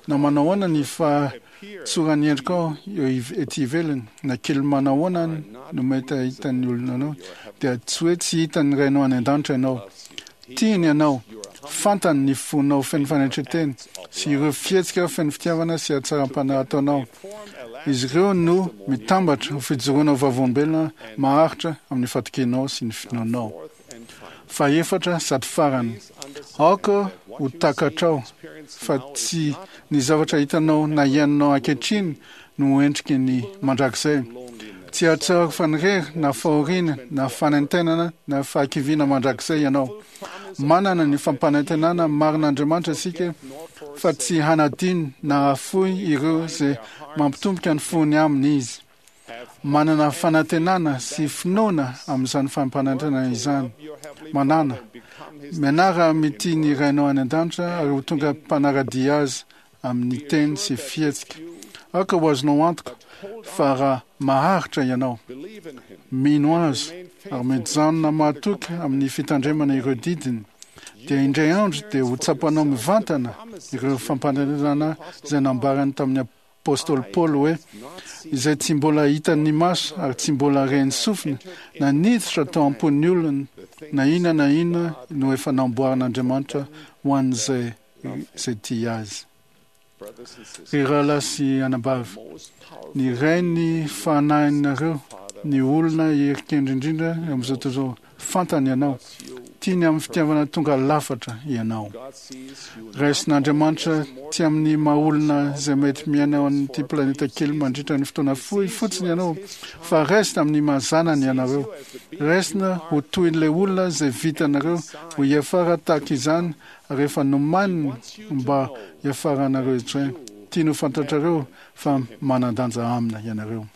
na manao ahoana ny fahatsoran'ny endrikao eo ety ivelany, na kely manao ahoana no mety hahitan'ny olona anao, dia tsy hoe tsy hitan'ny Rainao any an-danitra ianao. Tiany ianao. Fantany ny fonao feno fanetren-tena sy ireo fihetsika feno fitiavana sy hatsaram-panahy ataonao. Izy ireo no mitambatra ho fijoroana ho vavolombelona maharitra amin'ny fatokianao sy ny finoanao. Fahefatra sady farany, aoka ho takatrao fa tsy ny zavatra hitanao na iainanao ankehitriny no ho endriky ny mandrakizay. Tsy hahatsiaro fanirery na fahoriana na fanaintainana na fahakiviana mandrakizay ianao. Manana ny fampanantenana marin'Andriamanitra isika fa tsy hanadino na hahafoy ireo izay mampitomboka ny fony aminy Izy. Manana fanantenana sy finoana amin'izany fampanantenana izany. Manàna. Mianara mitia ny Rainao any an-danitra ary ho tonga mpanara-dia Azy amin'ny teny sy fihetsika. Aoka ho azonao antoka fa raha maharitra ianao, mino Azy ary mijanona mahatoky amin'ny fitandremana ireo didiny, dia indray andro dia ho tsapanao mivantana ireo fampanantenana izay nambarany tamin'ny apostoly Paoly hoe, Izay tsy mbola hitan'ny maso ary tsy mbola ren'ny sofina na niditra tao am-pon'ny olona na inona na inona no efa namboarin'Andriamanitra ho an'izay izay tia azy. Ry rahalahy sy anabavy, ny Rain'ny fanahinareo, ny olona herin-kendry indrindra eo amin'izao tontolo izao, fantany ianao. Tiany amin'ny fitiavana tonga lafatra ianao. Raisin'Andriamanitra tsy amin'ny maha olona izay mety miaina ao amin'ity planeta kely mandritra ny fotoana fohy fotsiny ianao, fa raisina amin'ny maha zanany ianareo. Raisina ho toy ilay olona izay vitanareo ho hiafara tahaka izany ary efa nomaniny mba hiafaranareo izay. Tiany ho fantatrareo fa manan-danja aminy ianareo.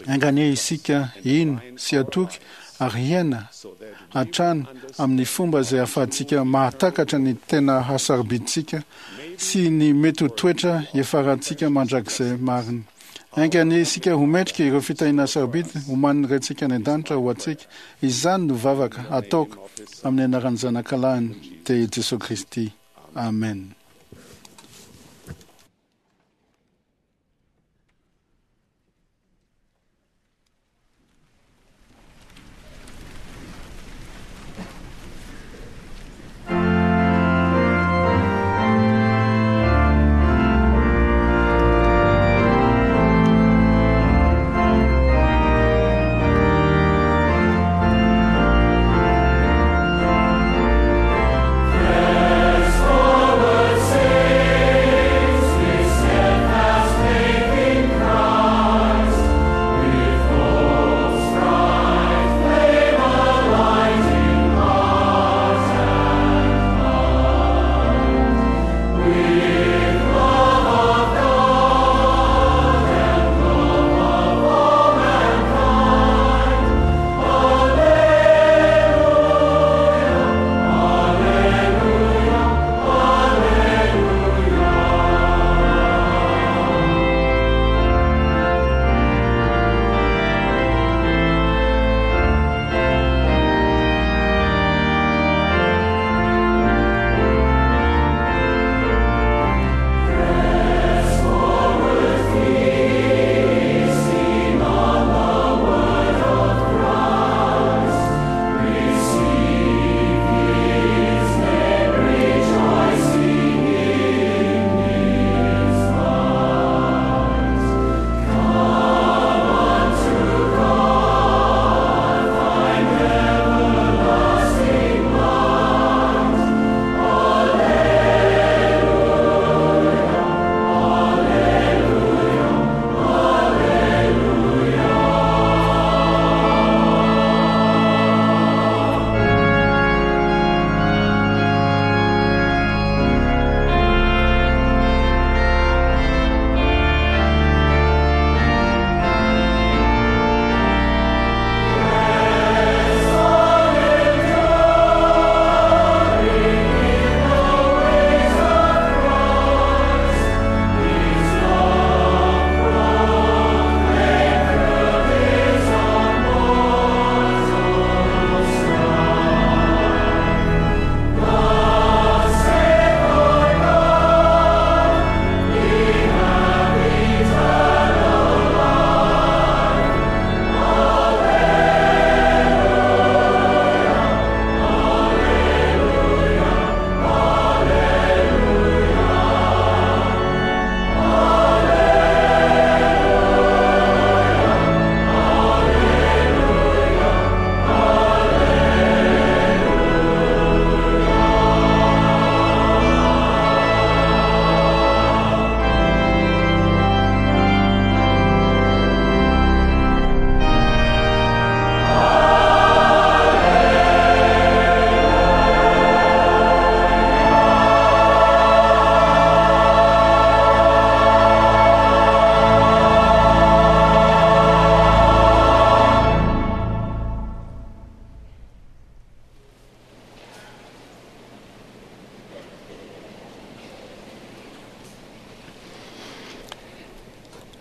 Enga anie isika hino sy hatoky ary hiaina hatrany amin'ny fomba izay ahafahantsika mahatakatra ny tena hasarobidintsika sy ny mety ho toetra hiafarantsika mandrakizay marina. Enga anie isika ho mendrika ireo fitahiana sarobidy omanin'ny Raintsika any an-danitra ho antsika. Izany no vavaka ataoko amin'ny anaran'ny Zanakalahiny, dia i Jesoa Kristy. Amen. Press forward, saints, with steadfast faith in Christ, with hopes bright, flame alight in heart and mind, with love of God and love of all mankind. Alleluia, Alleluia, Alleluia. Press forward, feasting on the word of Christ. Receive His name, rejoicing in His might. Come unto God, find everlasting light. Alleluia, Alleluia, Alleluia.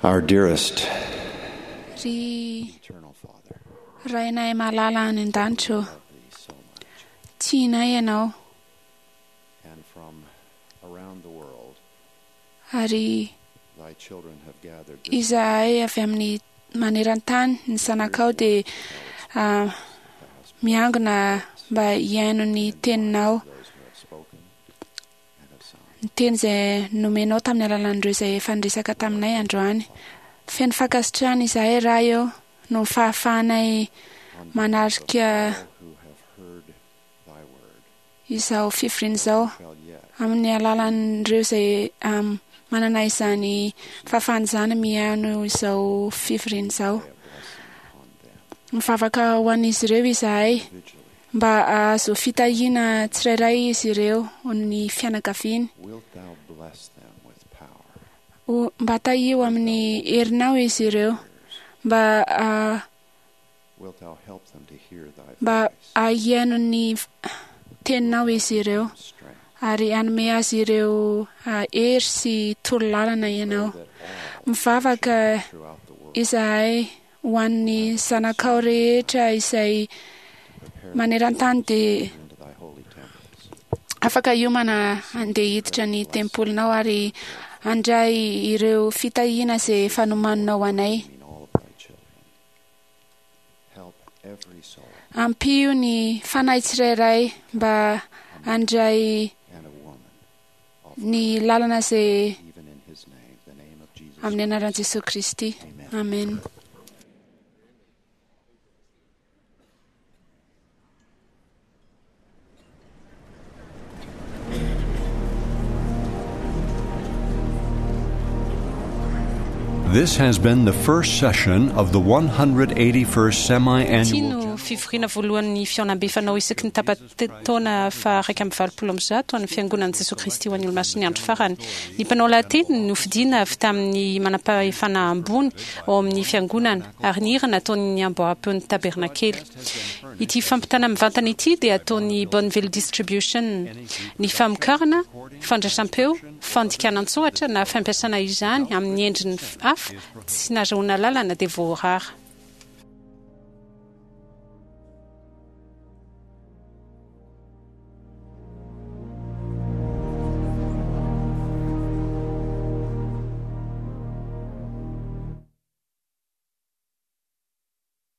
Our dearest Ry Rainay malala any an-danitra ô, tianay ianao and from around the world, ary thy children have gathered this izahay avy amin'ny maneran-tany ny zanakao dia ah, miangona mba hihaino ny teninao, ny teny izay nomenao tamin'ny alalan'ireo izay efa niresaka taminay androany. Feno fankasitrahana izahay Ray eo no fahafahanay manarika who have heard thy word izao fivoriana izao shall yet amin'ny alalan'ireo izay um, manana izany fahafahana izany mihaino izao fivoriana izao. Mivavaka ho an'izy ireo izahay mba hahazo fitahiana tsirairay izy ireo ny fianakaviany. wilt thou bless them with power Ho- Mba tahio amin'ny herinao izy ireo Mba ah, Wilt thou help them to hear thy mba hihaino ny teninao izy ireo ary hanome azy ireo ah, hery sy torolalana ianao. Mivavaka izahay ho an'ny zanakao rehetra izay maneran-tany dia into thy holy temples. afaka hiomana handeha hiditra ny tempolinao ary handray ireo fitahiana izay efa nomaninao anay. In all of thy children. Help every soul Ampio ny fanahy tsirairay mba handray and a woman, ny lalana izay even in his name, the name of Jesus. amin'ny anaran'i Jesosy Kristy. Amen. This has been the first session of the one hundred eighty-first Ity semi-annual no fivoriana voalohan'ny fihaonambe fanao isaky ny tapa-taona fa iraika amby valopolo amby zato an'ny fiangonan'i Jesosy Kristy ho an'ny Olomasin'ny Andro Farany. Ny mpanao lahateny no fidiana avy tamin'ny manam-pahefana ambony ao amin'ny fiangonana ary ny hira nataon'ny amboaram-peon'ny tabernakely. Ity fampitana mivantana ity dia ataon'ny Bonneville Distribution. Ny famokarana, fandraisam-peo, fandikana an-tsoratra na fampiasana izany amin'ny endriny hafa tsy nahazoana lalana dia voarara.